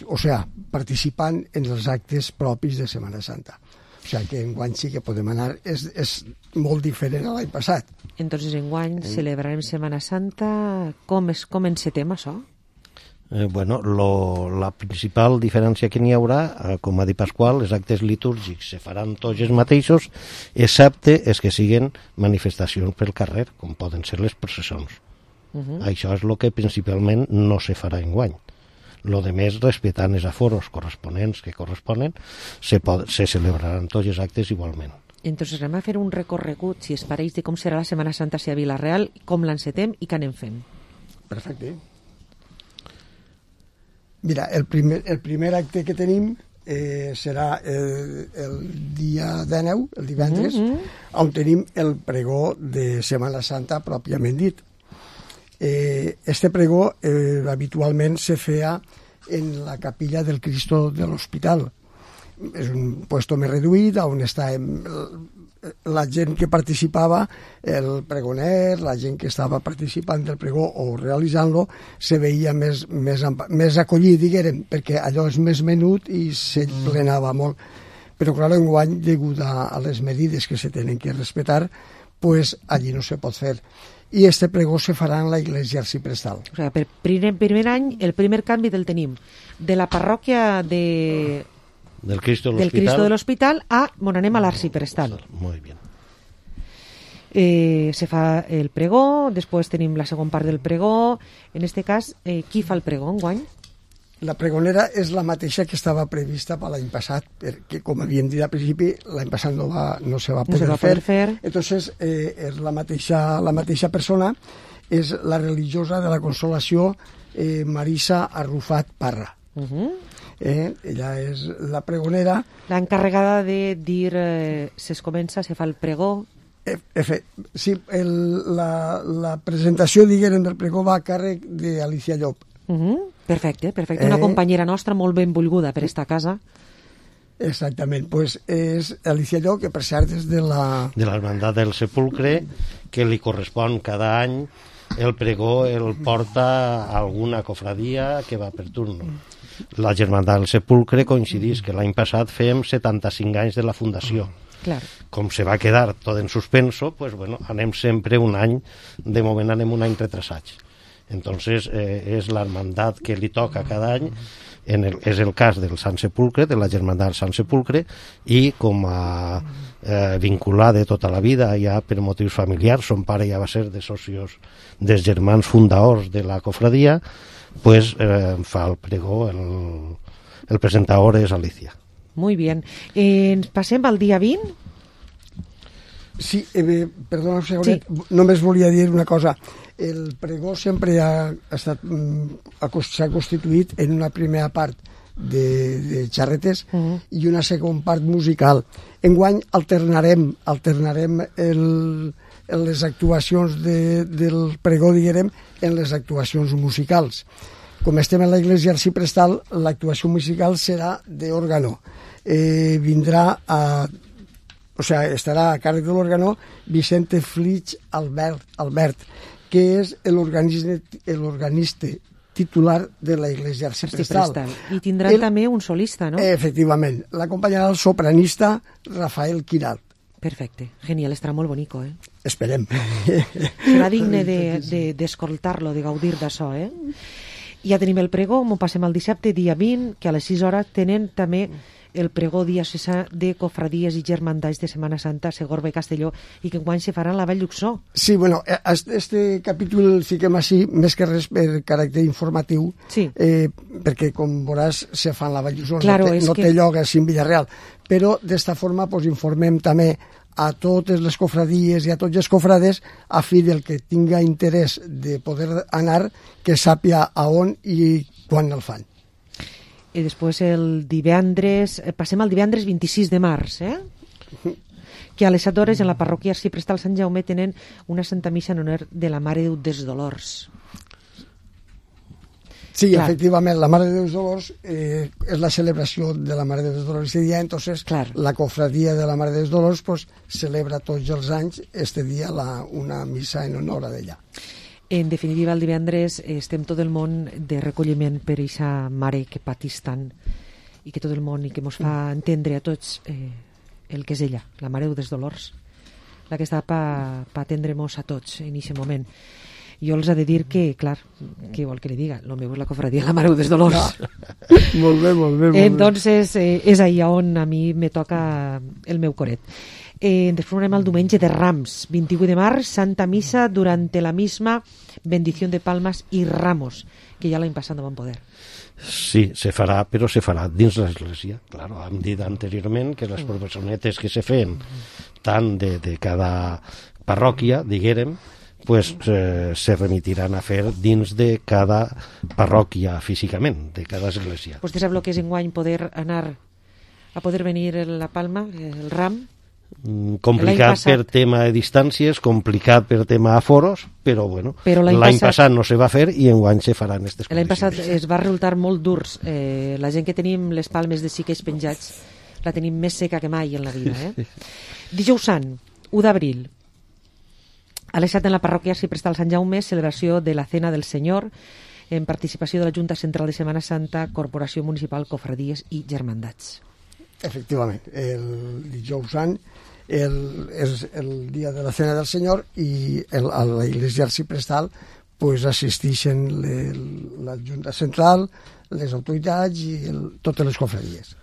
o sea, participant en els actes propis de Setmana Santa. O sigui que enguany sí que podem anar, és, és molt diferent a l'any passat. Entonces enguany eh. celebrarem Setmana Santa, com, és, com encetem això? Eh, bueno, lo, la principal diferència que n'hi haurà, eh, com ha dit Pasqual, els actes litúrgics se faran tots els mateixos, excepte els que siguen manifestacions pel carrer, com poden ser les processons. Uh -huh. Això és el que principalment no se farà enguany. Lo de més, respectant els aforos corresponents que corresponen, se, pod se celebraran tots els actes igualment. Entonces anem a fer un recorregut, si es pareix, de com serà la Setmana Santa a Villarreal, com l'encetem i què anem fent. Perfecte. Mira, el primer, el primer acte que tenim eh, serà el, el dia dinou, el divendres, mm -hmm. on tenim el pregó de Setmana Santa pròpiament dit. Eh, este pregó eh, habitualment se feia en la capilla del Cristo de l'Hospital. És un puesto més reduït on està la gent que participava, el pregoner, la gent que estava participant del pregó o realitzant-lo, se veia més, més, més acollit, diguem, perquè allò és més menut i se plenava molt. Però, clar, enguany, degut a, a les medides que se tenen que respectar, pues allí no se pot fer. I este pregó se farà en la iglesia arciprestal. O sigui, per primer, primer any, el primer canvi del tenim de la parròquia de... del Cristo de del Cristo de l'Hospital a on anem a l'arciprestal. Muy bien. Eh, se fa el pregó, després tenim la segona part del pregó. En este cas, eh, qui fa el pregó enguany? La pregonera és la mateixa que estava prevista per l'any passat, perquè, com havíem dit al principi, l'any passat no, va, no se va poder, no se va fer. poder fer. Entonces, eh, és la mateixa, la mateixa persona, és la religiosa de la Consolació, eh, Marisa Arrufat Parra. Uh -huh. eh, ella és la pregonera. La encarregada de dir, eh, se comença, se fa el pregó. Efe, sí, el, la, la presentació, diguem, del pregó va a càrrec d'Alicia Llop. Uh -huh. Perfecte, perfecte. Una Eh, companyera nostra molt benvolguda per esta casa. Exactament, pues és Alicia Llop, que per cert és de la... de l'Hermandat del Sepulcre, que li correspon cada any el pregó, el porta a alguna cofradia que va per turno. La Germandat del Sepulcre coincidís que l'any passat fèiem setanta-cinc anys de la fundació. Clar. Com se va quedar tot en suspenso, pues bueno, anem sempre un any, de moment anem un any retrasats. Entonces, eh, és l'hermandat que li toca cada any, en el, és el cas del Sant Sepulcre, de la Germandat del Sant Sepulcre, i com a eh, vinculada tota la vida, ja per motius familiars, son pare ja va ser de socios dels germans fundadors de la cofradia, pues eh, fa el pregó, el, el presentador és Alicia. Muy bien. Eh, ens passem al dia vint? Sí, eh, perdona un segonet, sí. Només volia dir una cosa. El pregó sempre ha, ha estat, s'ha constituït en una primera part de, de xarretes uh-huh. i una segona part musical. Enguany alternarem, alternarem el, les actuacions de, del pregó, diguem, en les actuacions musicals. Com estem en la iglesia arciprestal, l'actuació musical serà d'òrgano. Eh, vindrà a... O sea, estarà a càrrec de l'òrgano Vicente Flix Albert, Albert que és l'organista titular de la iglesia arciprestal. I tindrà el, també un solista, no? Efectivament. L'acompanyarà el sopranista Rafael Quiralt. Perfecte. Genial, estarà molt bonico, eh? Esperem. Serà digne d'escoltar-lo, de, de, de gaudir d'això, eh? Ja tenim el pregó, m'ho passem al dissabte, dia vint, que a les sis hores tenen també el pregó diocesà de cofradies i germandats de Setmana Santa, Segorba i Castelló, i que enguany se farà en la Vall d'Uxó. Sí, bueno, este capítol el fiquem així, més que res per caràcter informatiu, sí. eh, perquè, com veuràs, se fa en la Vall d'Uxó, claro, no té, no que... té lloc així en Villarreal. Però, d'esta forma, pues, informem també a totes les cofradies i a tots els cofrades, a fi del que tinga interès de poder anar, que sàpia a on i quan el fan. I després el divendres, passem al divendres vint-i-sis de març, eh? que a les set hores en la parròquia arciprestal Sant Jaume tenen una Santa Missa en honor de la Mare de Déu dels Dolors. Sí, clar. Efectivament, la Mare de Déu dels Dolors eh, és la celebració de la Mare de Déu dels Dolors aquest dia, entonces clar. La cofradia de la Mare de Déu dels Dolors pues, celebra tots els anys este dia la, una missa en honor a d'ella. En definitiva, el divendres estem tot el món de recolliment per aquesta mare que patís tant i que tot el món i que ens fa entendre a tots eh, el que és ella, la Mare dels Dolors, la que està per pa atendre-nos a tots en aquest moment. Jo els he de dir que, clar, què vol que li diga? El meu és la cofradia de la Mare dels Dolors. No. Molt bé, molt bé. Molt Entonces, eh, és ahí on a mi me toca el meu coret. Eh, després anem al diumenge de Rams, vint-i-vuit de març, Santa Missa durant la misma bendició de palmes i ramos, que ja l'any passat no van poder. Sí, se farà, però se farà dins l'església. Claro, hem dit anteriorment que les professonetes que se feien tant de, de cada parròquia, diguérem, pues eh, se remitiran a fer dins de cada parròquia físicament, de cada església. Vostè sap el que és enguany poder anar a poder venir la palma, el ram? Complicat per tema de distàncies, complicat per tema aforos, però bueno, però l'any passat, passat no se va fer i enguany se faran aquestes condicions. L'any passat es va resultar molt durs. Eh, la gent que tenim les palmes de xiquets penjats la tenim més seca que mai en la vida. Eh? Dijous Sant, u d'abril, a les set en la parròquia arciprestal Sant Jaume, celebració de la Cena del Senyor en participació de la Junta Central de Setmana Santa, Corporació Municipal, Cofradies i Germandats. Efectivament, el dijous Sant el, és el dia de la Cena del Senyor i el, a la Iglesia Arciprestal pues, assisteixen le, la Junta Central, les autoritats i el, totes les cofradies.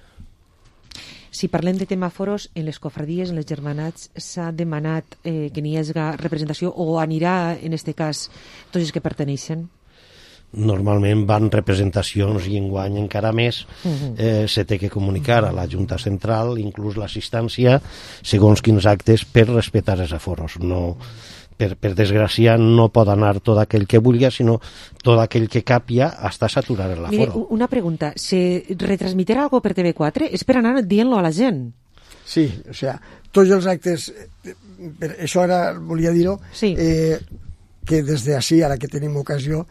Si parlem de tema foros, en les cofradies, en les germanats, s'ha demanat eh, que n'hi hagi representació o anirà, en aquest cas, tots els que perteneixen? Normalment van representacions i enguany encara més eh, se té que comunicar a la Junta Central inclús l'assistència segons quins actes per respectar els aforos. No, per, per desgràcia no pot anar tot aquell que vulgui, sinó tot aquell que capia hasta saturar l'aforo. Mire, una pregunta, se retransmitirà algo per T V quatre? És per anar dient-lo a la gent? Sí, o sea, tots els actes, per això ara volia dir-ho, sí. eh, que des d'ací, ara que tenim ocasió,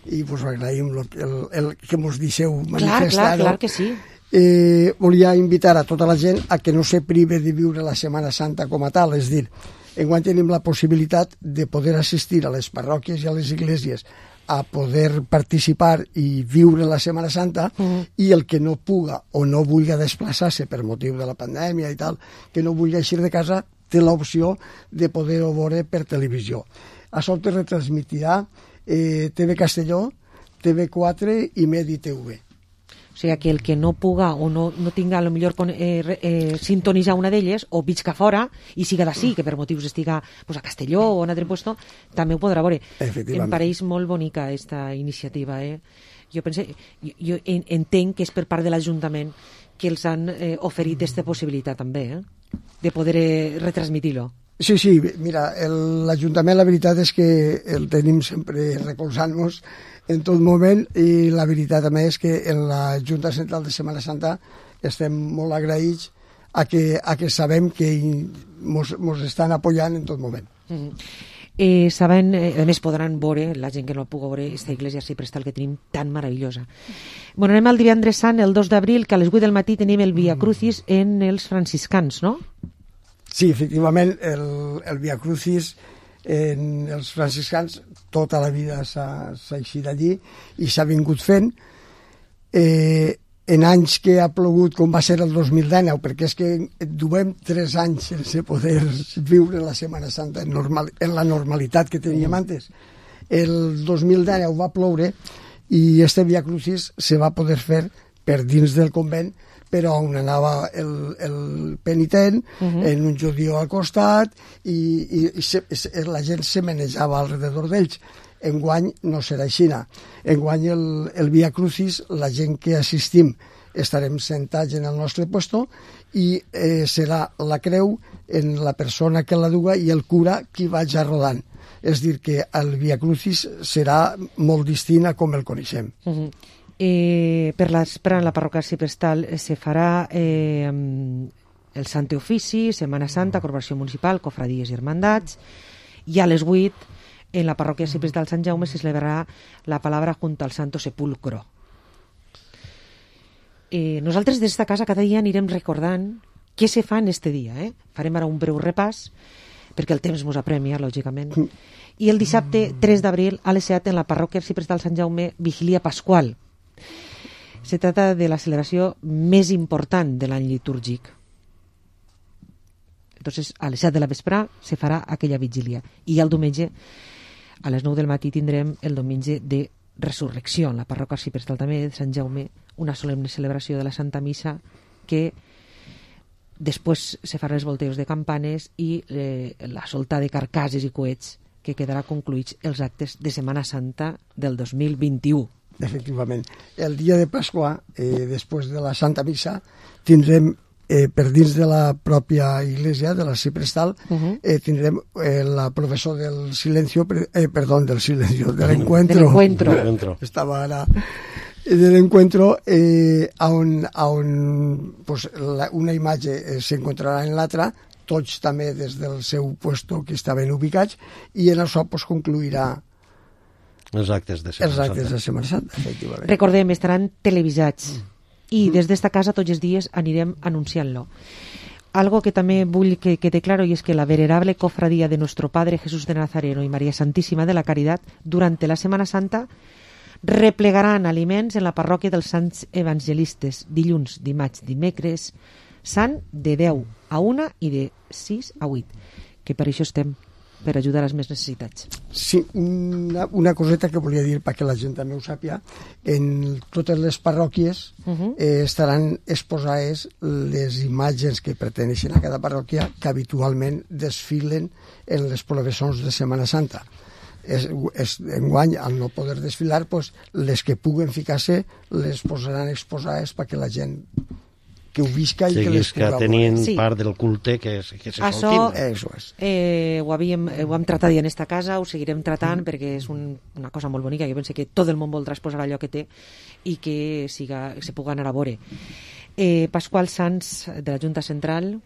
i vos agraïm el, el, el que mos deixeu manifestar. Clar, clar, clar que sí. Eh, volia invitar a tota la gent a que no se prive de viure la Setmana Santa com a tal, és dir, enguany tenim la possibilitat de poder assistir a les parròquies i a les esglésies a poder participar i viure la Setmana Santa uh-huh. i el que no puga o no vulgui desplaçar-se per motiu de la pandèmia i tal, que no vulgui eixir de casa, té l'opció de poder-ho veure per televisió. Això te retransmitirà Eh, T V Castelló, T V quatre i Medi T V. O sigui que el que no puga o no, no tinga a lo millor eh, eh, sintonitzar una d'elles o visca fora i siga d'ací, que per motius estiga pues, a Castelló o en altre puesto, també ho podrà veure. Em pareix molt bonica aquesta iniciativa. Eh? Jo, pense, jo, jo entenc que és per part de l'Ajuntament que els han eh, oferit aquesta possibilitat també, eh? de poder eh, retransmitir-lo. Sí, sí, mira, l'Ajuntament la veritat és que el tenim sempre recolzant-nos en tot moment i la veritat també és que en la Junta Central de Setmana Santa estem molt agraïts a que, a que sabem que mos, mos estan apoyant en tot moment. Mm-hmm. Eh, saben, eh, a més podran veure, la gent que no pugui veure aquesta iglesia arciprestal que tenim tan meravellosa. Bueno, anem al divendres sant, el dos d'abril, que a les vuit del matí tenim el Via Crucis en els franciscans, no? Sí, efectivament, el, el Via Crucis en els franciscans tota la vida s'ha eixit allí i s'ha vingut fent. Eh, en anys que ha plogut, com va ser el dos mil dinou, perquè és que duem tres anys sense poder viure la Setmana Santa en, normal, en la normalitat que teníem antes. El dos mil dinou va ploure i este Via Crucis se va poder fer per dins del convent, però on anava el, el penitent, uh-huh. en un judío al costat, i, i, i se, la gent se manejava alrededor d'ells. Enguany no serà així. Enguany el, el Via Crucis, la gent que assistim estarem sentats en el nostre puesto i eh, serà la creu en la persona que la duga i el cura qui vaja rodant. És dir, que el Via Crucis serà molt distint a com el coneixem. Uh-huh. Eh, per l'espera en la parròquia arciprestal se farà eh, el Sant Ofici, Setmana Santa, Corporació Municipal, Cofradies i Hermandats, i a les vuit en la parròquia arciprestal Sant Jaume se celebrarà la palabra junto al Santo Sepulcro. Eh, nosaltres des d'esta casa cada dia anirem recordant què se fa en este dia. Eh? Farem ara un breu repàs, perquè el temps ens apremia, lògicament. I el dissabte tres d'abril a les set en la parròquia arciprestal Sant Jaume, Vigilia Pasqual. Se trata de la celebració més important de l'any litúrgic. Entonces, a les set de la vesprà se farà aquella vigília. I el diumenge, a les nou del matí, tindrem el diumenge de Resurrecció, en la parròquia arciprestal també de Sant Jaume, una solemne celebració de la Santa Missa que després se faran els volteos de campanes i eh, la solta de carcasses i coets que quedarà concluïts els actes de Setmana Santa del dos mil vint-i-u. Efectivament. El dia de Pasqua, eh, després de la Santa Missa, tindrem eh, per dins de la pròpia iglesia, de la Arciprestal, uh-huh. eh, tindrem eh, la professor del silencio, eh, perdón, del silencio, del encuentro. Del encuentro. Estava ara... del encuentro eh, on, on pues, la, una imatge eh, s'encontrarà en l'altra, tots també des del seu puesto que estaven ubicats, i en això pues, concluirà els actes de Setmana Santa. Els actes de Setmana Santa, efectivament. Recordem, estaran televisats i des d'esta casa tots els dies anirem anunciant-lo. Algo que també vull que quede claro y es que la venerable cofradía de nuestro Padre Jesús de Nazareno y María Santísima de la Caridad durante la Setmana Santa replegaran aliments en la parròquia dels Sants Evangelistes dilluns, dimarts, dimecres, Sant de deu a una i de sis a vuit, que per això estem, per ajudar a les més necessitats. Sí, una, una coseta que volia dir perquè la gent també ho sàpia. En totes les parròquies uh-huh. eh, estaran exposades les imatges que perteneixen a cada parròquia que habitualment desfilen en les processons de Setmana Santa. És, és, enguany, al no poder desfilar, pues, les que puguen ficar-se les posaran exposades perquè la gent que ho visca i sí, que les puga tenint sí. part del culte que, es, que se Això, Això és. Eh, ho, havíem, ho hem tratat ja en esta casa, ho seguirem tratant mm. perquè és un, una cosa molt bonica. Jo penso que tot el món voldrà exposar allò que té i que siga, se pugui anar a veure. Eh, Pasqual Sanz, de la Junta Central,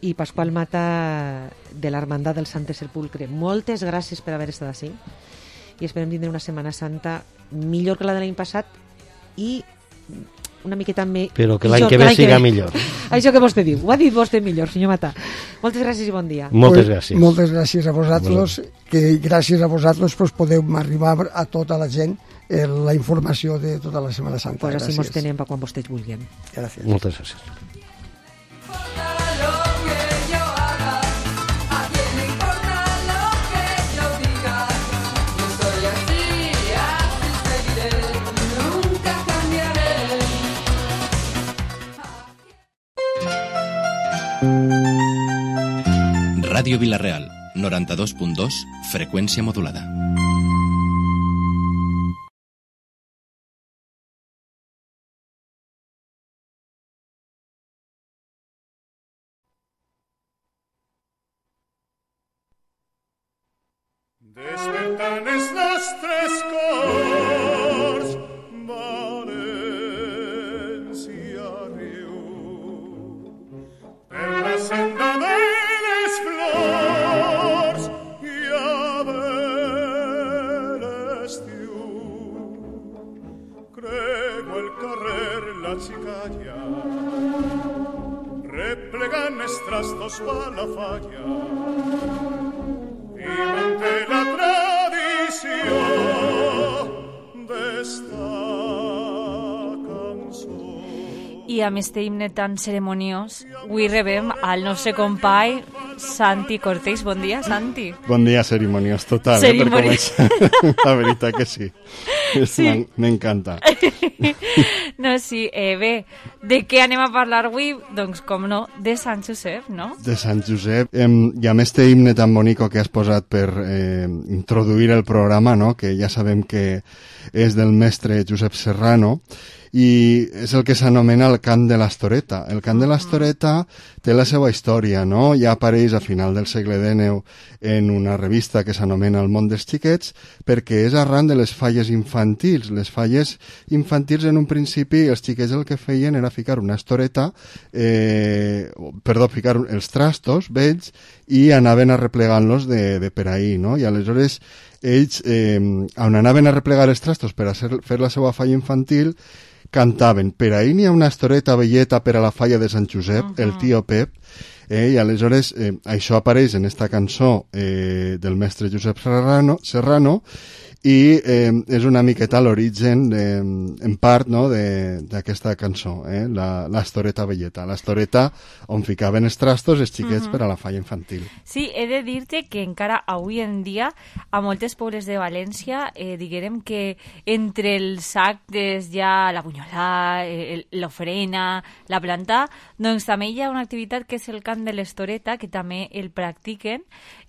i Pasqual Mata, de l'Hermandad del Sant Sepulcre. Moltes gràcies per haver estat així i esperem tindre una Setmana Santa millor que la de l'any passat i una miqueta més... Però que l'any que ve siga millor. Això que vostè diu. Ho ha dit vostè millor, senyor Mata. Moltes gràcies i bon dia. Moltes gràcies. Pues, moltes gràcies a vosaltres, que gràcies a vosaltres pues, podeu arribar a tota la gent eh, la informació de tota la Setmana Santa. Pues així mos tenem per quan vostès vulguin. Gràcies. Moltes gràcies. Ràdio Vila-real, noranta-dos punt dos, freqüència modulada. Despertan els nostres cors, València riu, per la senda de les flors i a ver l'estiu. Crego el carrer la xicalla, replegant els trastos pa la falla, i manté la tradició d'esta cançó. I amb este himne tan ceremoniós, avui rebem al nostre company Santi Cortés. Bon dia, Santi. Bon dia, ceremoniós total, Cerimoniós. eh, per començar. La veritat que sí. Sí. M'encanta. No, sí, eh, bé, de què anem a parlar avui? Doncs, com no, de Sant Josep, no? De Sant Josep. Eh, I amb este himne tan bonico que has posat per eh, introduir el programa, no? Que ja sabem que és del mestre Josep Serrano, i és el que s'anomena el cant de l'Astoreta. El cant de l'Astoreta té la seva història, no? Ja apareix a final del segle dinou en una revista que s'anomena El món dels xiquets, perquè és arran de les falles infantils. Les falles infantils, en un principi, els xiquets el que feien era ficar una estoreta, eh, perdó, ficar els trastos vells i anaven arreplegant-los de, de per ahí, no? I aleshores ells, eh, on anaven a replegar els trastos per a ser, fer la seva falla infantil, cantaven: per ahí n'hi ha una estoreta velleta per a la falla de Sant Josep, uh -huh. el tio Pep, eh, i aleshores eh, això apareix en esta cançó eh, del mestre Josep Serrano, Serrano i eh, és una miqueta l'origen, de, en part, no, d'aquesta cançó, eh, la, l'estoreta velleta, l'estoreta on ficaven els trastos els xiquets uh -huh. per a la falla infantil. Sí, he de dir-te que encara avui en dia a moltes pobles de València eh, diguem que entre els actes ja la bunyolà, eh, l'ofrena, la planta, doncs també hi ha una activitat que és el cant de l'estoreta, que també el practiquen,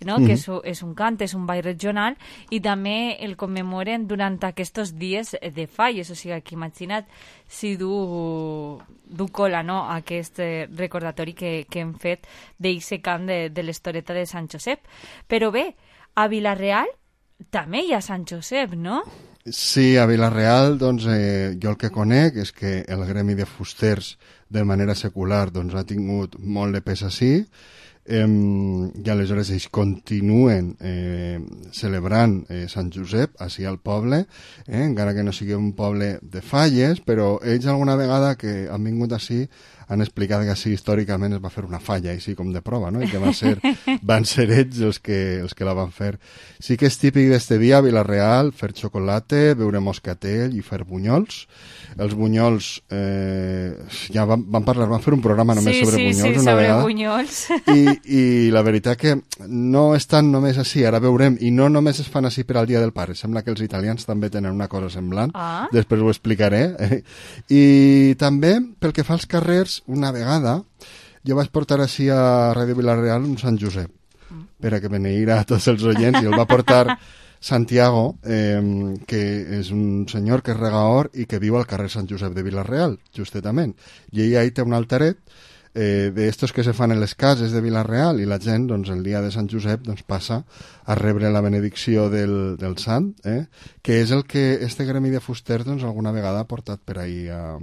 no? Uh -huh. que és, és un cant, és un ball regional, i també el commemoren durant aquests dies de falles, o sigui que imagina't si du, du cola, no?, aquest recordatori que, que hem fet d'eixe cant de, de l'estoreta de Sant Josep. Però bé, a Vila-real també hi ha Sant Josep, no? Sí, a Vila-real, doncs, eh, jo el que conec és que el gremi de fusters de manera secular doncs, ha tingut molt de pes així, Eh, i aleshores ells continuen eh, celebrant eh, Sant Josep així al poble, eh, encara que no sigui un poble de falles, però ells alguna vegada que han vingut així han explicat que així històricament es va fer una falla, així com de prova, no? I que van ser, van ser ells els que, els que la van fer. Sí que és típic d'este dia a Vila-real fer xocolate, beure moscatell i fer bunyols. Els bunyols, eh, ja van, van parlar, van fer un programa només sí, sobre sí, bunyols sí, una sobre vegada. bunyols. I, I la veritat que no estan només així, ara veurem, i no només es fan així per al Dia del Pare, sembla que els italians també tenen una cosa semblant, Ah. després ho explicaré. Eh? I també, pel que fa als carrers, una vegada, jo vaig portar així a Ràdio Vila-real un Sant Josep, per a que beneïra a tots els oients, i el va portar Santiago, eh, que és un senyor que és regaor i que viu al carrer Sant Josep de Vila-real, justetament. I ell ahí té un alteret eh, d'estos que se fan en les cases de Vila-real, i la gent, doncs, el dia de Sant Josep, doncs, passa a rebre la benedicció del, del sant, eh? Que és el que este gremi de fusters, doncs, alguna vegada ha portat per ahí, a,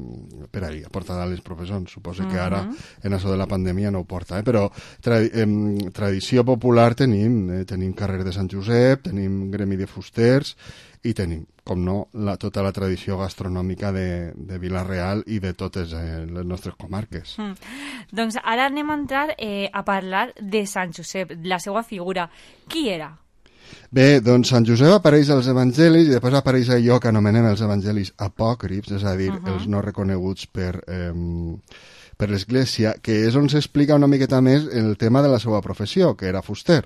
per ahí, ha portat a les professons. Suposo que ara, en això de la pandèmia, no ho porta, eh? Però tra eh, tradició popular tenim, eh? Tenim carrer de Sant Josep, tenim gremi de fusters, i tenim, com no, la, tota la tradició gastronòmica de, de Vila-real i de totes eh, les nostres comarques. Mm. Doncs ara anem a entrar eh, a parlar de Sant Josep, la seva figura. Qui era? Bé, doncs Sant Josep apareix als evangelis i després apareix allò que anomenem els evangelis apòcrifs, és a dir, uh -huh. els no reconeguts per... Eh, per l'Església, que és on s'explica una miqueta més el tema de la seva professió, que era fuster.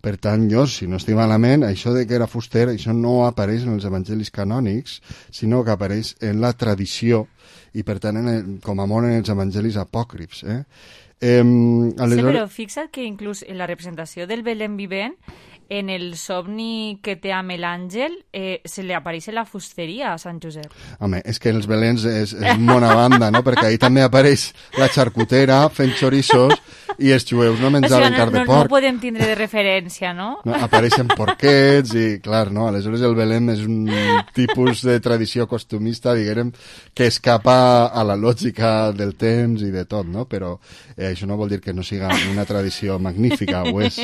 Per tant, jo, si no estic malament, això de que era fuster, això no apareix en els evangelis canònics, sinó que apareix en la tradició, i per tant, en el, com a molt en els evangelis apòcrifs. Eh? Eh, aleshores... Sí, però fixa't que inclús en la representació del Belén vivent, en el somni que té amb l'àngel, eh, se li apareix la fusteria a Sant Josep. Home, és que els Belens és, és bona banda, no? Perquè ahí també apareix la xarcutera fent xorissos i els jueus no menjaven o sigui, carn no, de no, porc. no podem tindre de referència, no? No, apareixen porquets i, clar, no? Aleshores el Belén és un tipus de tradició costumista, diguem, que escapa a la lògica del temps i de tot, no? Però eh, això no vol dir que no siga una tradició magnífica, ho és.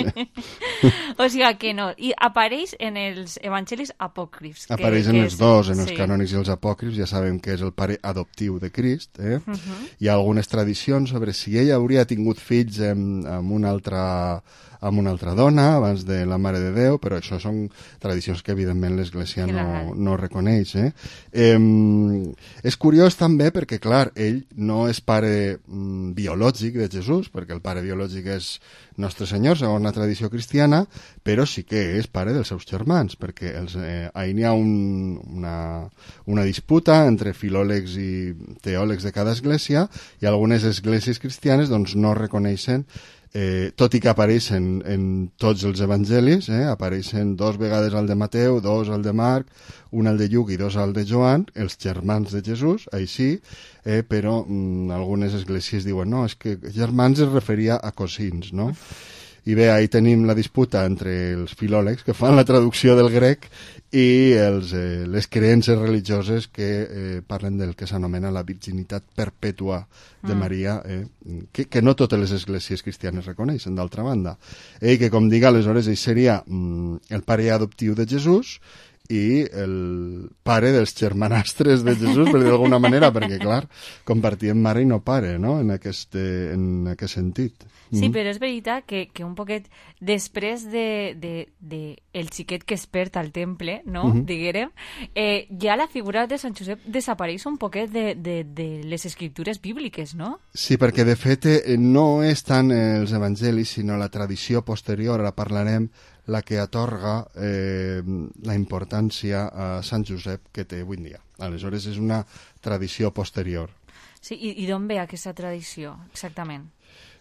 O sigui que no. I apareix en els evangelis apòcrifs. Apareix que, en que els és, dos, en els sí. canònics i els apòcrifs, ja sabem que és el pare adoptiu de Crist. Eh? Uh -huh. Hi ha algunes tradicions sobre si ell hauria tingut fills amb, amb una altra amb una altra dona, abans de la Mare de Déu, però això són tradicions que evidentment l'Església no, no reconeix. Eh? Eh, és curiós també perquè, clar, ell no és pare mm, biològic de Jesús, perquè el pare biològic és Nostre Senyor, segons la tradició cristiana, però sí que és pare dels seus germans, perquè els, eh, ahir n'hi ha un, una, una disputa entre filòlegs i teòlegs de cada església, i algunes esglésies cristianes doncs, no reconeixen Eh, tot i que apareixen en tots els evangelis, eh, apareixen dos vegades al de Mateu, dos al de Marc, un al de Lluc i dos al de Joan, els germans de Jesús, així, eh, però mm, algunes esglésies diuen no, és que germans es referia a cosins, no? I bé, ahí tenim la disputa entre els filòlegs que fan la traducció del grec i els, eh, les creences religioses que eh, parlen del que s'anomena la virginitat perpètua de Mm. Maria, eh, que, que no totes les esglésies cristianes reconeixen, d'altra banda. I que, com dic, aleshores, ell seria mm, el pare adoptiu de Jesús i el pare dels germanastres de Jesús, per dir d'alguna manera, perquè, clar, compartien mare i no pare, no?, en aquest, en aquest sentit. Sí, Mm. però és veritat que, que un poquet després de, de, de el xiquet que es perd al temple, no?, Mhm. diguérem, eh, ja la figura de Sant Josep desapareix un poquet de, de, de les escriptures bíbliques, no? Sí, perquè de fet eh, no és tant els evangelis, sinó la tradició posterior, ara parlarem, la que atorga eh, la importància a Sant Josep que té avui en dia. Aleshores, és una tradició posterior. Sí, i, i d'on ve aquesta tradició, exactament?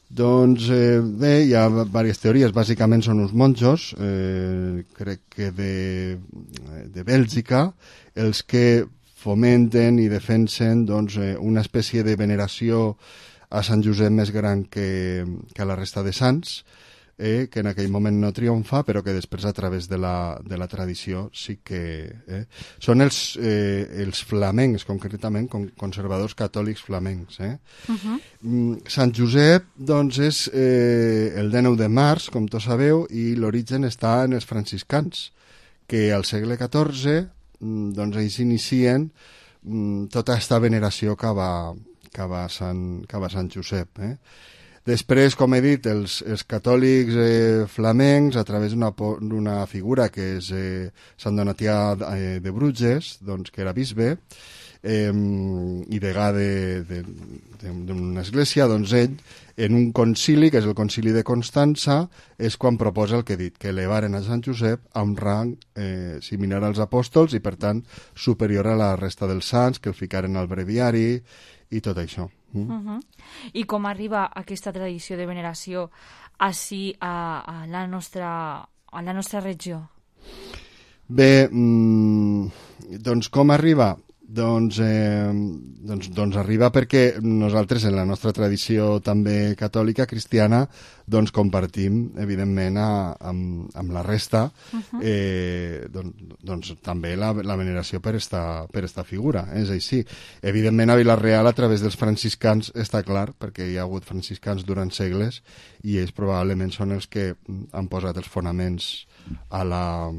Doncs eh, bé, hi ha diverses teories, bàsicament són uns monjos, eh, crec que de, de Bèlgica, els que fomenten i defensen doncs, eh, una espècie de veneració a Sant Josep més gran que, que a la resta de sants, eh, que en aquell moment no triomfa, però que després a través de la, de la tradició sí que... Eh, són els, eh, els flamencs, concretament, con, conservadors catòlics flamencs. Eh? Uh-huh. Mm, Sant Josep, doncs, és eh, el dinou de març, com tots sabeu, i l'origen està en els franciscans, que al segle catorze, mm, doncs, ells inicien mm, tota aquesta veneració que va, cava Sant, cava Sant Josep. Eh? Després, com he dit, els, els catòlics eh, flamencs, a través d'una figura que és eh, Sant Donatià eh, de Bruges, doncs, que era bisbe, eh, i degà d'una església, doncs ell, en un concili, que és el concili de Constança, és quan proposa el que he dit, que elevaren a Sant Josep a un rang eh, similar als apòstols i, per tant, superior a la resta dels sants, que el ficaren al breviari i tot això. Mm? Uh -huh. I com arriba aquesta tradició de veneració així a, a, la, nostra, a la nostra regió? Bé, mmm, doncs com arriba? Doncs, eh, doncs, doncs arriba perquè nosaltres en la nostra tradició també catòlica, cristiana, doncs compartim evidentment a, amb, amb la resta uh-huh. eh, doncs, doncs també la, la veneració per esta, per esta figura, és així. Evidentment a Vila-real a través dels franciscans està clar, perquè hi ha hagut franciscans durant segles i ells probablement són els que han posat els fonaments a la,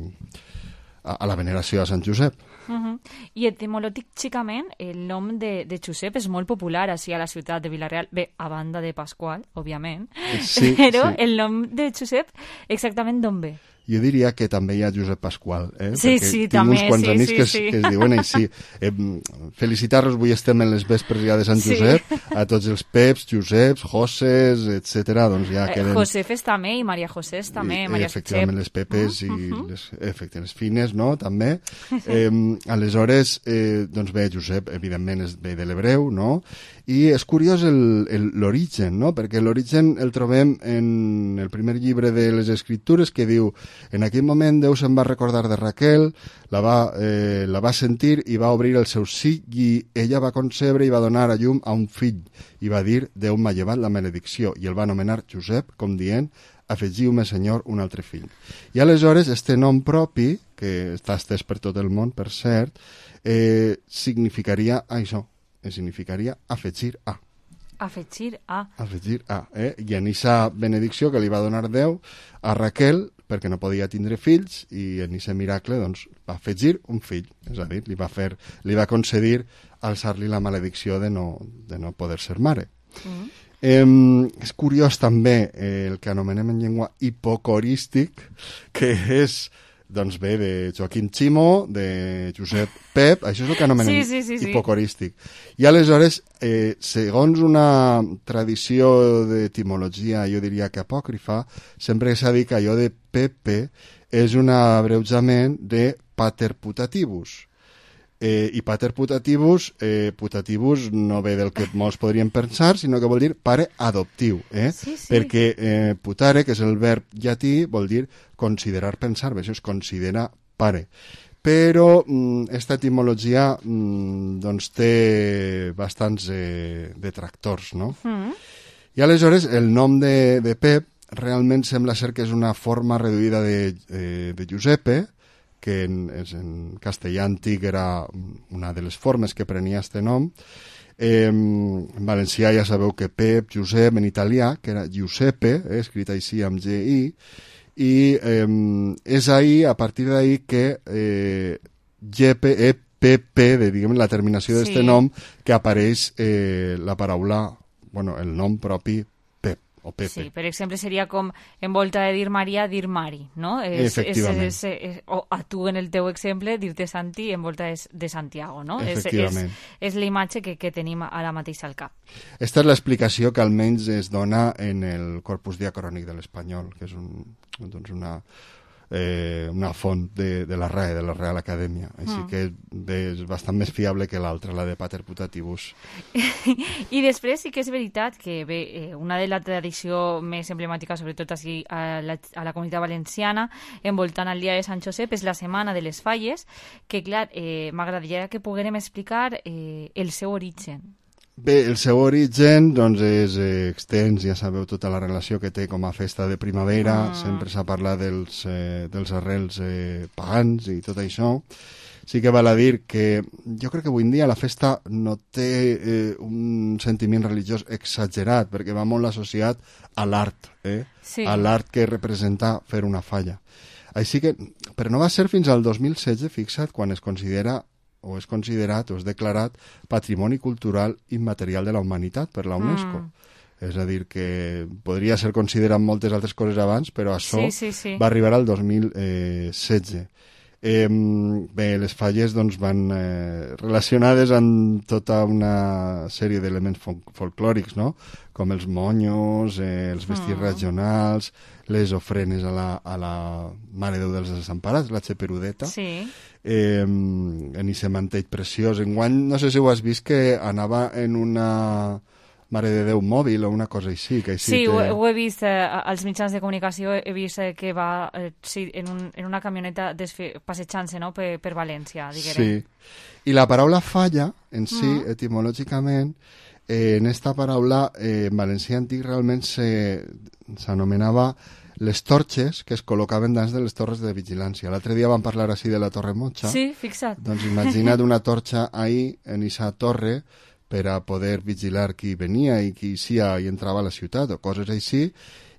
a, a la veneració a Sant Josep. Uh-huh. I etimològicament el nom de, de Josep és molt popular així a la ciutat de Vila-real, bé, a banda de Pasqual, òbviament, sí, però sí. El nom de Josep exactament d'on ve? Jo diria que també hi ha Josep Pasqual, eh? Sí, perquè sí, tinc també, uns quants sí, amics sí, que, sí. que es diuen així. Eh, felicitar-los, avui estem en les vespres ja de Sant Sí. Josep, a tots els Peps, Joseps, Joses, etcètera. Doncs ja queden... Josefes també i Maria Josés també, I, Maria efectivament, les Pepes i Uh-huh. les, efectivament, les Fines, no?, també. Eh, aleshores, eh, doncs bé, Josep, evidentment, és ve de l'hebreu, no?, i és curiós el- el- l'origen, no?, perquè l'origen el trobem en el primer llibre de les Escriptures, que diu: en aquell moment Déu se'n va recordar de Raquel, la va, eh, la va sentir i va obrir el seu sí, i ella va concebre i va donar a llum a un fill, i va dir: Déu m'ha llevat la maledicció, i el va anomenar Josep, com dient: afegiu-me, senyor, un altre fill. I aleshores, este nom propi, que està estès per tot el món, per cert, eh, significaria això, eh, significaria afegir a. Afegir a... Afegir a, eh? I en aquesta benedicció que li va donar Déu a Raquel, perquè no podia tindre fills, i en aquest miracle, doncs, va afegir un fill, és a dir, li va fer, li va concedir alçar-li la maledicció de no, de no poder ser mare. Mm. Eh, és curiós també eh, el que anomenem en llengua hipocorístic, que és, doncs bé, de Joaquim Ximo, de Josep Pep, això és el que anomenem Sí, sí, sí, sí. hipocorístic. I aleshores, eh, segons una tradició d'etimologia, jo diria que apòcrifa, sempre s'ha dit que allò de Pepe és un abreujament de pater putativus. Eh, I pater putativus, eh, putativus no ve del que molts podrien pensar, sinó que vol dir pare adoptiu, eh? Sí, sí. Perquè eh, putare, que és el verb llatí, vol dir considerar, pensar, això es considera pare. Però mm, esta etimologia mm, doncs té bastants eh, detractors, no? Mm. I aleshores el nom de, de Pep realment sembla ser que és una forma reduïda de, eh, de Giuseppe, que en, en castellà antic era una de les formes que prenia este nom. Eh, en valencià ja sabeu que Pep, Josep, en italià, que era Giuseppe, eh, escrit així amb G I, i eh, és ahí, a partir d'ahí, que eh, G P E P P, de, diguem, la terminació Sí. d'este nom, que apareix eh, la paraula, bueno, el nom propi Pep o Pepe. Sí, per exemple, seria com en volta de dir Maria, dir Mari, no? És, Efectivament. És, és, és, o a tu, en el teu exemple, dir-te Santi en volta és de Santiago, no? És, és, Efectivament. és la imatge que, que tenim ara mateix al cap. Esta és l'explicació que almenys es dona en el corpus diacrònic de l'espanyol, que és un, doncs una, eh, una font de, de la R A E, de la Real Acadèmia. Així Mm. que bé, és bastant més fiable que l'altra, la de pater putativus. I després sí que és veritat que bé, eh, una de la tradició més emblemàtica, sobretot així a la, a la comunitat valenciana, envoltant el dia de Sant Josep, és la Setmana de les Falles, que clar, eh, m'agradaria que poguérem explicar eh, el seu origen. Bé, el seu origen doncs, és eh, extens, ja sabeu tota la relació que té com a festa de primavera, Ah. sempre s'ha parlat dels, eh, dels arrels eh, pagans i tot això. Sí que val a dir que jo crec que avui en dia la festa no té eh, un sentiment religiós exagerat, perquè va molt associat a l'art, eh? Sí. a l'art que representa fer una falla. Així que, però no va ser fins al dos mil setze, fixa't, quan es considera o és considerat o és declarat Patrimoni Cultural Immaterial de la Humanitat per la UNESCO. Mm. És a dir, que podria ser considerat moltes altres coses abans, però això sí, sí, sí. va arribar al dos mil setze. Eh, bé, les falles doncs, van eh, relacionades amb tota una sèrie d'elements fol folclòrics, no? Com els monyos, eh, els vestits mm. regionals, les ofrenes a la, a la Mare Déu dels Desemparats, la Xeperudeta. Sí. Eh, en aquest mantell preciós. Enguany, no sé si ho has vist, que anava en una Mare de Déu mòbil o una cosa així. Que així sí, te... ho, ho he vist eh, als mitjans de comunicació, he vist eh, que va eh, sí, en, un, en una camioneta passejant-se, no?, per, per València, diguem. Sí, i la paraula falla, en si, mm. etimològicament, eh, en esta paraula, eh, en valencià antic realment s'anomenava les torxes que es col·locaven dins de les torres de vigilància. L'altre dia vam parlar així de la Torre Motxa. Sí, fixa't. Doncs imagina't una torxa ahí, en aquesta torre, per a poder vigilar qui venia i qui sia i entrava a la ciutat o coses així,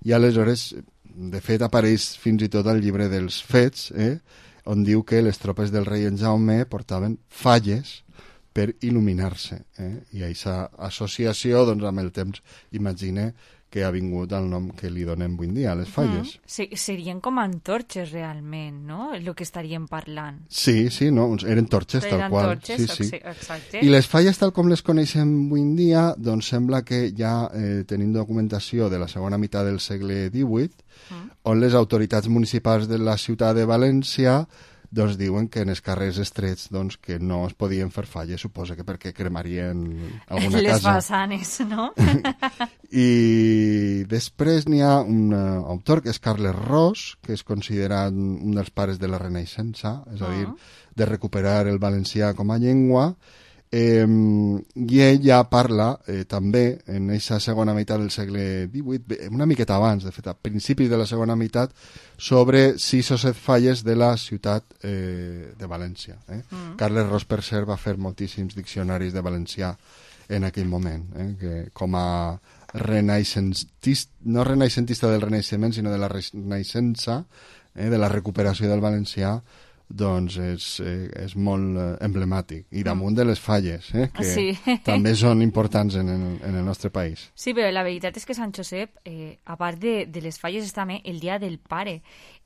i aleshores, de fet, apareix fins i tot al llibre dels fets, eh, on diu que les tropes del rei en Jaume portaven falles per il·luminar-se. Eh? I aquesta associació, doncs, amb el temps, imagine que ha vingut el nom que li donem avui dia, les falles. Mm. Sí, serien com antorxes realment, no?, el que estaríem parlant. Sí, sí, no? Eren torxes, eren tal qual. Torxes, sí, sí. Exacte. I les falles, tal com les coneixem avui en dia, doncs sembla que ja eh, tenim documentació de la segona meitat del segle divuit, mm. on les autoritats municipals de la ciutat de València doncs diuen que en els carrers estrets doncs, que no es podien fer falles, suposa que perquè cremarien alguna les casa. Les façanes, no? I després n'hi ha un uh, autor que és Carles Ros, que és considerat un dels pares de la Renaixença, és a dir, de recuperar el valencià com a llengua, eh, i ell ja parla eh, també en aquesta segona meitat del segle divuit, una miqueta abans, de fet, a principis de la segona meitat, sobre sis o set falles de la ciutat eh, de València. Eh? Mm. Carles Ros, per cert, va fer moltíssims diccionaris de valencià en aquell moment, eh? Que com a renaixentista, no renaixentista del Renaixement, sinó de la Renaixença, eh? de la recuperació del valencià, doncs és, eh, és molt eh, emblemàtic. I damunt de les falles, eh, que sí. també són importants en el, en el nostre país. Sí, però la veritat és que Sant Josep, eh, a part de, de les falles, és també el Dia del Pare.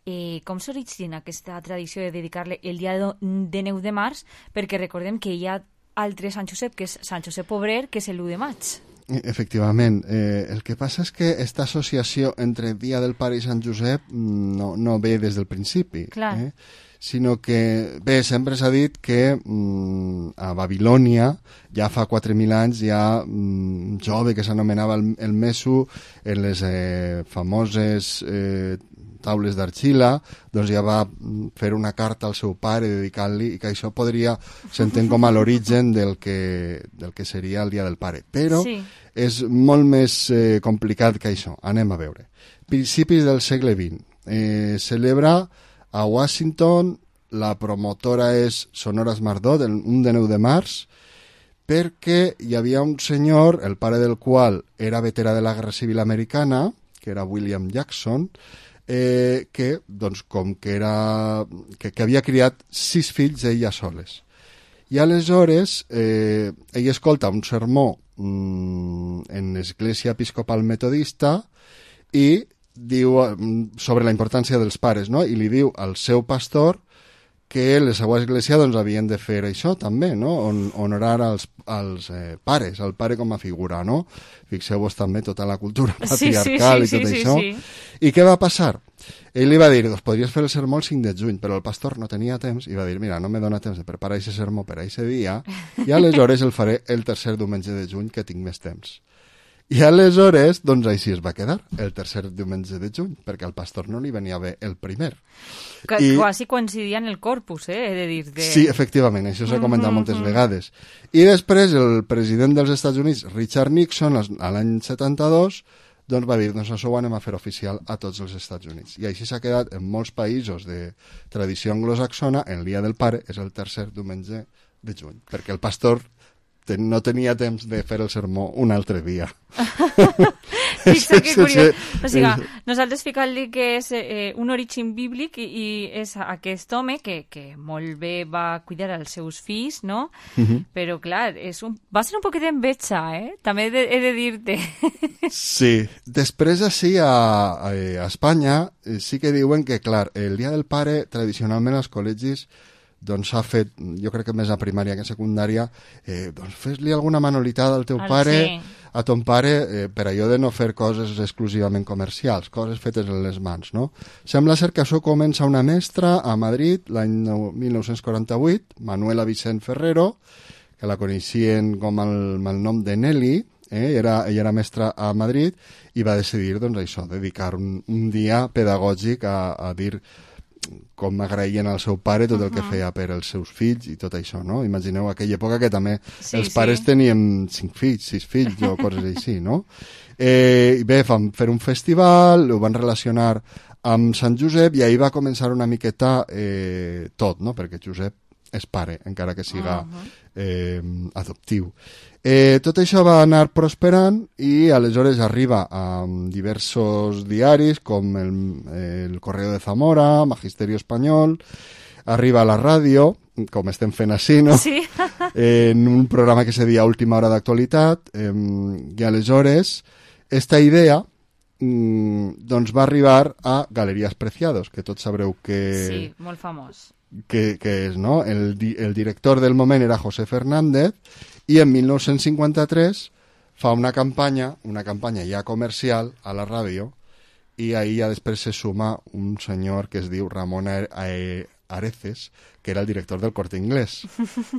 Eh, com s'origina aquesta tradició de dedicar-li el dia de nou de març? Perquè recordem que hi ha altre Sant Josep, que és Sant Josep Obrer, que és l'u de maig. Efectivament. Eh, el que passa és que aquesta associació entre Dia del Pare i Sant Josep no, no ve des del principi. Clar. Eh? Sinó que, bé, sempre s'ha dit que mm, a Babilònia, ja fa quatre mil anys, hi ha mm, un jove que s'anomenava el, el Mesu, en les eh, famoses eh, taules d'argila, doncs ja va fer una carta al seu pare dedicant-li, i que això podria, s'entén com a l'origen del, que, del que seria el Dia del Pare. Però sí. És molt més eh, complicat que això. Anem a veure. Principis del segle vint. Eh, celebra a Washington, la promotora és Sonora Esmardó, del un de nou de març, perquè hi havia un senyor, el pare del qual era veterà de la Guerra Civil Americana, que era William Jackson, eh, que, doncs, com que, era, que, que havia criat sis fills ella soles. I aleshores eh, ell escolta un sermó mmm, en l'Església Episcopal Metodista i diu sobre la importància dels pares, no? I li diu al seu pastor que la seva església doncs, havien de fer això també, no? On, honorar els, els eh, pares, el pare com a figura, no? Fixeu-vos també tota la cultura patriarcal sí, sí, sí, i tot sí, això. Sí, sí. I què va passar? Ell li va dir, doncs podries fer el sermó el cinc de juny, però el pastor no tenia temps i va dir, mira, no me dona temps de preparar aquest sermó per a aquest dia i aleshores el faré el tercer diumenge de juny que tinc més temps. I aleshores, doncs així es va quedar, el tercer diumenge de juny, perquè al pastor no li venia bé el primer. Que, I... Quasi coincidia en el corpus, eh, he de dir. De... Sí, efectivament, això s'ha comentat mm-hmm. moltes vegades. I després el president dels Estats Units, Richard Nixon, a l'any setanta-dos, doncs va dir, doncs això ho anem a fer oficial a tots els Estats Units. I així s'ha quedat en molts països de tradició anglosaxona, el Dia del Pare és el tercer diumenge de juny, perquè el pastor no tenia temps de fer el sermó un altre dia. Fixa que curiós. O sigui, nosaltres ficant-li que és eh, un origen bíblic i, i és aquest home que, que molt bé va cuidar els seus fills, no? Uh-huh. Però, clar, és un, va ser un poquet d'enveja, eh? També he de, he de dir-te. Sí. Després, així, a, a, a Espanya, sí que diuen que, clar, el Dia del Pare, tradicionalment als col·legis, doncs s'ha fet, jo crec que més a primària que a secundària, eh, doncs fes-li alguna manualitada al teu Al pare, sí. a ton pare, eh, per allò de no fer coses exclusivament comercials, coses fetes en les mans, no? Sembla ser que això comença una mestra a Madrid l'any mil nou-cents quaranta-vuit, Manuela Vicent Ferrero, que la coneixien com el, amb el nom de Nelly, eh? era, ella era mestra a Madrid, i va decidir, doncs, això, dedicar un, un dia pedagògic a, a dir com agraïen al seu pare tot el que feia per als seus fills i tot això, no? Imagineu aquella època que també Sí, els pares sí. tenien cinc fills, sis fills o coses així, no? Eh, I bé, van fer un festival, ho van relacionar amb Sant Josep i ahir va començar una miqueta eh, tot, no? Perquè Josep és pare, encara que siga eh, adoptiu. Eh, tot això va anar prosperant i aleshores arriba a diversos diaris com el, el Correo de Zamora, Magisterio Espanyol, arriba a la ràdio, com estem fent així, no? Sí. Eh, en un programa que se deia Última Hora d'Actualitat, eh, i aleshores esta idea mm, doncs va arribar a Galerías Preciados, que tots sabreu que... Sí, molt famós. Que, que és, no? El, di, el director del moment era José Fernández i en mil nou-cents cinquanta-tres fa una campanya, una campanya ja comercial a la ràdio i ahir ja després se suma un senyor que es diu Ramon Areces, que era el director del Corte Inglés.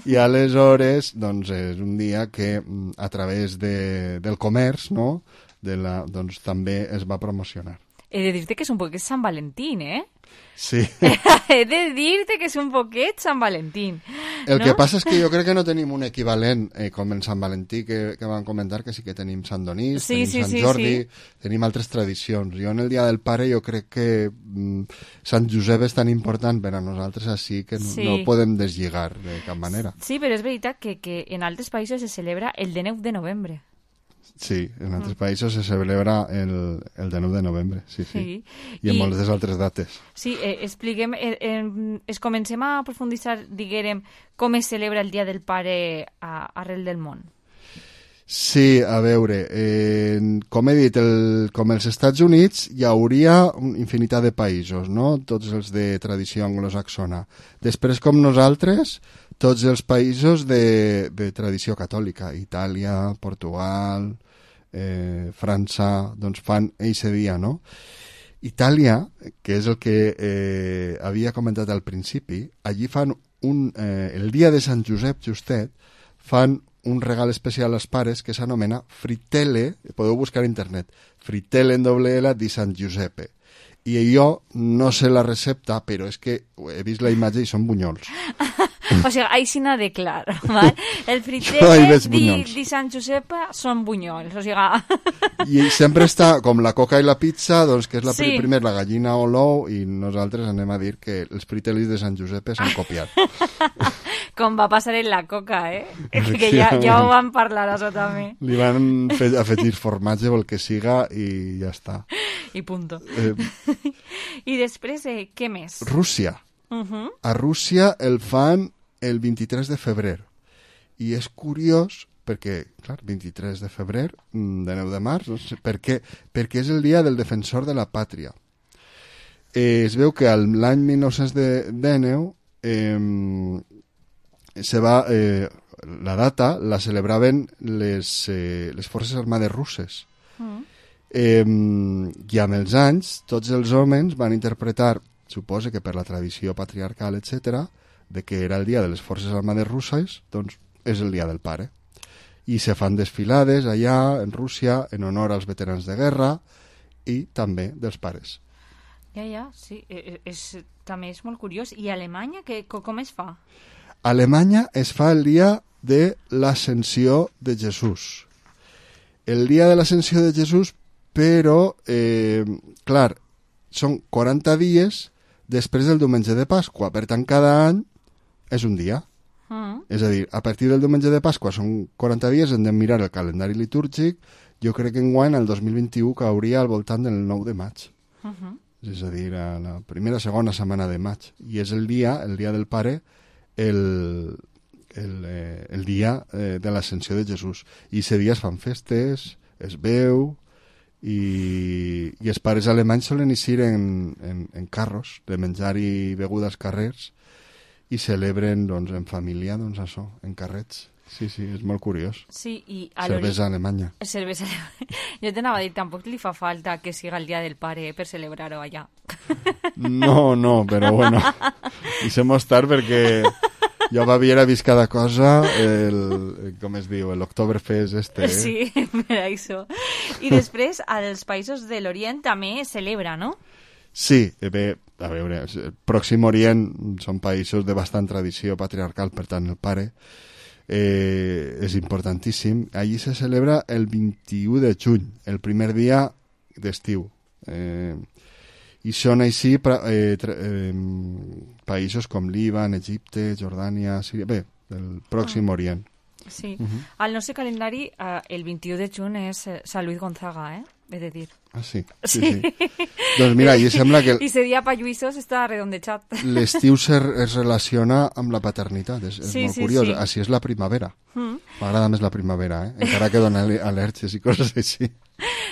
I aleshores, doncs, és un dia que a través de, del comerç, no?, de la, doncs també es va promocionar. He de dir-te que és un poquet Sant Valentín, eh? Sí. He de dir-te que és un poquet Sant Valentín. El no? que passa és que jo crec que no tenim un equivalent eh, com en Sant Valentí, que, que van comentar que sí que tenim Sant Donís, sí, tenim sí, Sant sí, Jordi, sí. tenim altres tradicions. Jo en el Dia del Pare jo crec que mm, Sant Josep és tan important per a nosaltres així que no, Sí. no podem deslligar de cap manera. Sí, però és veritat que, que en altres països se celebra el dinou de novembre. Sí, en altres països se celebra el, el dinou de novembre, sí, sí. Sí. I en I- moltes altres dates. Sí, eh, expliquem, eh, eh, es comencem a profunditzar, diguérem, com es celebra el Dia del Pare a, arrel del món. Sí, a veure, eh, com he dit, el, com els Estats Units hi hauria una infinitat de països, no? Tots els de tradició anglosaxona. Després, com nosaltres, tots els països de, de tradició catòlica, Itàlia, Portugal, eh, França, doncs fan eixe dia, no? Itàlia, que és el que eh, havia comentat al principi, allí fan un, eh, el dia de Sant Josep justet, fan un regal especial als pares que s'anomena Frittelle, podeu buscar a internet, Frittelle en doble L di San Giuseppe. I jo no sé la recepta, però és que he vist la imatge i són bunyols. O sigui, així n'ha de clar, val? El Jo hi fritell veig di, bunyols. di Sant Josep són bunyols, o sigui... I sempre està com la coca i la pizza, doncs que és la Sí. sí. primer la gallina o l'ou, i nosaltres anem a dir que els fritellis de Sant Josep s'han copiat. Com va passar en la coca, eh? Que ja, ja ho vam parlar, això també. Li van fer afegir formatge o el que siga i ja està. I punto. Eh, I després, eh, què més? Rússia. Uh -huh. A Rússia el fan el vint-i-tres de febrer. I és curiós perquè, clar, vint-i-tres de febrer, mm, de nou de març, no sé per què, perquè és el dia del defensor de la pàtria. Eh, es veu que l'any mil nou-cents dinou eh, se va, eh, la data la celebraven les, eh, les forces armades russes. Mm. Eh, I amb els anys, tots els homes van interpretar, suposa que per la tradició patriarcal, etcètera, de que era el dia de les forces armades russes, doncs és el dia del pare. I se fan desfilades allà, en Rússia, en honor als veterans de guerra i també dels pares. Ja, ja, sí. És, és, també és molt curiós. I a Alemanya, que, com es fa? A Alemanya es fa el dia de l'ascensió de Jesús. El dia de l'ascensió de Jesús, però, eh, clar, són quaranta dies després del diumenge de Pasqua. Per tant, cada any és un dia. Mm. És a dir, a partir del diumenge de Pasqua són quaranta dies, hem de mirar el calendari litúrgic jo crec que enguany, el dos mil vint-i-u, cauria al voltant del nou de maig. Uh -huh. És a dir, a la primera segona setmana de maig. I és el dia, el dia del pare, el, el, eh, el dia eh, de l'ascensió de Jesús. I ese dia es fan festes, es veu, i, i els pares alemanys solen eixir en, en, en carros de menjar i beguda als carrers i celebren doncs, en família doncs, això, en carrets. Sí, sí, és molt curiós. Sí, i a cervesa alemanya. Cervesa Jo t'anava a dir, tampoc li fa falta que siga el dia del pare eh, per celebrar-ho allà. No, no, però bueno, deixem estar perquè jo a Baviera he vist cada cosa, el, com es diu, l'Oktoberfest este. Eh? Sí, per això. I després, als països de l'Orient també es celebra, no? Sí, bé, a veure, el Pròxim Orient són països de bastant tradició patriarcal, per tant el pare eh, és importantíssim. Allí se celebra el vint-i-u de juny, el primer dia d'estiu. Eh, I són així eh, eh, països com Líban, Egipte, Jordània, Síria, bé, el Pròxim ah. Orient. Sí, uh -huh. Al nostre calendari eh, el vint-i-u de juny és Sant Luis Gonzaga, eh? He de dir. Ah, sí? Sí, sí. sí. Doncs mira, i sembla que... I ese dia pa Lluïsos està redondejat. L'estiu es relaciona amb la paternitat, és, és sí, molt sí, curiós. Sí. Així és la primavera. Mm. M'agrada més la primavera, eh? Encara que dona al·lèrgies i coses així.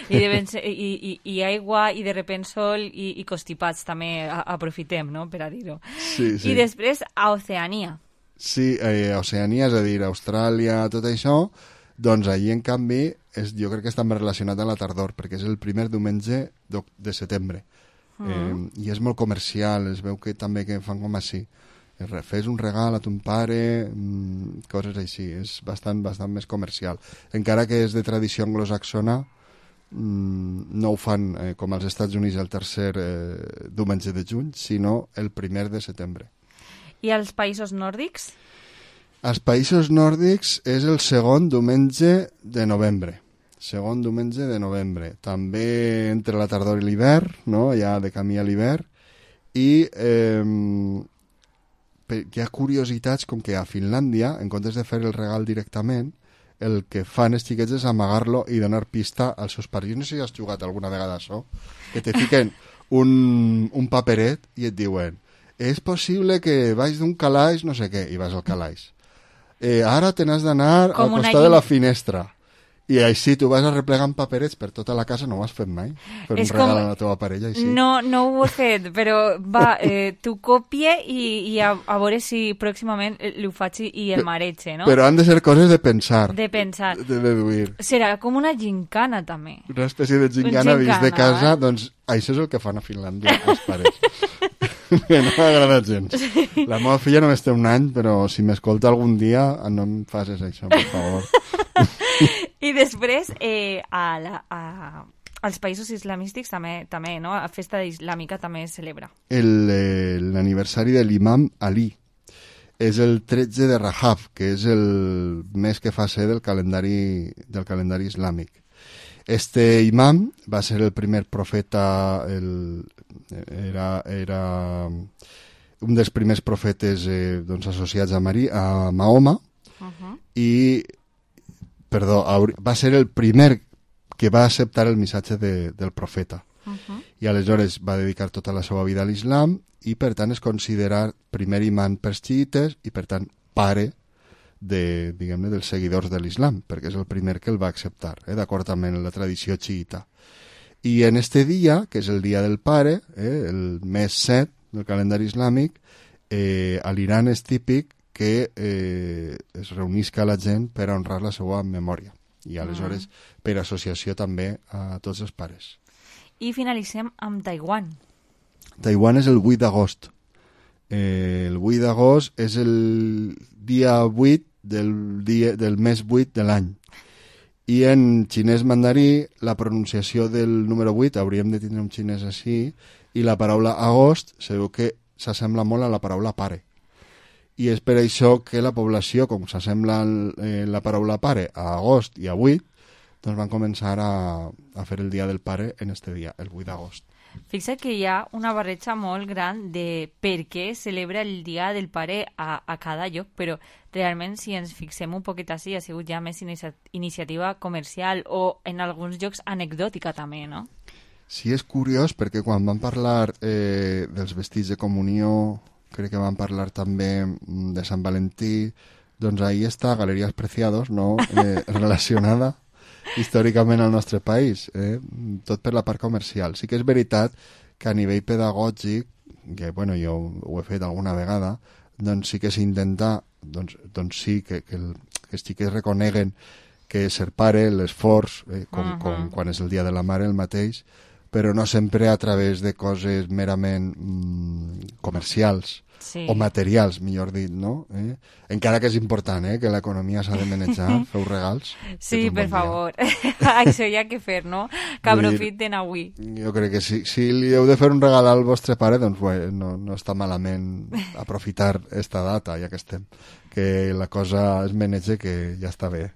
I, de ser, i, i, i aigua, i de repent sol, i, i constipats també a, aprofitem, no?, per a dir-ho. Sí, sí. I després a Oceania. Sí, eh, Oceania, és a dir, Austràlia, tot això, doncs allí, en canvi, és, jo crec que està més relacionat amb la tardor, perquè és el primer diumenge de setembre. Uh -huh. eh, I és molt comercial, es veu que també que fan com així. Fes un regal a ton pare, mmm, coses així. És bastant, bastant més comercial. Encara que és de tradició anglosaxona, mmm, no ho fan eh, com als Estats Units el tercer eh, diumenge de juny, sinó el primer de setembre. I als països nòrdics? Als països nòrdics és el segon diumenge de novembre. Segon diumenge de novembre. També entre la tardor i l'hivern, no? Ja de camí a l'hivern. I eh, hi ha curiositats com que a Finlàndia, en comptes de fer el regal directament, el que fan els xiquets és amagar-lo i donar pista als seus pares. Jo no sé si has jugat alguna vegada això, que te fiquen un, un paperet i et diuen és possible que vaig d'un calaix, no sé què, i vas al calaix. Eh, ara te n'has d'anar al costat de la finestra. I així tu vas arreplegant paperets per tota la casa, no ho has fet mai? Fer un regal com... a la teva parella, així? No, no ho he fet, però va, eh, tu copie i, i a, a veure si pròximament l'ho faig i el mareig, no? Però han de ser coses de pensar. De pensar. De deduir. Serà com una gincana, també. Una espècie de gincana, vist de casa, eh? Doncs això és el que fan a Finlàndia, els pares. Que no m'agrada gens. Sí. La meva filla només té un any, però si m'escolta algun dia no em facis això, per favor. I després, eh, a la, a, als països islamístics també, també, no? La festa islàmica també es celebra. L'aniversari de l'imam Ali és el tretze de Rajab, que és el mes que fa ser del calendari, del calendari islàmic. Este imam va ser el primer profeta, el, era, era un dels primers profetes eh, doncs, associats a, Marí, a Mahoma, uh-huh. i perdó, va ser el primer que va acceptar el missatge de, del profeta. Uh-huh. I aleshores va dedicar tota la seva vida a l'islam i per tant és considerat primer imam pels xiites i per tant pare de, diguem-ne, dels seguidors de l'islam, perquè és el primer que el va acceptar, eh, d'acord amb la tradició xiita. I en este dia, que és el dia del pare, eh, el mes set del calendari islàmic, eh, a l'Iran és típic que eh, es reunisca la gent per a honrar la seva memòria i aleshores mm. per associació també a tots els pares. I finalitzem amb Taiwan. Taiwan és el vuit d'agost. Eh, el vuit d'agost és el dia vuit del, dia, del mes vuit de l'any. I en xinès mandarí la pronunciació del número vuit, hauríem de tindre un xinès així, i la paraula agost sabeu que s'assembla molt a la paraula pare. I és per això que la població, com s'assembla eh, la paraula pare a agost i a vuit, doncs van començar a, a fer el dia del pare en este dia, el vuit d'agost. Fixa que hi ha una barreja molt gran de per què celebra el Dia del Pare a, a cada lloc, però realment si ens fixem un poquet així ha sigut ja més inicia iniciativa comercial o en alguns llocs anecdòtica també, no? Sí, és curiós perquè quan van parlar eh, dels vestits de comunió, crec que van parlar també de Sant Valentí, doncs ahí està Galeries Preciados, no? Eh, relacionada històricament al nostre país, eh? Tot per la part comercial. Sí que és veritat que a nivell pedagògic, que bueno, jo ho he fet alguna vegada, doncs sí que s'intenta, doncs, doncs sí que, que, el, que els xiquets reconeguen que ser pare, l'esforç, eh, com, uh -huh. com quan és el dia de la mare el mateix, però no sempre a través de coses merament mm, comercials, sí. o materials, millor dit, no? Eh? Encara que és important, eh, que l'economia s'ha de manejar, feu regals. Sí, per bon favor. Això hi ha que fer, no? Que aprofiten avui. Jo crec que si, si li heu de fer un regal al vostre pare, doncs bé, no, no està malament aprofitar esta data, ja que estem. Que la cosa es manege, que ja està bé.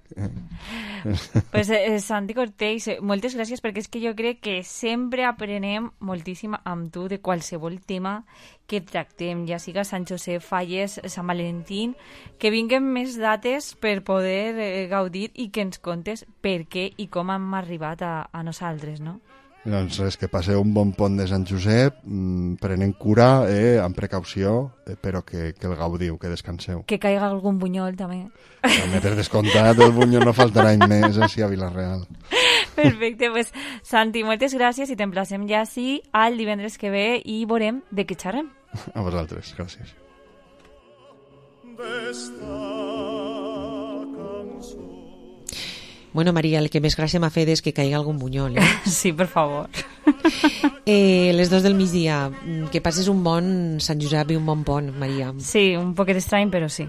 Pues, eh, Santi Cortells, moltes gràcies, perquè és que jo crec que sempre aprenem moltíssim amb tu de qualsevol tema que tractem, ja siga Sant Josep, Falles, Sant Valentín, que vinguen més dates per poder eh, gaudir i que ens contes per què i com hem arribat a, a nosaltres, no? Doncs res, que passeu un bon pont de Sant Josep, mmm, prenent cura, eh, amb precaució, eh, però que, que el gaudiu, que descanseu. Que caiga algun bunyol, també. També per descomptat, el bunyol no faltarà any més, així a Vila-real. Perfecte, pues Santi, moltes gràcies i t'emplacem ja així al divendres que ve i veurem de què xerrem. A vosaltres, gràcies. Bueno, Maria, el que més gràcia m'ha fet és que caigui algun bunyol, eh? Sí, per favor. Eh, les dos del migdia, que passes un bon Sant Josep i un bon pont, Maria. Sí, un poquet estrany, però sí.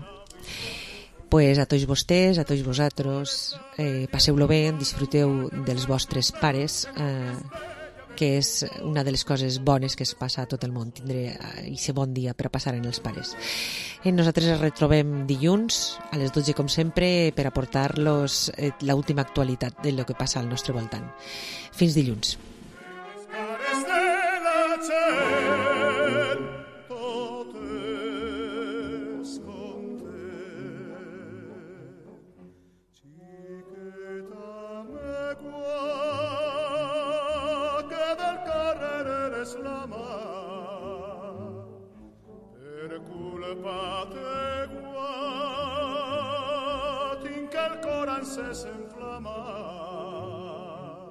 Pues a tots vostès, a tots vosaltres, eh, passeu-lo bé, disfruteu dels vostres pares, eh, que és una de les coses bones que es passa a tot el món, tindré aquest bon dia per a passar en els pares. Eh, nosaltres ens retrobem dilluns a les dotze, com sempre, per aportar-los eh, l'última actualitat de lo que passa al nostre voltant. Fins dilluns. Se s'enflama